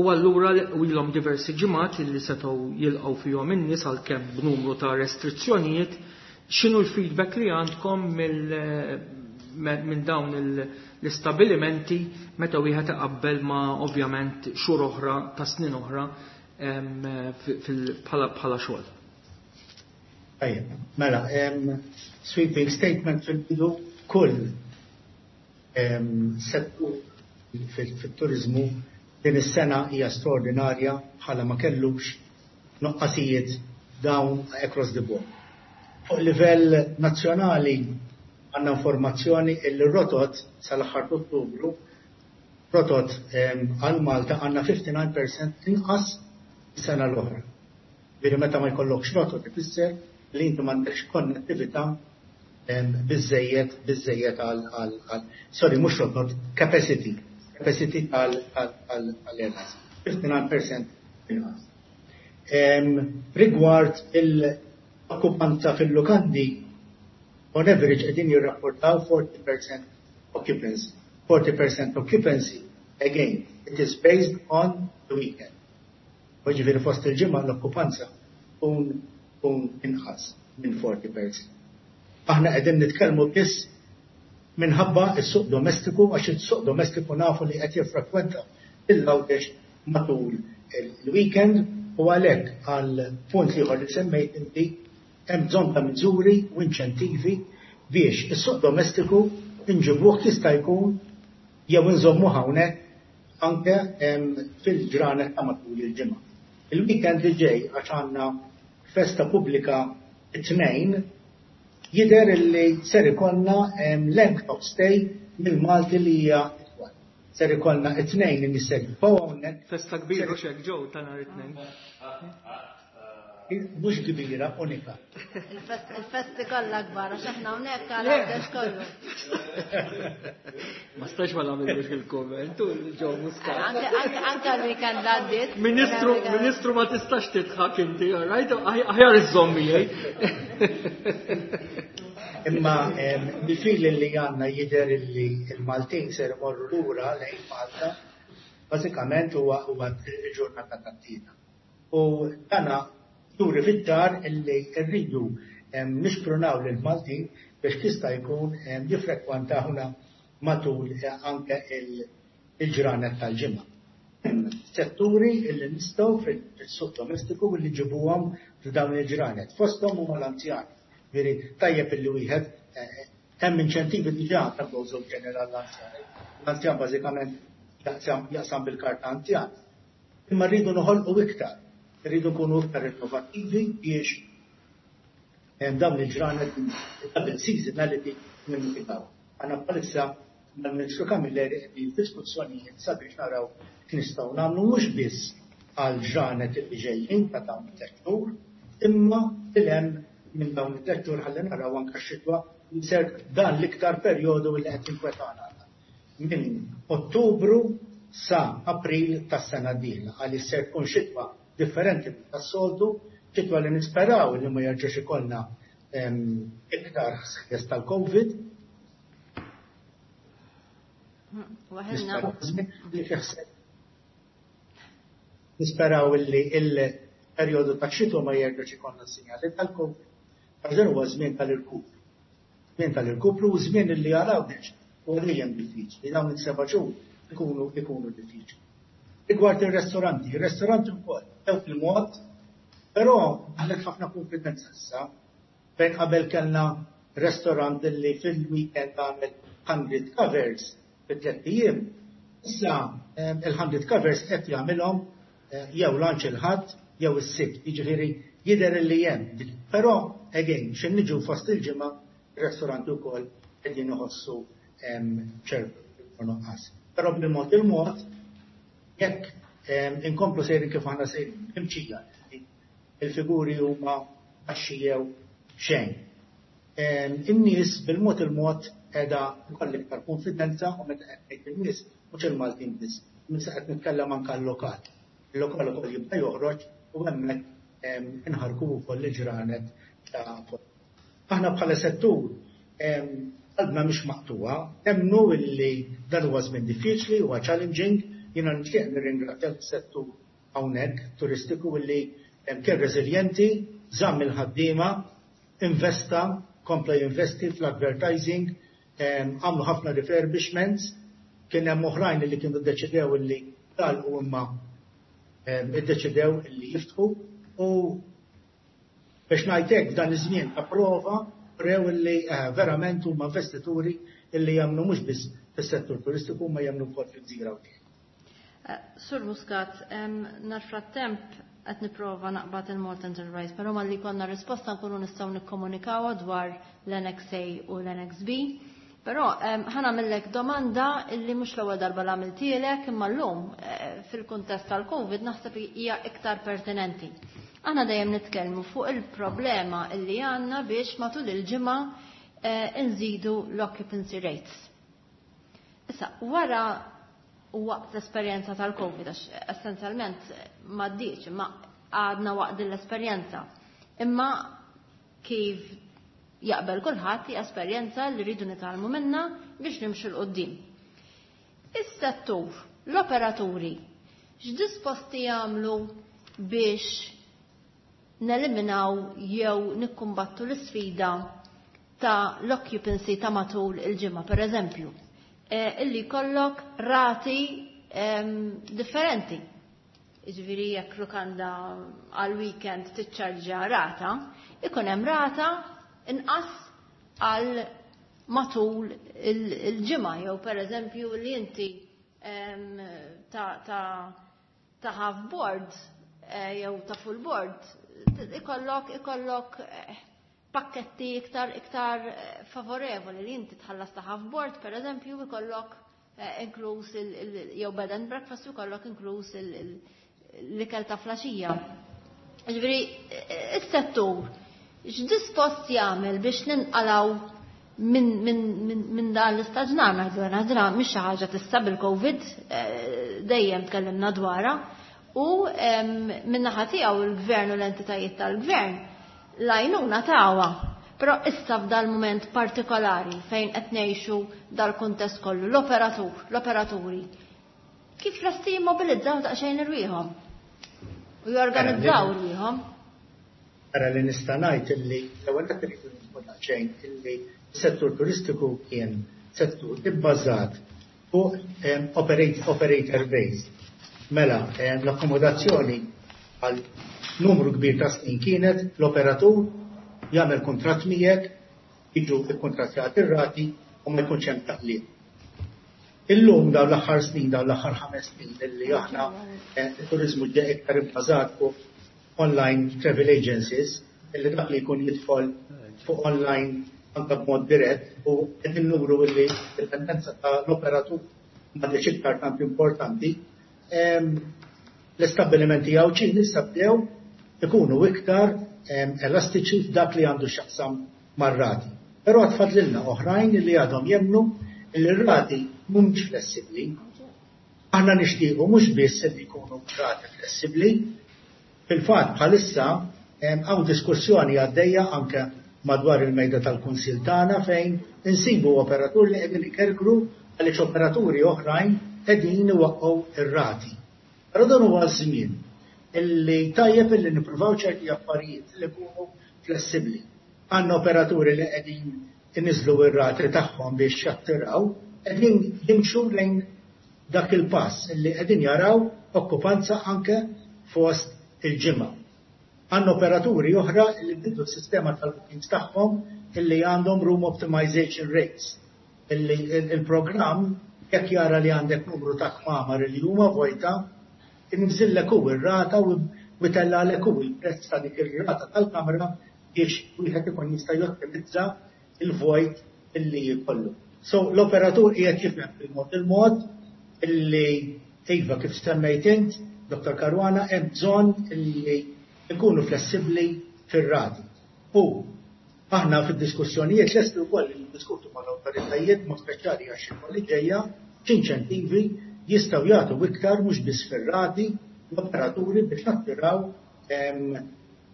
[SPEAKER 2] u allura ilhom diversi ġimgħat illi setgħu jilqgħu fihom in-nies għalkemm b'numru ta' restrizzjonijiet. X'inhu l-feedback li għandkom minn dawn l-istabilimenti meta wieħed iqabbel ma' ovvjament xhur oħra ta' snin oħra bħala xogħol?
[SPEAKER 7] Tajjeb, mela, sweeping statement fil-bidu: kull settur fit-turiżmu din is-sena hija straordinarja bħala ma kellux nuqqasijiet down across the board. Fuq livell nazzjonali għandna informazzjoni illi rotot sal-aħħar Ottubru, rotot għal Malta, għandna 59% inqas sena l-oħra. Ġifieri meta ma jkollokx rotot ifisser li inti m'għandekx konnettività biżejjed għal, sorry, mhux rotot, capacity għal airlines. 59% inqas. Rigward il-okkupanza fil-lukandi, on average qegħdin jirrapportaw 40% occupancy. 40% occupancy, again, it is based on the weekend. U ġifieri fost il-ġimgħa l-okkupanza tkun inqas minn 40%. Aħna qegħdin nitkellmu biss minħabba s-suq domestiku, għax is-suq domestiku nafu li qed jiffrekwenta il-Għawdex matul il-weekend, u għalhekk għal punt ieħor li semmejt inti, hemm bżonn ta' miżuri u inċentivi biex is-suq domestiku nġibuh jista' jkun jew nżommu hawnhekk anke fil-ġranet ta' matul il-ġimgħa. Il-weekend li ġej, għax għandna festa pubblika it-Tnejn, jidher li ser ikollna length of stay mill-Malti li hija itwal. Ser ikollna it-Tnejn li ser jibqgħu hawnhekk.
[SPEAKER 2] Festa kbira xek ġew ta' nhar it-Tnejn.
[SPEAKER 7] Mhux kbira, unika.
[SPEAKER 1] Il-festi kollha kbar, għax aħna hawnhekk għal Għawdex kollu.
[SPEAKER 2] Ma stax ma nagħmilx il-komment, Joe Muscat.
[SPEAKER 1] Anke l-weekend għaddiet.
[SPEAKER 2] Ministru, ministru, ma tistax tidħak inti, all right? Aħjar iżommi.
[SPEAKER 7] Imma bil-fil li għandna jidher li il-Maltin ser imorru lura lejn Malta, bażikament huwa il-ġurnata tat-Tlieta. U dana juri fid-dar illi rridu nisprunaw lil Maltin biex jista' jkun jiffrekwentawna matul anke il-ġranet tal-ġimgħa. Setturi illi nistgħu fil-suq domestiku li ġibuhom f'dawn il-ġranet. Fosthom huma l-anzjani. Veri tajjeb illi wieħed hemm inċentivi diġà ta' Gozo General l-anzjani. L-anzjan bażikament jaqsam bil-karta anzjan. Imma rridu noħolqu iktar, rridu nkunu iktar innovattivi biex dawn il-ġranet double seasonality nimmitigaw. Għandna bħalissa mal-Ministru Camilleri qegħdin diskussjonijiet sabiex naraw x'nistgħu nagħmlu mhux biss għal ġranet li ġejjin ta' dawn it-3 xhur, imma il-hemm minn dawn it-3 xhur ħalli naraw anke x-xitwa li ser dan l-iktar perjodu li qed jinkwetana. Minn Ottubru sa April tas-sena d-dieħla, għaliex ser tkun xitwa differenti tas-soltu, xitwa li nisperaw li ma jerġax ikollna iktar ħsejjes tal-Covid.
[SPEAKER 1] Waħilna.
[SPEAKER 7] Li fih Nisperaw li il-perjodu ta' xitwa ma jerġax ikollna sinjali tal-Covid. Għax dan huwa żmien tal-irkupru. Żmien tal-irkupru u żmien li jaraw u dejjem diffiċli, dawn it-7 xhur ikunu diffiċli. Rigward il-restoranti, il-restoranti wkoll tew fil-mod, però għalek ħafna konfidenza issa, fejn qabel kellna restaurant li fil-weekend għamel 100 covers fit-3 ijiem, issa il-100 covers qed jagħmilhom jew lunch il-Ħadd jew is-Sibt, jiġifieri jidher li hemm. Però again, x'ħin niġu fost il-ġimgħa, ir-restoranti wkoll qegħdin iħossu ċertu nuqqas. Però bil-mod il-mod, jekk inkomplu sejrin kif aħna sejrin, imċija, il-figuri huma baxxi jew xejn. In-nies bil-mod il-mod qiegħda jkollha iktar konfidenza, u meta qed ngħid in-nies mhux il-Maltin biss, minn qed nitkellem anke l-lokal. Il-lokal ukoll jibda joħroġ u hemmhekk inħarku wkoll il-ġranet ta' Aħna bħala settur qalbna mhix maqtuha, nemmnu illi dan huwa żmien diffiċli, huwa challenging, jiena nixtieq nirringrazzja l-settur hawnhekk turistiku illi kien reżiljenti, żamm il-ħaddiema, investa, kompla jinvesti fl-advertising, għamlu ħafna refurbishments, kien hemm oħrajn li kienu ddeċidew illi u imma iddeċidew illi jiftħu, u biex ngħidlek f'dan iż-żmien ta' prova rew illi verament huma investituri illi jagħmlu mhux biss fis-settur turistiku ma jemmnu wkoll fil-gżira Għawdxija.
[SPEAKER 1] Sur Muscat, nar frattemp qed nipprova naqbad il-Malta Enterprise, però malli jkollna risposta nkunu nistgħu nikkomunikawha dwar l-Annex A u l-Annex B. Però ħa nagħmillek domanda illi mhux l-ewwel darba l għamiltielek imma llum fil-kuntest tal-Covid naħseb hija iktar pertinenti. Aħna dejjem nitkellmu fuq il-problema illi għandna biex matul il-ġimgħa nżidu l-occupancy rates. Issa, wara u waqt l-esperjenza tal-Covid, għax essenzjalment m'għaddiex, imma għadna waqt din l-esperjenza. Imma kif jaqbel kulħadd hija esperjenza li rridu nitgħallmu minnha biex nimxu 'l quddiem. Is-settur, l-operaturi, x'disposti jagħmlu biex neliminaw jew nikkumbattu l-isfida ta' l-occupancy ta' matul il-ġimgħa, per eżempju, illi jkollok rati differenti. Jiġifieri jekk lukanda għal weekend tiċċarġa rata, ikun hemm rata inqas għal matul il-ġimgħa jew per eżempju li inti ta' half board jew ta' full board ikollok pakketti iktar favorevoli li inti tħallas ta' half board per eżempju ikollok inkluż jew bed and breakfast ikollok inkluż l-ikel ta' filgħaxija. Ġifieri is-settur x'dispost jagħmel biex ninqalgħu minn dan l-istaġnar ngħidu għana mhix xi ħaġa tista' bil-Covid, dejjem tkellimna dwarha, u min-naħa tiegħu il-gvern u l-entitajiet tal-gvern l-għajnuna tawha. Però issa f'dal moment partikolari fejn qed ngħixu dal-kuntest kollu, l-operatur, l-operaturi, kif lesti jimmobilizzaw daqsxejn irwieħhom u jorganizzaw irwieħhom?
[SPEAKER 7] Ara li nista' ngħid illi l-ewwel qed irridu nifhmu daqsxejn illi s-settur turistiku kien settur ibbażat fuq operator based. Mela, l-akkomodazzjoni għal numru kbir ta' snin kienet l-operatur jagħmel kuntratt miegħek, jiġu ikkuntrattjati ir-rati u ma jkunx hemm taqlib. Illum dawn l-aħħar snin, dawn l-aħħar 5 snin illi aħna it-turiżmu ġie iktar ibbażat fuq online travel agencies, illi dak li jkun jidħol fuq online anke b'mod dirett u qegħdin nuru illi d-dipendenza ta' l-operatur m'għadix iktar tant importanti. L-istabbilimenti Għawdxin issa bdew ikunu iktar elastiċi f'dak li għandu x'jaqsam mar-rati. Però għad fadlilna oħrajn li għadhom jemmnu li r-rati mhumiex flessibbli. Aħna nixtiequ mhux biss li jkunu rati flessibbli. Fil-fatt bħalissa hawn diskussjoni għaddejja anke madwar il-mejda tal-Kunsill tagħna fejn insibu operatur li qegħdin ikerkru għaliex operaturi oħrajn qegħdin iwaqqgħu ir-rati. Però dan huwa żmien illi tajjeb illi nippruvaw ċerti affarijiet li jkunu flessibbli. Għandna operaturi li qegħdin iniżlu r-rati tagħhom biex jattiraw, qegħdin jimxu lejn dak il-pass illi qegħdin jaraw okkupanza anke fost il-ġimgħa. Għandna operaturi oħra li bidlu s-sistema tal-bookings tagħhom illi għandhom room optimization rates. Illi il-programm jekk jara li għandek numru ta' kmamar li huma vojta, inżillek hu ir-rata u jtellagħlek hu il-prezz ta' dik ir-rata tal-kamra biex wieħed ikun jista' jottimizza il-vojt illi jkollu. So l-operatur qiegħed jifhem bil-mod il-mod illi iva kif semmejt int, Dr. Caruana, hemm bżonn illi nkunu flessibbli fir-rati. U aħna fid-diskussjonijiet lesti wkoll li niddiskutu mal-awtoritajiet mod speċjali għax li ġejja x'inċentivi jistgħu jagħtu iktar mhux biss fir-rati l-operaturi biex nattiraw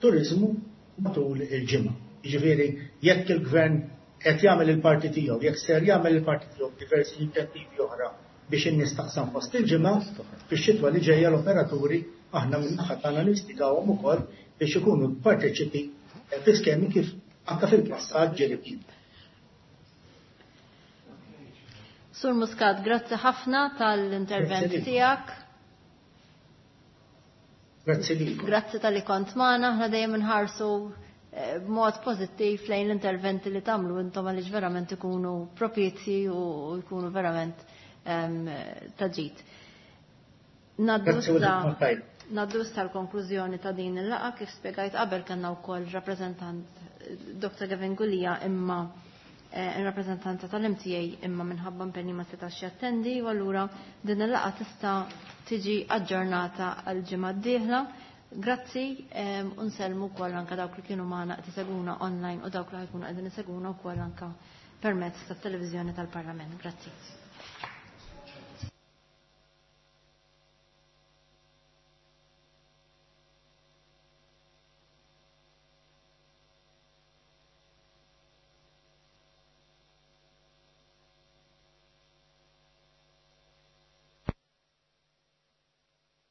[SPEAKER 7] turiżmu matul il-ġimgħa. Jiġifieri jekk il-gvern qed jagħmel il-parti tiegħu, jekk ser jagħmel il-parti tiegħu b'diversi inċentivi oħra biex in-nies taqsam fost il-ġimgħa, fix-xitwa li ġejja l-operaturi aħna min-naħa tagħna nistigawhom ukoll biex ikunu parteċipi fi skemi kif anke fil-passat ġieli kien.
[SPEAKER 1] Sur Muscat, grazzi ħafna tal-intervent tiegħek.
[SPEAKER 7] Grazzi lilkom.
[SPEAKER 1] Grazzi talli kont magħna, aħna dejjem inħarsu b'mod pożittiv lejn l-interventi li tagħmlu intom għaliex verament ikunu propizji u jkunu verament ta' ġid. Naddu issa l-konklużjoni ta' din il-laqgħa. Kif spjegajt qabel, kellna wkoll rappreżentant Dr. Gavin Gulia, imma in rappreżentanza tal-MTA, imma minħabba impenni ma setax jattendi, u allura din il-laqgħa tista' tiġi aġġornata għal ġimgħa d-dieħla. Grazzi u nsellmu wkoll anke dawk li kienu magħna qed isegwuna online u dawk li ħa jkunu qegħdin isegwuna wkoll anke permezz tat-televiżjoni tal-Parlament. Grazzi.